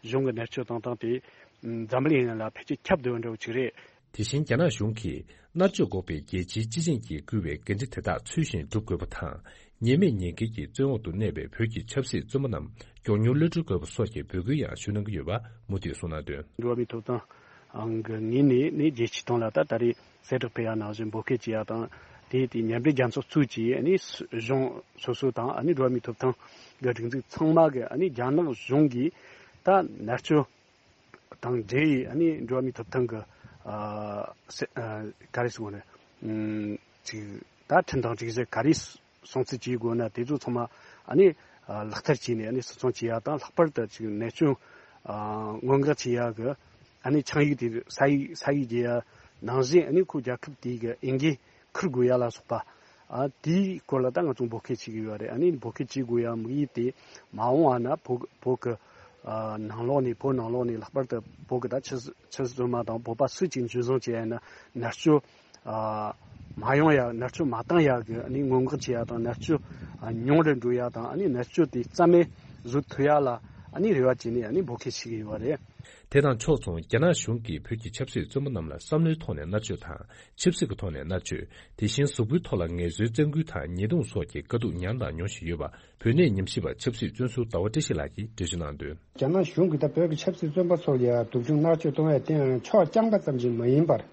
གཞུང་གི་མནར་གཅོད་བཏང་སྟངས་དེ་འཛམ་གླིང་ཡོངས་ལ་ཕལ་ཆེར་ཁྱབ་བསྡད་ཡོད་འདྲ་བོ་ཅིག་རེད། དེ་བཞིན་རྒྱ་ནག་གཞུང་གིས་མནར་གཅོད་འགོག་པའི་རྒྱལ་སྤྱིའི་སྤྱི་ཆིངས་ཀྱིས་བསྐུལ་བའི་འགན་འཁྲི་དེ་དག་ཚུལ་བཞིན་སྒྲུབ་དགོས་པ་དང་། ཉེས་མེད་ཉེས་འགེལ་གྱིས་བཙོན་འོག་ཏུ་གནས་པའི་བོད་ཀྱི་ཆབ་སྲིད་བཙོན་པ་རྣམས་མགྱོགས་མྱུར་གློད་གྲོལ་དགོས་པ་སོགས་ཀྱི་འབོད་སྐུལ་ཡང་ཞུ་གནང་གི་ཡོད་པ་མུ་མཐུད་གསུངས་གནང་དོན། འགྲོ་བ་མིའི་ཐོབ་ཐང་གི་ངོས་ནས་ནི་རྒྱལ་སྤྱིའི་སྟེང་ལ་ད་ད་རེས་གསལ་བསྒྲགས་ཕེབས་ཡ་ནང་བཞིན་འབོད་སྐུལ་བྱེད་ཡ་དང་། དེ་དེ་མཉམ་འབྲེལ་རྒྱལ་ཚོགས་གཙོས་ཀྱི་ཨ་ནི་གཞུང་སོ་སོ་དང་ཨ་ནི་འགྲོ་བ་མིའི་ཐོབ་ཐང་གི་སྒྲིག་འཛུགས་ཚང་མ་གི་ཨ་ནི་རྒྱ་ནག་གཞུང་གིས་ད་མནར་གཅོད་དང་འབྲེལ་ཡི་ཨ་ནི་འགྲོ་བ་མིའི་ཐོབ་ཐང་གི་ཨ་སེ་ཨ་ག་རེ་ཟེར་དགོས་ནི། ཨམ་ཅིག་ད་ཁྲིམས་དང་སྒྲིག་གཞི་ག་རེ་སྲུང་བརྩི་བྱེད་དགོས་ན་དེ་ཚོ་ཚང་མ་ཨ་ནི་ཨ་ལག་བསྟར་བྱས་ནས་ཨ་ནི་སྲུང་སྐྱོང་བྱེད་ཡ་དང་། ལྷག་པར་དུ་ཅིག་གནས་སྐྱོན་ཨ་སྔོན་འགོག་བྱེད་ཡ་གི་ཨ་ནི་ཆིངས་ཡིག་དེ་ས་ཡིག་ས་ཡིག་བརྒྱབ་ཡ་ནང་བཞིན་ཨ་ནི་ཁོ་རྒྱལ་ཁབ་དེ་གི་འོས་འགན་འཁུར་དགོས་ཡ་ལ་སོགས་པ། ཨ་དེའི་སྐོར་ལ་ད་ང་ཚོ་འབོད་སྐུལ་བྱེད་ཀྱི་ཡོད་རེད། ཨ་ནི་འབོད་སྐུལ་བྱེད་དགོས་ཡ་དམིགས་ཡུལ་དེ་མ་འོངས་པ་ན་བོད་བོད་ཀྱི་ ཨ་ནང་ལོགས་ནས་བོད་ནང་ལོགས་ནས་ལྷག་པར་དུ་བོད་ཀྱི་ད་ཆབ་སྲིད་ཆབ་སྲིད་བཙོན་པ་དང་བོད་པ་སུ་གཅིག་འཛིན་བཟུང་བྱས་ཡིན་ན་མནར་གཅོད་ཨ་མ་ཡོང་ཡ། མནར་གཅོད་མ་བཏང་ཡ་གི་ཨ་ནི་སྔོན་འགོག་བྱེད་ཡ་དང་མནར་གཅོད་ཨ་ཉུང་རུ་འགྲོ་ཡ་དང་ཨ་ནི་མནར་གཅོད་དེ་རྩ་མེད་བཟོ་ཐུབ་ཡ་ལ་ཨ་ནི་རེ་བ་བྱས་ནས་ཨ་ནི་འབོད་སྐུལ་བྱེད་ཀྱི་ཡོད་པ་རེད། དེ་དང་ཕྱོགས་མཚུངས་རྒྱ་ནག་གཞུང་གིས་བོད་ཀྱི་ཆབ་སྲིད་བཙོན་པ་རྣམས་ལ་བསམ་བློའི་ཐོག་ནས་མནར་གཅོད་དང་། ཆབ་སྲིད་ཀྱི་ཐོག་ནས་མནར་གཅོད། དེ་བཞིན་གཟུགས་པོའི་ཐོག་ལ་ངལ་གསོའི་བཙན་སྐུལ་དང་ཉེས་རྡུང་སོགས་ཀྱི་དཀའ་སྡུག་མྱངས་དང་མྱོང་བཞིན་ཡོད་པ། བོད་གནས་ཉམས་ཞིབ་པ་ཆབ་སྲིད་བཙོན་ཟུར་ཟླ་བ་བཀྲ་ཤིས་ལགས་ཀྱིས་འགྲེལ་བརྗོད་གནང་དོན། རྒྱ་ནག་གཞུང་གིས་ད་བོད་ཀྱི་ཆབ་སྲིད་བཙོན་པ་ཚོ་ལ་ཡང་སྡུག་སྦྱོང་མནར་གཅོད་གཏོང་བའི་སྟེང་ཕྱོགས་རྐྱང་པ་ཙམ་གྱིས་མ་ཡིན་པར།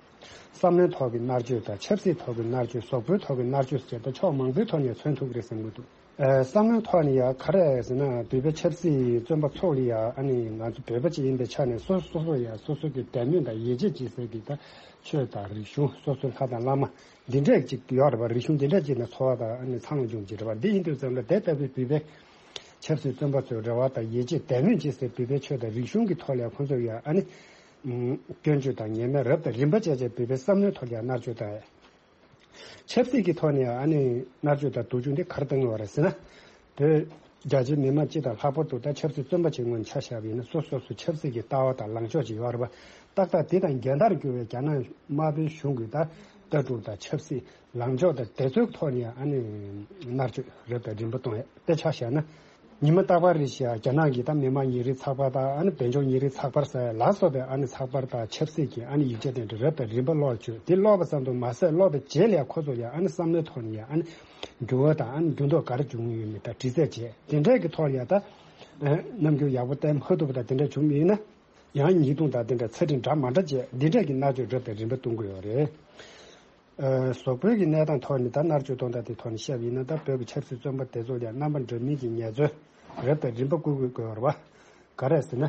བསམ་བློའི་ཐོག་གི་མནར་གཅོད་དང་ཆབ་སྲིད་ཐོག་གི་མནར་གཅོད། གཟུགས་པོའི་ཐོག་གི་མནར་གཅོད་ཟེར་ད་ཕྱོགས་མང་པོའི་ཐོག་ནས་མཚོན་ཐུབ་ཀྱི་རེད་བསམ་གྱི་འདུག་ཨ་བསམ་བློའི་ཐོག་ནས་ཡང་ག་རེ་ཟེར་ན་བོད་པའི་ཆབ་སྲིད་བཙོན་པ་ཚོ་ལ་ཡང་ཨ་ནི་ང་ཚོ་བོད་པ་ཅིག་ཡིན་པའི་ཆ་ནས་སོ་སོ་སོ་ཡང་སོ་སོ་གི་དད་མོས་དང་ཡིད་ཆེས་བྱེད་སའི་གི་ད་ཆོས་དང་རིག་གཞུང་སོ་སོའི་ལྷ་དང་བླ་མ་འདི་འདྲས་ཅིག་ཡོད་རེད་པ། རིག་གཞུང་འདི་འདྲས་ཅིག་ནས་འཚོ་བ་དང་ཨ་ནི་འཚར་ལོངས་བྱུང་ཅིག་རེད་པ། འདི་ཡིན་དུས་ཙམ་ལ་དེ་ལྟ་བུའི་བོད་པའི་ཆབ་སྲིད་བཙོན་པ་ཚོའི་རེ་བ་དང་ཡིད་ཆེས་དད་མོས་བྱེད་སའི་བོད་པའི་ཆོས་དང་རིག་གཞུང་གི་ཐོག་ལ་ཁོང་ཚོས་ཡང་ཨ་ནི་སྐྱོན་བརྗོད་དང་ཉེས་མེད་རབ་དང་རིམ་པ་བྱས་བྱས་བོད་པའི་བསམ་བློའི་ཐོག་ལ་མནར་གཅོད་དང་། ཆབ་སྲིད་ཀྱི་ཐོག་ནས་ཨ་ནི་མནར་གཅོད་དང་སྡུག་སྦྱོང་འདི་ག་རེ་བཏང་ཡོད་རེད་ཟེར་ན། བོད་རྒྱ་ཆེའི་མི་མང་སྤྱི་དང་ལྷག་པར་དུ་ད་ཆབ་སྲིད་བཙོན་པ་ཅིག་ངོས་ནས་ཆ་བཞག་པ་ཡིན་ན་སོ་སོ་སོ་ཆབ་སྲིད་ཀྱི་ལྟ་བ་དང་ལངས་ཕྱོགས་ཅིག་ཡོད་རེད་པ། ཏག་ཏག་དེ་དང་འགལ་ཟླར་གྱུར་བའི་རྒྱ་ནག་དམར་པོའི་གཞུང་གི་ད་ལྟ་གྲུབ་དང་ཆབ་སྲིད་ལངས་ཕྱོགས་དང་དེ་ཚོའི་ཐོག་ནས་ཨ་ནི་མནར་གཅོད་རབ་དང་རིམ་པ་གཏོང་ཡ་དེ་ཆ་བཞག་ན། ཉི་མ་རྟག་པར་རེ་བཞིན་རྒྱ་ནག་གིས་ད་མི་དམངས་ཉིན་རེའི་ཚགས་པར་དང་ཨ་ནི་དཔལ་འབྱོར་ཉིན་རེའི་ཚགས་པར་ཟེར་ལ་སོགས་པའི་ཨ་ནི་ཚགས་པར་དང་ཆབ་སྲིད་ཀྱི་ཨ་ནི་ཡིག་ཆ་དེ་འདྲ་རབ་དང་རིམ་པ་ཀློག་བཅུག་དེ་ཀློག་པ་ཙམ་དུ་མ་ཟད་ཀློག་པའི་རྗེས་ལ་ཁོ་ཚོ་ཡང་ཨ་ནི་བསམ་བློའི་ཐོག་ནས་ཡང་ཨ་ནི་འགྱུར་བ་དང་ཨ་ནི་འགྱུར་ལྡོག་ག་རེ་བྱུང་ཡོད་མེད་དང་དྲི་རྩད་བྱས་དེ་འདྲས་ཀྱི་ཐོག་ལ་ཡང་ད་རྣམ་འགྱུར་ཡག་པོ་བསྟན་མ་ཐུབ་པ་དང་དེ་འདྲ་བྱུང་མེད་ན་ཡང་ཉེས་རྡུང་དང་དེ་འདྲ་ཚད་འབྲིང་འདྲ་མ་འདྲ་བྱས་འདི་འདྲས་ཀྱི་མནར་གཅོད་རབ་དང་རིམ་པ་གཏོང་གི་ཡོད་རེད། ཨ་གཟུགས་པོའི་གི་གནས་སྟངས་ཐོག་ནས་ད་མནར་གཅོད་གཏོང་སྟངས་དེ་ཐོག་ནས་བཤད་པ་ཡིན་ན་ད་བོད་ཀྱི་ཆབ་སྲིད་བཙོན་པ་དེ་ཚོ་ལ་རྣམ་པ་འདྲ་མིན་གྱི་ངལ་རྩོལ་རབ་དང་རིམ་པ་བསྐུལ་དགོས་དགོས་པ་ག་རེ་ཟེར་ན།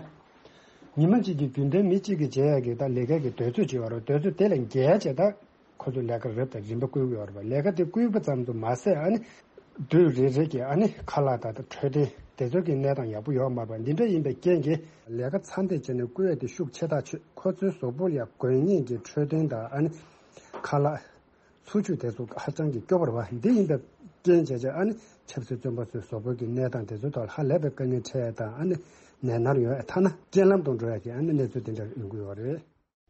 ཉི་མ་གཅིག་གི་རྒྱུན་ལྡན་མི་གཅིག་གིས་བྱེད་ཡག་གི་ད་ལས་ཀའི་གི་དུས་ཚོད་ཅིག་ཡོད་རེད། དུས་ཚོད་དེ་ལས་བརྒལ་བྱས་ད་ཁོ་ཚོ་ལས་ཀ་རབ་དང་རིམ་པ་བསྐུལ་དགོས་པ་རེད་པ། ལས་ཀ་དེ་བསྐུལ་བ་ཙམ་དུ་མ་ཟད་ཨ་ནི་དུས་རེ་རེ་གི་ཨ་ནི་ཁ་ལག་དང་འཕྲོད་བསྟེན་དེ་ཚོ་གི་གནས་སྟངས་ཡག་པོ་ཡོད་མ་རེད་པ། འདི་འདྲ་ཡིན་པའི་རྐྱེན་གྱིས་ལས་ཀ་ཚ་འདེད་བྱས་ནས་བསྐུལ་ཡག་དེ་ཤུགས་ཆེ་ཐག་ཆོད། ཁོ་ཚོའི་གཟུགས་པོ་ལ་དགོས་ངེས་ཀྱི་འཕྲོད་བསྟེན་དང་ཨ་ནི་ཁ་ལག་འཚོ་བཅུད་དེ་ཚོ་ཧ་ཅང་གི་སྐྱོ་པོ་རེད་པ། འདི་ཡིན་པའི་རྐྱེན་བྱས་བྱས་ཨ་ནི་ཆབ་སྲིད་བཙོན་པ་ཚོའི་གཟུགས་པོ་གི་གནས་སྟངས་དེ་ཚོའི་ཐོག་ལ་ཧ་ལས་པའི་དཀའ་ངལ་འཕྲད་དང་ཨ་ནི་ནད་མནར་ཡོང་ཡ་ཐ་ན་རྐྱེན་ལམ་དུ་འགྲོ་ཡ་གི་ཨ་ནི་གནས་ཚུལ་དེ་འདྲ་ཡོང་གི་ཡོད་རེད།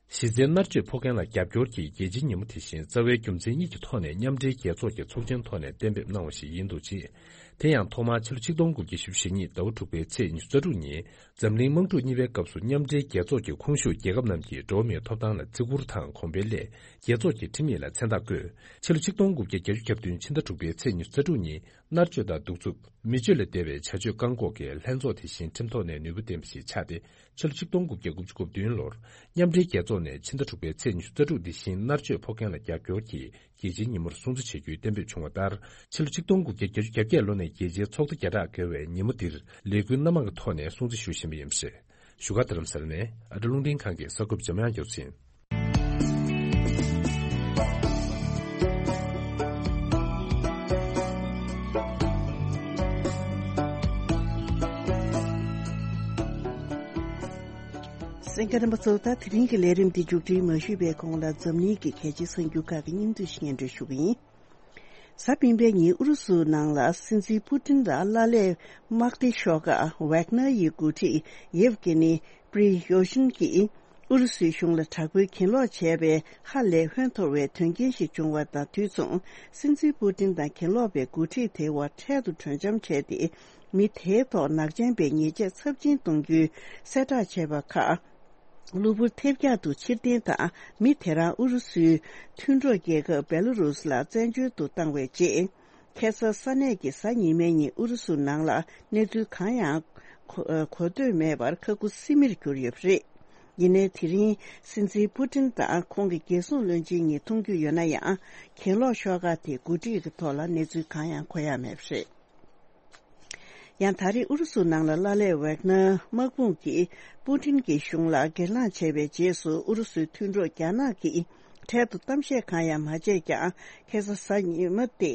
གཞི་རྩའི་མནར་གཅོད་ཕོག་མཁན་ལ་རྒྱབ་སྐྱོར་གྱིས་རྒྱལ་སྤྱིའི་ཉིན་མོ་དེ་བཞིན་རྩ་བའི་རྒྱུ་མཚན་གཉིས་ཀྱི་ཐོག་ནས་མཉམ་འབྲེལ་རྒྱལ་ཚོགས་ཀྱི་ཚོགས་ཆེན་ཐོག་ནས་གཏན་འབེབས་གནང་བ་ཞིག་ཡིན་འདུག་ཅེས། དེ་ཡང་ཐོག་མར་ཕྱི་ལོ་ཆིག་སྟོང་དགུ་བརྒྱ་བཞི་བཅུ་ཞེ་གཉིས་ཟླ་བ་དྲུག་པའི་ཚེས་ཉི་ཤུ་རྩ་དྲུག་ཉིན་འཛམ་གླིང་དམག་འཁྲུག་གཉིས་པའི་སྐབས་སུ་མཉམ་འབྲེལ་རྒྱལ་ཚོགས་ཀྱི་ཁོངས་ཞུགས་རྒྱལ་ཁབ་རྣམས་ཀྱིས་འགྲོ་བ་མིའི་ཐོབ་ཐང་ལ་བརྩི་བཀུར་དང་གོང་འཕེལ་སླད་རྒྱལ་ཚོགས་ཀྱི་ཁྲིམས་ཡིག་ལ་མཚན་རྟགས་བཀོད། ཕྱི་ལོ་ཆིག་སྟོང་དགུ་བརྒྱ་བརྒྱད་ཅུ་གྱ་བདུན་ཕྱི་ཟླ་དྲུག་པའི་ཚེས་ཉི་ཤུ་རྩ་དྲུག་ཉིན། མནར་གཅོད་དང་གདུག་རྩུབ། མི་སྤྱོད་ལས་འདས་པའི་བྱ་སྤྱོད་བཀག་འགོག་གི་ལྷན་ཚོགས་དེ་བཞིན་ཁྲིམས་ཐོག་ནས་ནུས་པ་ལྡན་པ་ཞིག་ཆགས་ཏེ། ཕྱི་ལོ་ཆིག་སྟོང་དགུ་བརྒྱ་དགུ་བཅུ་གོ་བདུན་ལོར། མཉམ་འབྲེལ་རྒྱལ་ཚོགས་ནས་ཕྱི་ཟླ་དྲུག་པའི་ཚེས་ཉི་ཤུ་རྩ་དྲུག་འདི་བཞིན་མནར་གཅོད་ཕོག་མཁན་ལ་རྒྱབ་སྐྱོར་གྱིས་རྒྱལ་སྤྱིའི་ཉིན་མོར་སྲུང་བརྩི་བྱེད་རྒྱུའི་གཏན་འབེབས་བྱུང་བ་ལྟར། ཕྱི་ལོ་ཆིག་སྟོང་དགུ་བརྒྱ་བརྒྱད་ཅུ་གྱ་བརྒྱད་ལོ་ནས་རྒྱལ་སྤྱིའི་ཚོགས་སྡེ་བརྒྱ་ཕྲག་བརྒལ་བས་ཉིན་མོ་འདིར་ལས་འགུལ་སྣ་མང་གི་ཐོག་ནས་སྲུང་བརྩི་ཞུ་བཞིན་པ་ཡིན་པ་རེད། བཞུགས་སྒར་རྡ་རམ་ས་ལ་ནས་ཨ་ཊ་རླུང་འཕྲིན་ཁང་གི་གསར་འགོད་པ་འཇམ་དབྱངས་རྒྱལ་མཚན། གསན་མཁན་རྣམ་པ་ཚོ། ད་དེ་རིང་གི་ལས་རིམ་འདི་མཇུག་སྒྲིལ་མ་ཞུས་པའི་གོང་ལ་འཛམ་གླིང་གི་གལ་ཆེའི་གསར་འགྱུར་ཁག་གི་སྙིང་བསྡུས་ཤིག་སྙན་སྒྲོན་ཞུ་གི་ཡིན། གཟའ་སྤེན་པའི་ཉིན་ཨུ་རུ་སུ་ནང་ལ་སྲིད་འཛིན་པུ་ཏིན་ལ་བླ་ལས་དམག་སྡེ་ཤོག་ཁག་ཝེག་ནར་ཡི་འགོ་ཁྲིད་ཡེབ་གེ་ནི་པྲི་ཡོ་ཤིན་གྱིས་ཨུ་རུ་སུའི་གཞུང་ལ་དྲག་པོའི་གྱེན་ལོག་བྱས་པའི་ཧ་ལས་ཧོན་འཐོར་བའི་དོན་རྐྱེན་ཞིག་བྱུང་བ་དང་དུས་མཚུངས། སྲིད་འཛིན་པུ་ཏིན་དང་གྱེན་ལོག་པའི་འགོ་ཁྲིད་དེ་བར་འཕྲལ་དུ་གྲོས་འཆམ་བྱས་ཏེ། མི་དེའི་ཐོག་ནག་ཅན་པའི་ཉེས་ཆད་ཚབས་ཆེན་གཏོང་རྒྱུའི་གསལ་བསྒྲགས་བྱས་པ་ཁག་གློ་བུར་ཐེབས་རྒྱག་ཏུ་ཕྱིར་འཐེན་དང་། མི་དེ་རང་ཨུ་རུ་སུའི་མཐུན་གྲོགས་རྒྱལ་ཁབ་བེ་ལ་རུས་ལ་བཙན་བྱོལ་དུ་བཏང་བའི་རྗེས། ཁ་སང་ས་གནས་ཀྱི་གཟའ་ཉི་མའི་ཉིན་ཨུ་རུ་སུ་ནང་ལ་གནས་ཚུལ་གང་ཡང་གོ་གོ་ཐོས་མེད་པར་ཁ་ཁུ་སིམ་མེར་གྱུར་ཡོད་པ་རེད། ཡིན་ནའི་དེ་རིང་སྲིད་འཛིན་པུ་ཏིན་དང་ཁོང་གི་རྒྱལ་སྲུང་བློན་ཆེན་གཉིས་མཐོང་རྒྱུ་ཡོད་ན་ཡང་། གྱེན་ལོག་ཤོག་ཁག་དེའི་འགོ་ཁྲིད་ཀྱི་ཐོག་ལ་གནས་ཚུལ་གང་ཡང་གོ་ཡ་མེད་པ་རེད། ཡང་ད་རེས་ཨུ་རུ་སུ་ནང་ལ་བླ་ལས་ཝེག་ནར་དམག་དཔུང་གིས་པུ་ཏིན་གྱི་གཞུང་ལ་སྒེར་ལངས་བྱས་པའི་རྗེས་སུ་ཨུ་རུ་སུའི་མཐུན་གྲོགས་རྒྱ་ནག་གིས་འཕྲལ་དུ་གཏམ་བཤད་གང་ཡང་མ་བྱས་ཀྱང་། ཁ་སང་གཟའ་ཉི་མ་སྟེ་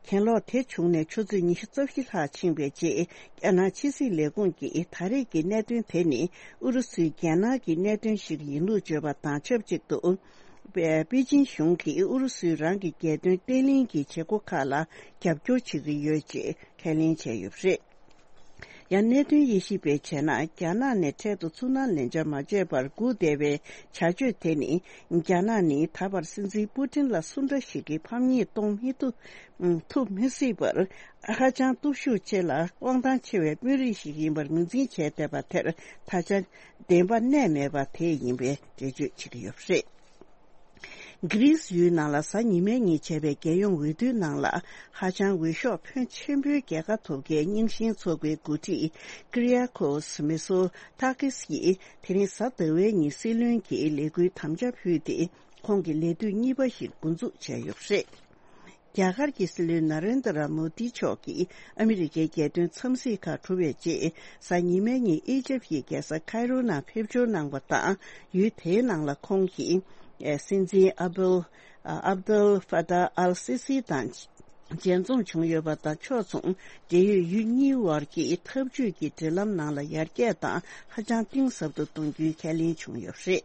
གྱེན་ལོག་དེ་བྱུང་ནས་ཆུ་ཚོད་ཉི་ཤུ་རྩ་བཞི་ལྷག་ཕྱིན་པའི་རྗེས། རྒྱ་ནག་ཕྱི་སྲིད་ལས་ཁུངས་ཀྱིས་ད་རེས་ཀྱི་གནད་དོན་དེ་ནི་ཨུ་རུ་སུའི་རྒྱལ་ནང་གི་གནད་དོན་ཞིག་ཡིན་ལུགས་བརྗོད་པ་དང་ཆབས་ཅིག་ཏུ། པེ་ཅིན་གཞུང་གིས་ཨུ་རུ་སུས་རང་གི་རྒྱལ་དོན་བརྟན་ལྷིང་གི་བྱེད་སྒོ་ཁག་ལ་རྒྱབ་སྐྱོར་བྱེད་ཀྱི་ཡོད་ཅེས་ཁས་ལེན་བྱས་ཡོད་པ་རེད། ཡང་གནད་དོན་དབྱེ་ཞིབ་པས་བྱས་ན། རྒྱ་ནག་ནས་འཕྲལ་དུ་ཚུར་སྣང་ལན་འཆར་མ་བྱས་པར་སྒུག་བསྡད་པའི་བྱ་སྤྱོད་དེ་ནི། རྒྱ་ནག་ནི་ད་བར་སྲིད་འཛིན་པུ་ཏིན་ལ་སུ་འདྲ་ཞིག་གི་ཕམ་ཉེས་གཏོང་མི་ཐུབ། ཐུབ་མི་སྲིད་པར། ཧ་ཅང་སྟོབས་ཤུགས་ཆེ་ལ་དབང་ཐང་ཆེ་བའི་དཔོན་རིགས་ཤིག་ཡིན་པར་ངོས་འཛིན་བྱས་བསྡད་པ་དེར། ད་ཆ་བདེན་པ་གནས་མེད་པ་དེ་ཡིན་པའི་འགྲེལ་བརྗོད་བྱེད་ཀྱི་ཡོད་པ་རེད། གྷི་རིས་ཡུལ་ནང་ལ་གཟའ་ཉི་མའི་ཉིན་བྱས་པའི་རྒྱལ་ཡོངས་འོས་བསྡུའི་ནང་ལ། ཧ་ཅང་འོས་ཤོག་ཕོན་ཆེན་པོའི་རྒྱལ་ཁ་ཐོབ་མཁན་རྙིང་ཞེན་ཚོགས་པའི་འགོ་ཁྲིད་ཀི་རི་ཡ་ཀོ་སི་མི་སོ་ཐ་ཀིས་ཡིས། དེ་རིང་གཟའ་ཟླ་བའི་ཉིན་སྲིད་བློན་གྱི་ལས་འགུལ་དམ་བཅའ་ཕུལ་ཏེ། ཁོང་གི་ལས་དུས་གཉིས་པ་ཞིག་འགོ་འཛུགས་བྱས་ཡོད་པ་རེད། རྒྱ་གར་གྱི་སྲིད་བློན་ན་རེན་དྲ་མོ་དི་མཆོག་གིས་ཨ་མི་རི་ཀའི་རྒྱལ་དོན་འཚམས་གཟིགས་ཁག་གྲུབ་པའི་རྗེས། གཟའ་ཉི་མའི་ཉིན་ཨི་ཇིབ་ཀྱི་རྒྱལ་ས་ཁའི་རོ་ནང་ཕེབས་འབྱོར་གནང་བ་དང་། ཡུལ་དེའི་ནང་ལ་ཁོང་གིས། ཨེ། སྲིད་འཛིན་ཨབ་དུལ། ཨ། ཨབ་དུལ་ཧྥ་ཏཱ་ཨལ་སི་སི་དང་མཇལ་འཛོམས་བྱུང་ཡོད་པ་དང་། ཕྱོགས་མཚུངས་འབྲེལ་ཡོད་ཡུལ་གཉིས་དབར་གྱི་འཐབ་ཇུས་ཀྱི་འབྲེལ་ལམ་ནང་ལ་ཡར་རྒྱས་དང་ཧ་ཅང་གཏིང་ཟབ་ཏུ་གཏོང་རྒྱུའི་ཁས་ལེན་བྱུང་ཡོད་པ་རེད།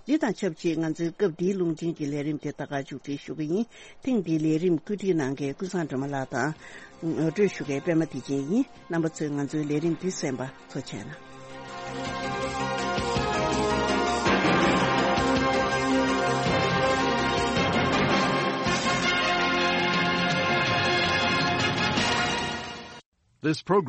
འདི་དང་ཆབས་ཅིག་ང་ཚོའི་སྐབས་འདིའི་རླུང་འཕྲིན་གྱི་ལས་རིམ་དེ་ད་ག་མཇུག་སྒྲིལ་ཞུ་གི་ཡིན། ཐེངས་འདིའི་ལས་རིམ་བཀོད་སྒྲིག་གནང་མཁན་ཀུན་བཟང་སྒྲོལ་མ་ལགས་དང་། ངོ་སྤྲོད་ཞུ་མཁན་པད་མ་བདེ་ཆེན་ཡིན། རྣམ་པ་ཚོས་ང་ཚོའི་ལས་རིམ་འདི་གསན་པ་ཐུགས་རྗེ་གནང་། This program